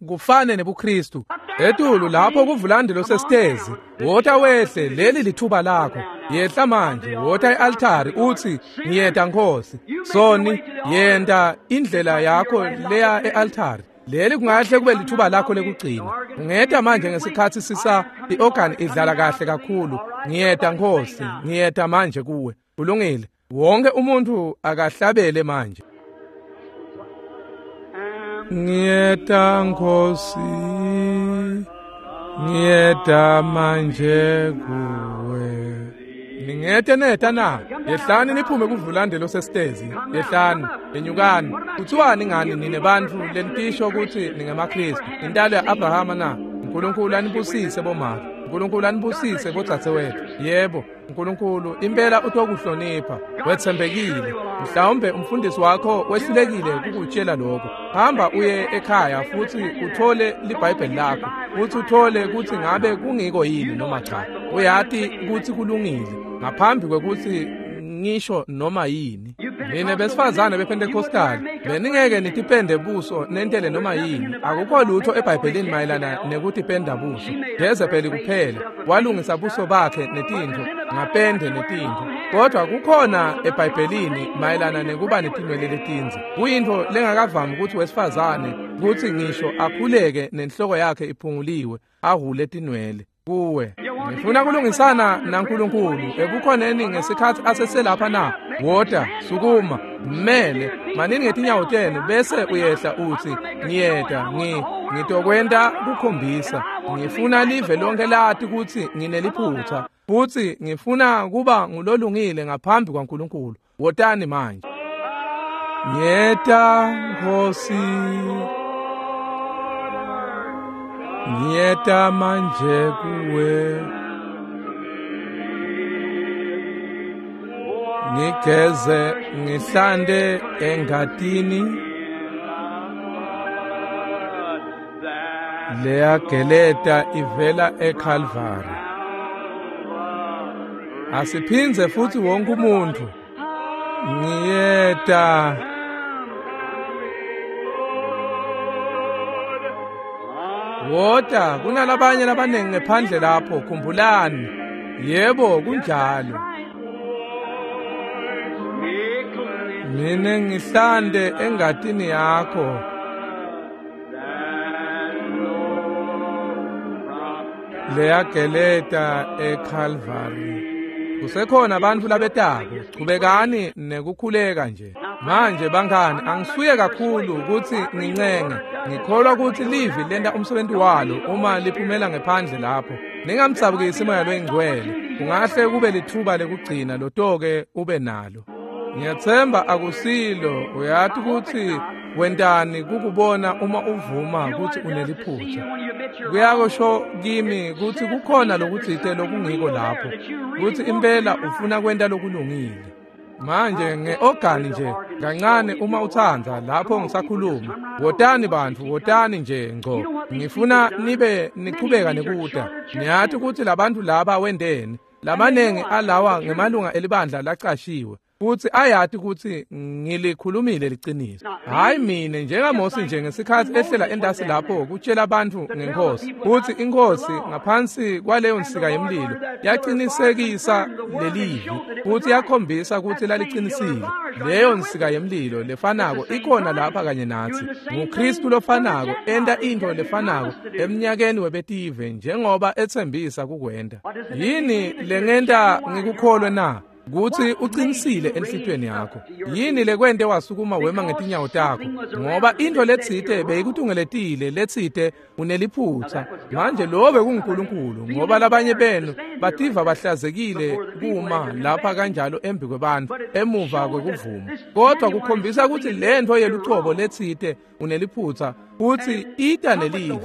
kufane nebuKristu. Etulu lapho kuvulandi losesitezi, wota wehle, leli lithuba lakho. Yehla manje, wota e-altari uthi ngiyeta Nkosi. Soni, yenta indlela yakho leya e-altari. Leli kungahle kube lithuba lakho lekugcina. Ungeta manje ngesikhathi sisa i-organ idlala kahle kakhulu. Ngiyeta Nkosi, ngiyeta manje kuwe. Kulungile. Wonke umuntu akahlabele manje. Ngiyeta Nkosi, ngiyeta manje kuwe. Ningete neta na? Yehlani niphume kuvulande losesitezi. Yehlani, yenyukani. Kuthiwani ngani nine bantfu lenitisho ukuthi ningemaKristu? Intalo ya-Abrahama na? uNkulunkulu anibusise bomake. uNkulunkulu anibusise bodzadzewethu. Yebo, uNkulunkulu impela utokuhlonipha. Wethembekile. Mhlawumbe umfundisi wakho wehlulekile kukutshela lokho. Hamba uye ekhaya futhi uthole liBhayibheli lakho, futhi uthole ukuthi ngabe kungiko yini noma cha. Uyati ukuthi kulungile ngaphambi kwekuthi ngisho noma yini. Nine besifazane bePentecostal, beningeke nitipende buso nentele noma yini. Akukho lutho eBhayibhelini mayelana nekutipenda buso. Jezebeli kuphela walungisa buso bakhe netintfo ngapende netintfo, kodwa kukhona eBhayibhelini mayelana nekuba netinwele letindze. Kuyintfo lengakavami ukuthi wesifazane kuthi ngisho akhuleke nenhloko yakhe iphunguliwe ahule tinwele. Kuwe ngifuna kulungisana naNkulunkulu ebukhoneni ngesikhathi aseselapha na? Wota, sukuma, mmele, manini ngetinyawo tenu bese uyehla uthi ngiyeta, ngitokwenta kukhombisa. Ngifuna live lonke lati ukuthi ngineliphutha futhi ngifuna kuba ngulolungile ngaphambi kwaNkulunkulu. Wotani manje. Ngiyeta Nkosi, ngiyeta manje kuwe. Ngigeze ngihlante engatini leyageleta ivela eKalvari. Asiphindze futhi wonke umuntu. Ngiyeta wota kunalabanye labanengi ngephandle lapho, khumbulani. Yebo, kunjalo. Mina ngihlante engatini yakho. Leyageleta eKalvari. Kusekhona abantu labetako, chubekani nekukhuleka nje. Manje bangani, angisuye kakhulu ukuthi ngincenge. Ngikholwa ukuthi livi lenta umsebenzi walo uma liphumela ngephandle lapho. Ningamdzabukisi Moya loyiNgcwele. Kungahle kube lithuba lekugcina lotoke ube nalo. Ngiyatsemba akusilo, uyati ukuthi wentani kukubona uma uvuma ukuthi uneliphutha. Kuyakusho kimi ukuthi kukhona lokutsite lokungiko lapho, ukuthi impela ufuna kwenta lokulungile. Manje ngeogani nje kancane uma utsandza lapho ngisakhuluma. Wotani bantfu, wotani nje ngco. Ngifuna nibe nichubeka nekuta. Niyati ukuthi labantu laba wendeni. Labanengi alawa ngemalunga elibandla lacashiwe. Futhi ayati ukuthi ngilikhulumile liciniso. Hayi mine njengaMose nje ngesikhathi ehlela endasi lapho kutshela abantu ngenkosi. Futhi inkosi ngaphansi kwaleyo nsika yemlilo yaqinisekisa lelivi futhi yakhombisa ukuthi laliqinisile. Leyo nsika yemlilo lefanako ikhona lapha kanye nathi. NguKristu lofanako enta into lefanako eminyakeni webetive njengoba ethembisa kukwenta. Yini lengenta ngikukholwe na? Kuthi uqinisile enhlitiyweni yakho. Yini lekwente wasukuma wema ngetinyawo takho? Ngoba into letsite beyikutungeletile, letsite uneliphutha. Manje lo bekuNkulunkulu, ngoba labanye benu bativa bahlazekile kuma lapha kanjalo embi kwebantu emuva kwekuvuma. Kodwa kukhombisa ukuthi lento yelucobo letsite uneliphutha futhi ita nelivi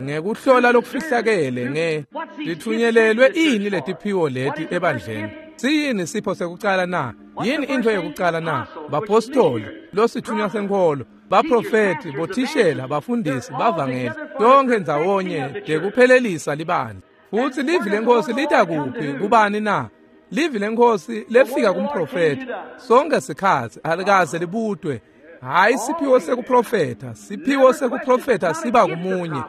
ngekuhlola lokufihlakele nge lithunyelelwe ini letiphiwo leti ebandleni. Siyini sipho sekucala na? Yini into yokucala na? Bapostoli, losithunywa senkholo, baprofeti, bothishela, bafundisi, bavangeli, tonke ndzawonye dekuphelelisa libandla. Futhi livi lenkosi lita kuphi kubani na? Livi lenkosi lefika kumprofeti sonke sikhathi alikaze libutwe. Hayi siphiwo sekuprofetha, siphiwo sekuprofetha siba kumunye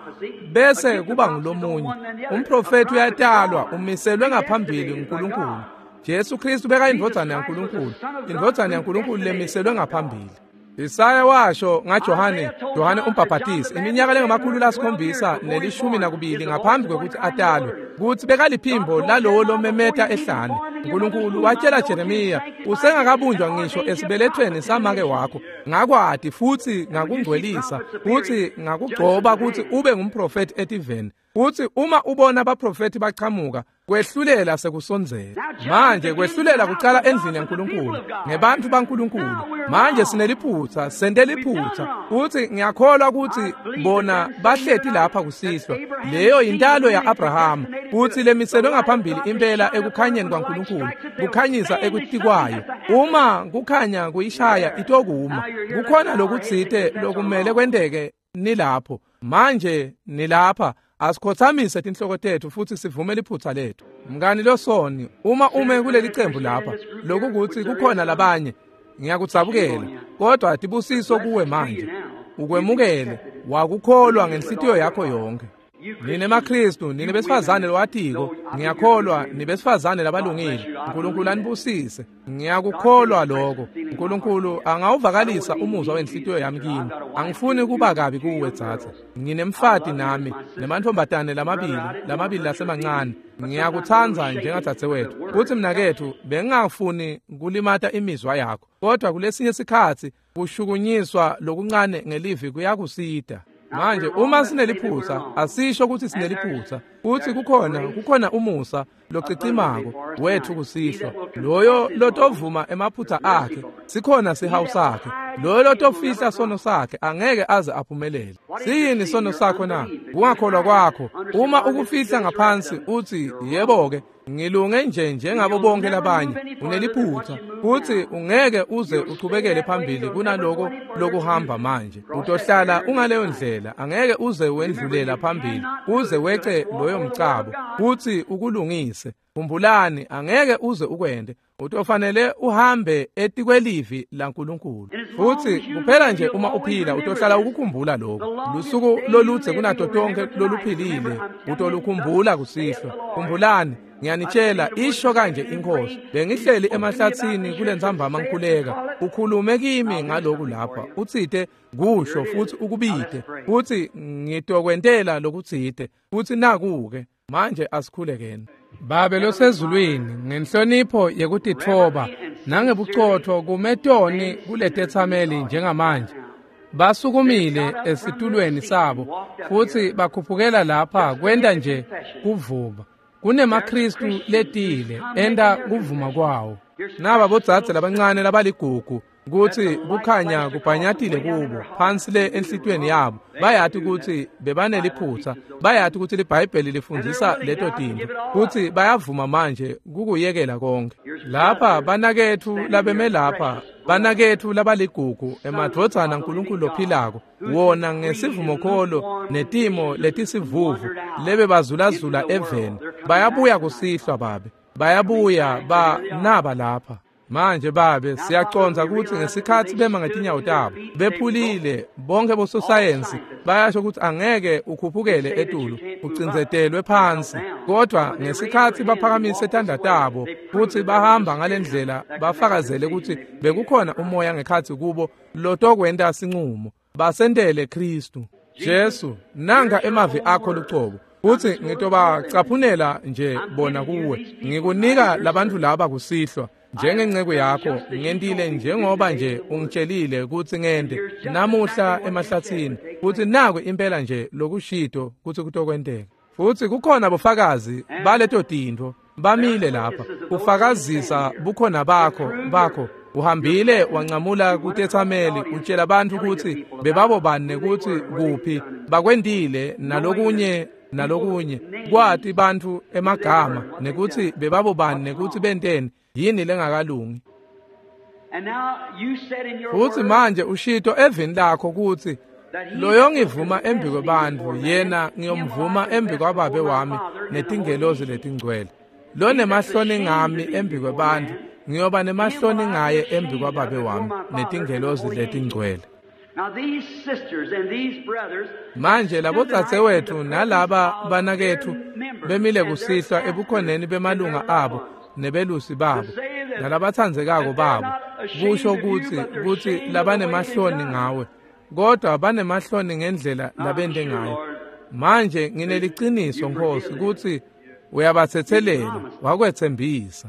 bese kuba ngulomunye. Umprofeti uyatalwa, umiselwe ngaphambili nguNkulunkulu. Jesu Kristu beka indvodzana yaNkulunkulu, indvodzana yaNkulunkulu lemiselwe ngaphambili. Isaya washo ngaJohane, Johane umbhaphatisi, iminyaka lengu-712 ngaphambi kwekuthi atalwe, kuthi bekaliphimbo lalowo lomemeta ehlane. uNkulunkulu watshela Jeremiya, usengakabunjwa ngisho esibelethweni samake wakho, ngakwati futhi ngakungcwelisa, futhi ngakugcoba ukuthi ube ngumprofeti etiveni. Futhi uma ubona abaprofeti bachamuka, kwehlulela sekusondzela. Manje kwehlulela kucala endlini yaNkulunkulu ngebantu baNkulunkulu. Manje sineliphutha, sente liphutha. Futhi ngiyakholwa ukuthi bona bahleti lapha kusihlwa. Leyo intalo yaAbraham, futhi lemiselwe ngaphambili impela ekukhanyeni kwaNkulunkulu, kukhanyisa ekutikwayo. Uma kukhanya kuyishaya itokuma. Kukhona lokutsite lokumele kwenteke nilapho. Manje nilapha. Asikhothamise tinhloko tethu futhi sivume liphutha lethu. Mngani losoni, uma ume kuleli cembu lapha, lokukuthi kukhona labanye, ngiyakudzabukela, kodwa tibusiso kuwe manje. Ukwemukele, wakukholwa ngenhlitiyo yakho yonke. Nine maKristu, nine besifazane lowatiko, ngiyakholwa nibesifazane labalungile. uNkulunkulu anibusise. Ngiyakukholwa lokho. uNkulunkulu angawuvakalisa umuzwa wenhlitiyo yami kimi. Angifuni kuba kabi kuwe dzadze. Nginemfati nami nemantfombatane lamabili lasemancane. Ngiyakutsandza njengadzadzewethu. Kuthi mnakethu bengingafuni kulimata imizwa yakho. Kodwa kulesinye sikhatsi kushukunyiswa lokuncane ngelivi kuyakusita. Manje uma sineliphutha, asisho ukuthi sineliphutha. Futhi kukhona umusa locicimako wethu kusihlwa. Loyo lotovuma emaphutha akhe, sikhona sihawu sakhe. Loyo lotofihla sono sakhe angeke aze aphumelele. Siyini sono sakho na? Kungakholwa kwakho. Uma ukufihla ngaphansi uthi yebo-ke ngilunge nje njengabo bonke labanye, uneliphutha. Futhi ungeke uze uchubekele phambili kunaloko lokuhamba manje. Utohlala ungaleyo ndlela, angeke uze wendlulela phambili uze wece loyo mcabo futhi ukulungise. Khumbulani, angeke uze ukwende. Utofanele uhambe etikwelivi laNkulunkulu. Futhi kuphela nje uma uphila utohlala ukukhumbula lokho. Lusuku loludze kunato tonke loluphilile utolukhumbula kusihlwa. Khumbulani, ngiyanitshela, isho kanje inkosi, bengihleli emahlathini kulentsambama ngikhuleka, ukhulume kimi ngaloku lapha, utsite kusho futhi ukubite, futhi ngitokwentela lokutsite, futhi naku-ke. Manje asikhulekeni. Babe losezulwini, ngenhlonipho yekutitfoba nangebucotfo kumetoni kuletetsameli njengamanje. Basukumile esitulweni sabo futhi bakhuphukela lapha kwenta nje kuvuma. KunemaKristu letile enta kuvuma kwawo. Naba bodzadze labancane labaligugu kutsi kukhanya kubhanyatile kubo phansi le enhlitiyweni yabo. Bayati ukuthi bebaneliphutha, bayati ukuthi liBhayibheli lifundzisa leto tintfo, futhi bayavuma manje kukuyekela konke. Lapha banaketfu labeme lapha, banaketfu labaligugu, emadvodzana aNkulunkulu lophilako, wona ngesivumokholo netimo letisivuvu lebebazulazula eveni, bayabuya kusihlwa Babe, bayabuya banaba lapha. Manje Babe, siyacondza ukuthi ngesikhathi bema ngetinyawo tabo bephulile bonke bososayensi bayasho ukuthi angeke ukhuphukele etulu, ucindzetelwe phansi, kodwa ngesikhathi baphakamise tandla tabo futhi bahamba ngalendlela, bafakazele ukuthi bekukhona umoya ngekhathi kubo lotokwenta sinqumo, basentele Kristu Jesu. Nanka emavi akho lucobo, futhi ngitobacaphunela nje bona kuwe. Ngikunika labantfu laba kusihlwa njengenceku yakho, ngentile njengoba nje ungitshelile kutsi ngente namuhla emahlathini, futhi naku impela nje lokushito kutsi kutokwenteka. Futhi kukhona bofakazi baleto tintfo bamile lapha kufakazisa bukhona bakho. Uhambile wancamula kutetsameli utshela bantfu kutsi bebabobani nekutsi kuphi bakwentile nalokunye nalokunye, kwati bantfu emagama nekutsi bebabobani nekutsi benteni yini lengakalungi. Futhi manje ushito evini lakho kutsi loyo ngivuma embi kwebantfu yena ngiyomvuma embi kwaBabe wami netingelozi letingcwele. Lo nemahloni ngami embi kwebantfu ngiyoba nemahloni ngaye embi kwaBabe wami netingelozi letingcwele. Manje labodzadzewethu nalaba banaketfu bemile kusihlwa ebukhoneni bemalunga abo nebelusi babo nalabatsandzekako babo, kusho kutsi labanemahloni ngawe, kodwa banemahloni ngendlela labente ngayo. Manje ngineliciniso Nkosi kutsi uyabatsetselela, wakwetsembisa.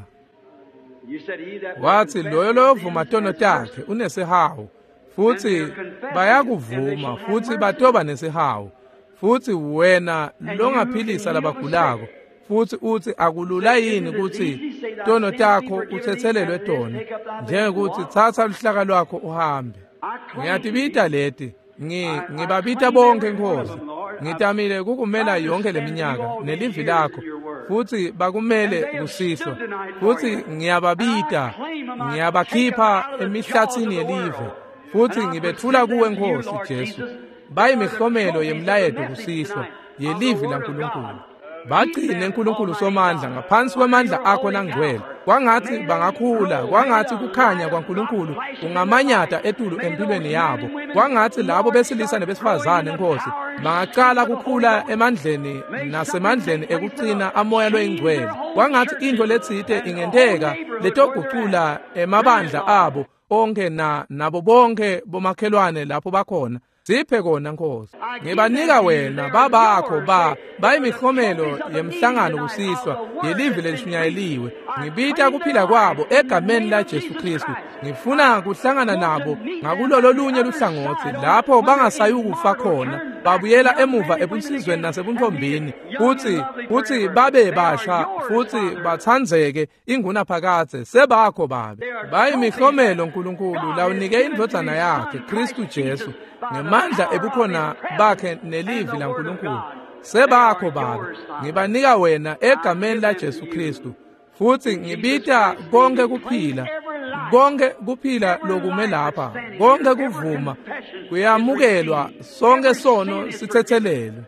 Wathi loyo loyovuma tono takhe unesihawu, futhi bayakuvuma futhi batoba nesihawu. Futhi wena longaphilisa labagulako, futhi uthi akulula yini kutsi tono takho utsetselelwe tona, njengekuthi tsatsa luhlaka lwakho uhambe. Ngiyatibita leti, ngibabita bonke Nkosi. Ngitamile kukumela yonke leminyaka nelivi lakho, futhi bakumele kusihlwa. Futhi ngiyababita, ngiyabakhipha emihlathini yelive, futhi ngibethula kuwe Nkosi Jesu. Bayimihlomelo yemlayeto kusihlwa yelivi laNkulunkulu. Bagcine nkulunkulu somandla ngaphansi kwemandla akho langcwele. Kwangathi bangakhula, kwangathi kukhanya kwaNkulunkulu kungamanyata etulu empilweni yabo. Kwangathi labo besilisa nebesifazane Nkosi bangacala kukhula emandleni nasemandleni ekucina amoya loyingcwele. Kwangathi into letsite ingenteka letogucula emabandla abo onke nabo bonke bomakhelwane lapho bakhona. Siphe kona Nkosi. Ngibanika wena babakho bayimihlomelo yemhlangano kusihlwa yelivi lelishunyayeliwe. Ngibita kuphila kwabo egameni la Jesu Kristu. Ngifuna kuhlangana nabo ngakulolo lunye luhlangotsi lapho bangasayukufa khona, babuyela emuva ebunsizweni nasebuntombini, kutsi babe basha futsi batsandzeke ingunaphakadze. Sebakho babe. Bayimihlomelo Nkulunkulu lawunike indvodzana yakhe Kristu Jesu ngemandla ebukhona bakhe nelivi laNkulunkulu. Sebakho babe. Ngibanika wena egameni la Jesu Kristu. Futsi ngibita konke kuphila, konke kuphila lokume lapha, konke kuvuma kuyamukelwa, sonke sono sithethelelwe.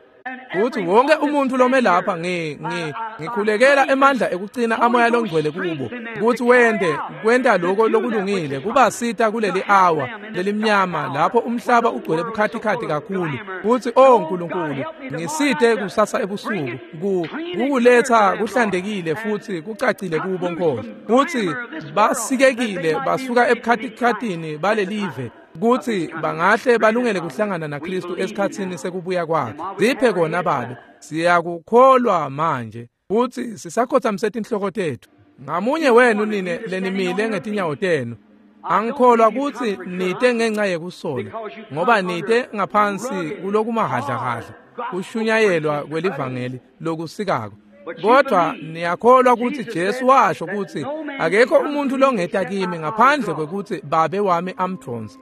Futhi wonke umuntu lome lapha ngikhulekela emandla ekucina amoya longcwele kubo, ukuthi wende kwenta lokho lokulungile kubasita kuleli hour lelimnyama lapho umhlaba ugcwele bukhatikhathi kakhulu. Futhi oh Nkulunkulu, ngisite kusasa ebusuku kukuletha kuhlandekile futhi kucacile kubo Nkosi. Futhi basikekile basuka ebukhatikhathini balelive, kuthi bangahle balungele kuhlangana naKristu esikhatsini sekubuya kwakhe. Siphe kona babe. Siyakukholwa manje futhi sisakhothamise tinhloko tethu. Ngamunye wenu nine lenimile ngetinyawo tenu, angikholwa kutsi nite ngenxa yekusola, ngoba nite ngaphansi kulokumahadlahadla kushunyayelwa kwelivangeli lokusikako. Kodwa niyakholwa kutsi Jesu washo kutsi akekho umuntu longeta kimi ngaphandle kwekutsi Babe wami amdvonse.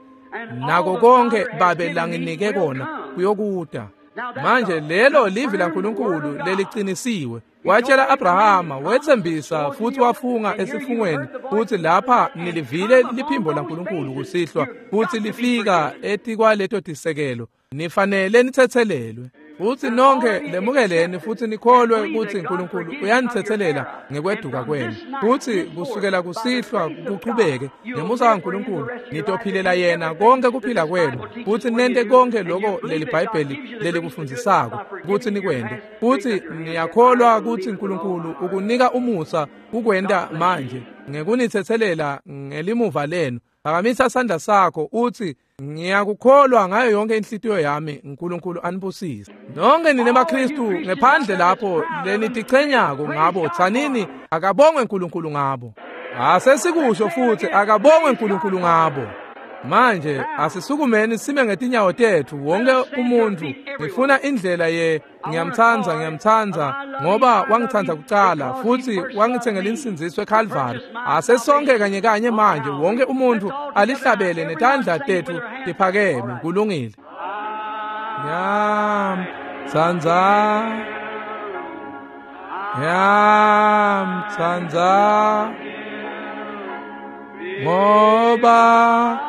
Nako konke Babe langinike kona kuyokuta. Manje lelo livi laNkulunkulu leliqinisiwe. Watshela Abrahama, wethembisa futhi wafunga esifungweni futhi lapha nilivile liphimbo laNkulunkulu kusihlwa, futhi lifika etikwaleto tisekelo. Nifanele nithethelelwe. Futhi nonke lemukeleni futhi nikholwe kutsi uNkulunkulu uyanithethelela ngekweduka kwenu. Futhi kusukela kusihlwa kuchubeke ngemusa kaNkulunkulu nitophilela yena konke kuphila kwenu, futhi nente konke lokho leli Bhayibheli lelikufundzisako kutsi nikwente. Futhi niyakholwa kutsi uNkulunkulu ukunika umusa kukwenta manje ngekunithethelela ngelimuva lenu. Phakamisa sandla sakho uthi, ngiyakukholwa ngayo yonke inhlitiyo yami. uNkulunkulu anibusise nonke nine maKristu ngephandle lapho lenitichenyako ngabo. Tsanini, akabongwe uNkulunkulu ngabo. Asesikusho futhi, akabongwe uNkulunkulu ngabo. Manje asisukumeni sime ngetinyawo tethu wonke umuntu. Ngifuna indlela ye ngiyamtsandza, ngiyamtsandza ngoba wangitsandza kucala futhi wangithengela insindziso eCalvary. Asesonke kanye kanye manje wonke umuntu alihlabele netandla tethu tiphakeme. Kulungile. Ngiyamtsandza, ngiyamtsandza ngoba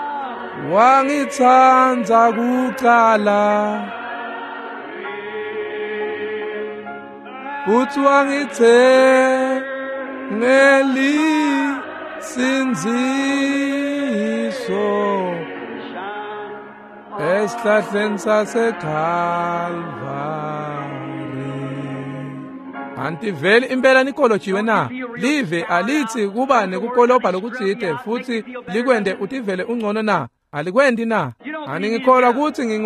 wangitsandza kucala, futhi wangithengela insindziso esihlahleni saseKalvari. Antiveli impela nikolojiwe na? Live alithi kuba nekukolobha lokutsite futhi likwende utivele ungcono na? Alikwendi na? Aningikholwa kutsi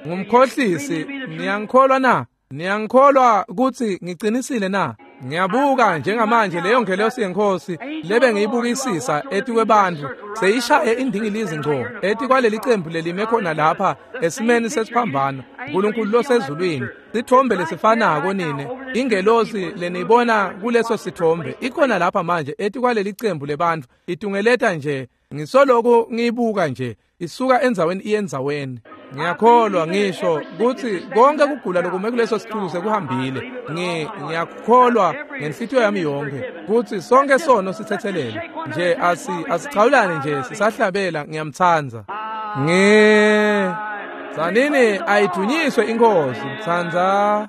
ngumkhohlisi? Niyangikholwa na? Niyangikholwa kutsi ngicinisile na? Ngiyabuka njengamanje leyo ngelosi yenkosi lebe ngiyibukisisa etikwebantfu seyishaye indingilizi ngco etikwaleli cembu lelime khona lapha esimeni sesiphambano. uNkulunkulu losezulwini, sithombe lesifanako nine ingelosi leniyibona kuleso sithombe ikhona lapha manje etikwaleli cembu lebantfu, itungeleta nje. Ngisoloku ngiyibuka nje isuka endzaweni iye endzaweni. Ngiyakholwa ngisho kutsi konke kugula lokume kuleso situlo sekuhambile. Ngiyakholwa ngenhlitiyo yami yonke kutsi sonke sono sithethelele nje. Asichawulane nje sisahlabela ngiyamtsandza. Tsanini ayidunyiswe inkosi. Mtsandza,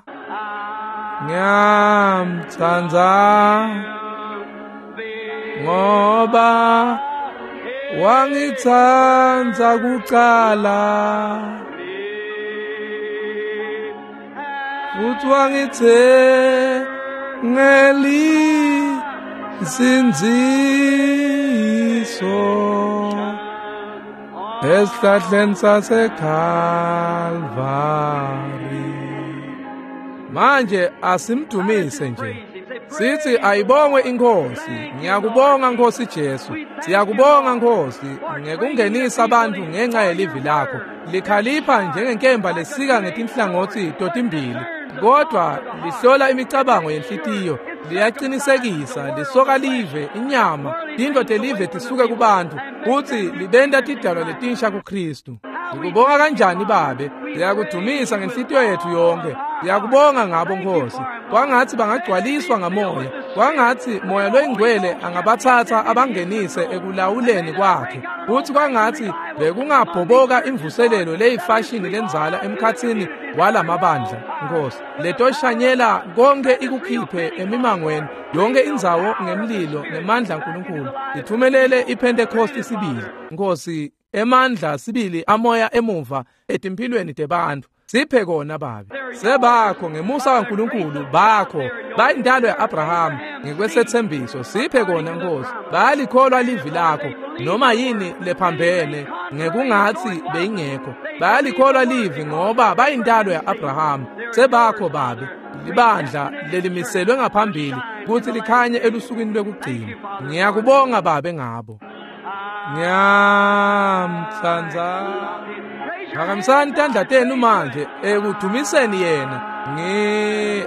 ngiyamtsandza ngoba wangitsandza kucala, futhi wangithengela insindziso Esihlahleni saseKalvari. Manje asimdumise nje. Sithi ayibongwe inkosi. Ngiyakubonga Nkosi Jesu. Siyakubonga Nkosi ngekungenisa abantu ngenxa yelivi lakho. Likhalipha njengenkemba lesika ngetinhlangothi totimbili, kodwa lihlola imicabango yenhlitiyo, liyaqinisekisa, lisoka live inyama, tintfo telive tisuke kubantu, futsi libenta tidalwa letinsha kuKristu. Sikubonga kanjani Babe? Siyakudumisa ngenhlitiyo yethu yonke. Siyakubonga ngabo Nkosi. Kwangathi bangagcwaliswa ngamoya. Kwangathi moya loyingcwele angabathatha abangenise ekulawuleni kwakhe. Futhi kwangathi bekungabhoboka imvuselelo leyifashini lenzala emkhatsini walamabandla Nkosi. Letoshanyela konke ikukhiphe emimangweni yonke indzawo ngemlilo nemandla kaNkulunkulu. Ithumelele iPentecost sibili Nkosi, emandla sibili amoya emuva etimphilweni tebantfu. Siphe kona Babe. Sebakho ngemusa kaNkulunkulu bakho bayindalo ya-Abraham ngekwesethembiso. Siphe kona Nkosi. Bayalikholwa livi lakho noma yini lephambene ngekungathi beyingekho. Bayalikholwa livi ngoba bayindalo ya-Abraham. Sebakho Babe, libandla lelimiselwe ngaphambili kutsi likhanye elusukwini lwekugcina. Ngiyakubonga Babe ngabo. Ngiyamtsandza. Phakamisani tandla tenu manje ekudumiseni yena.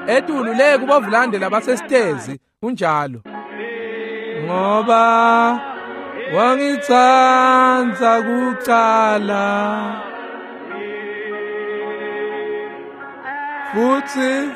Etulu le kubovulande labasesitezi kunjalo. Ngoba wangitsandza kucala, futhi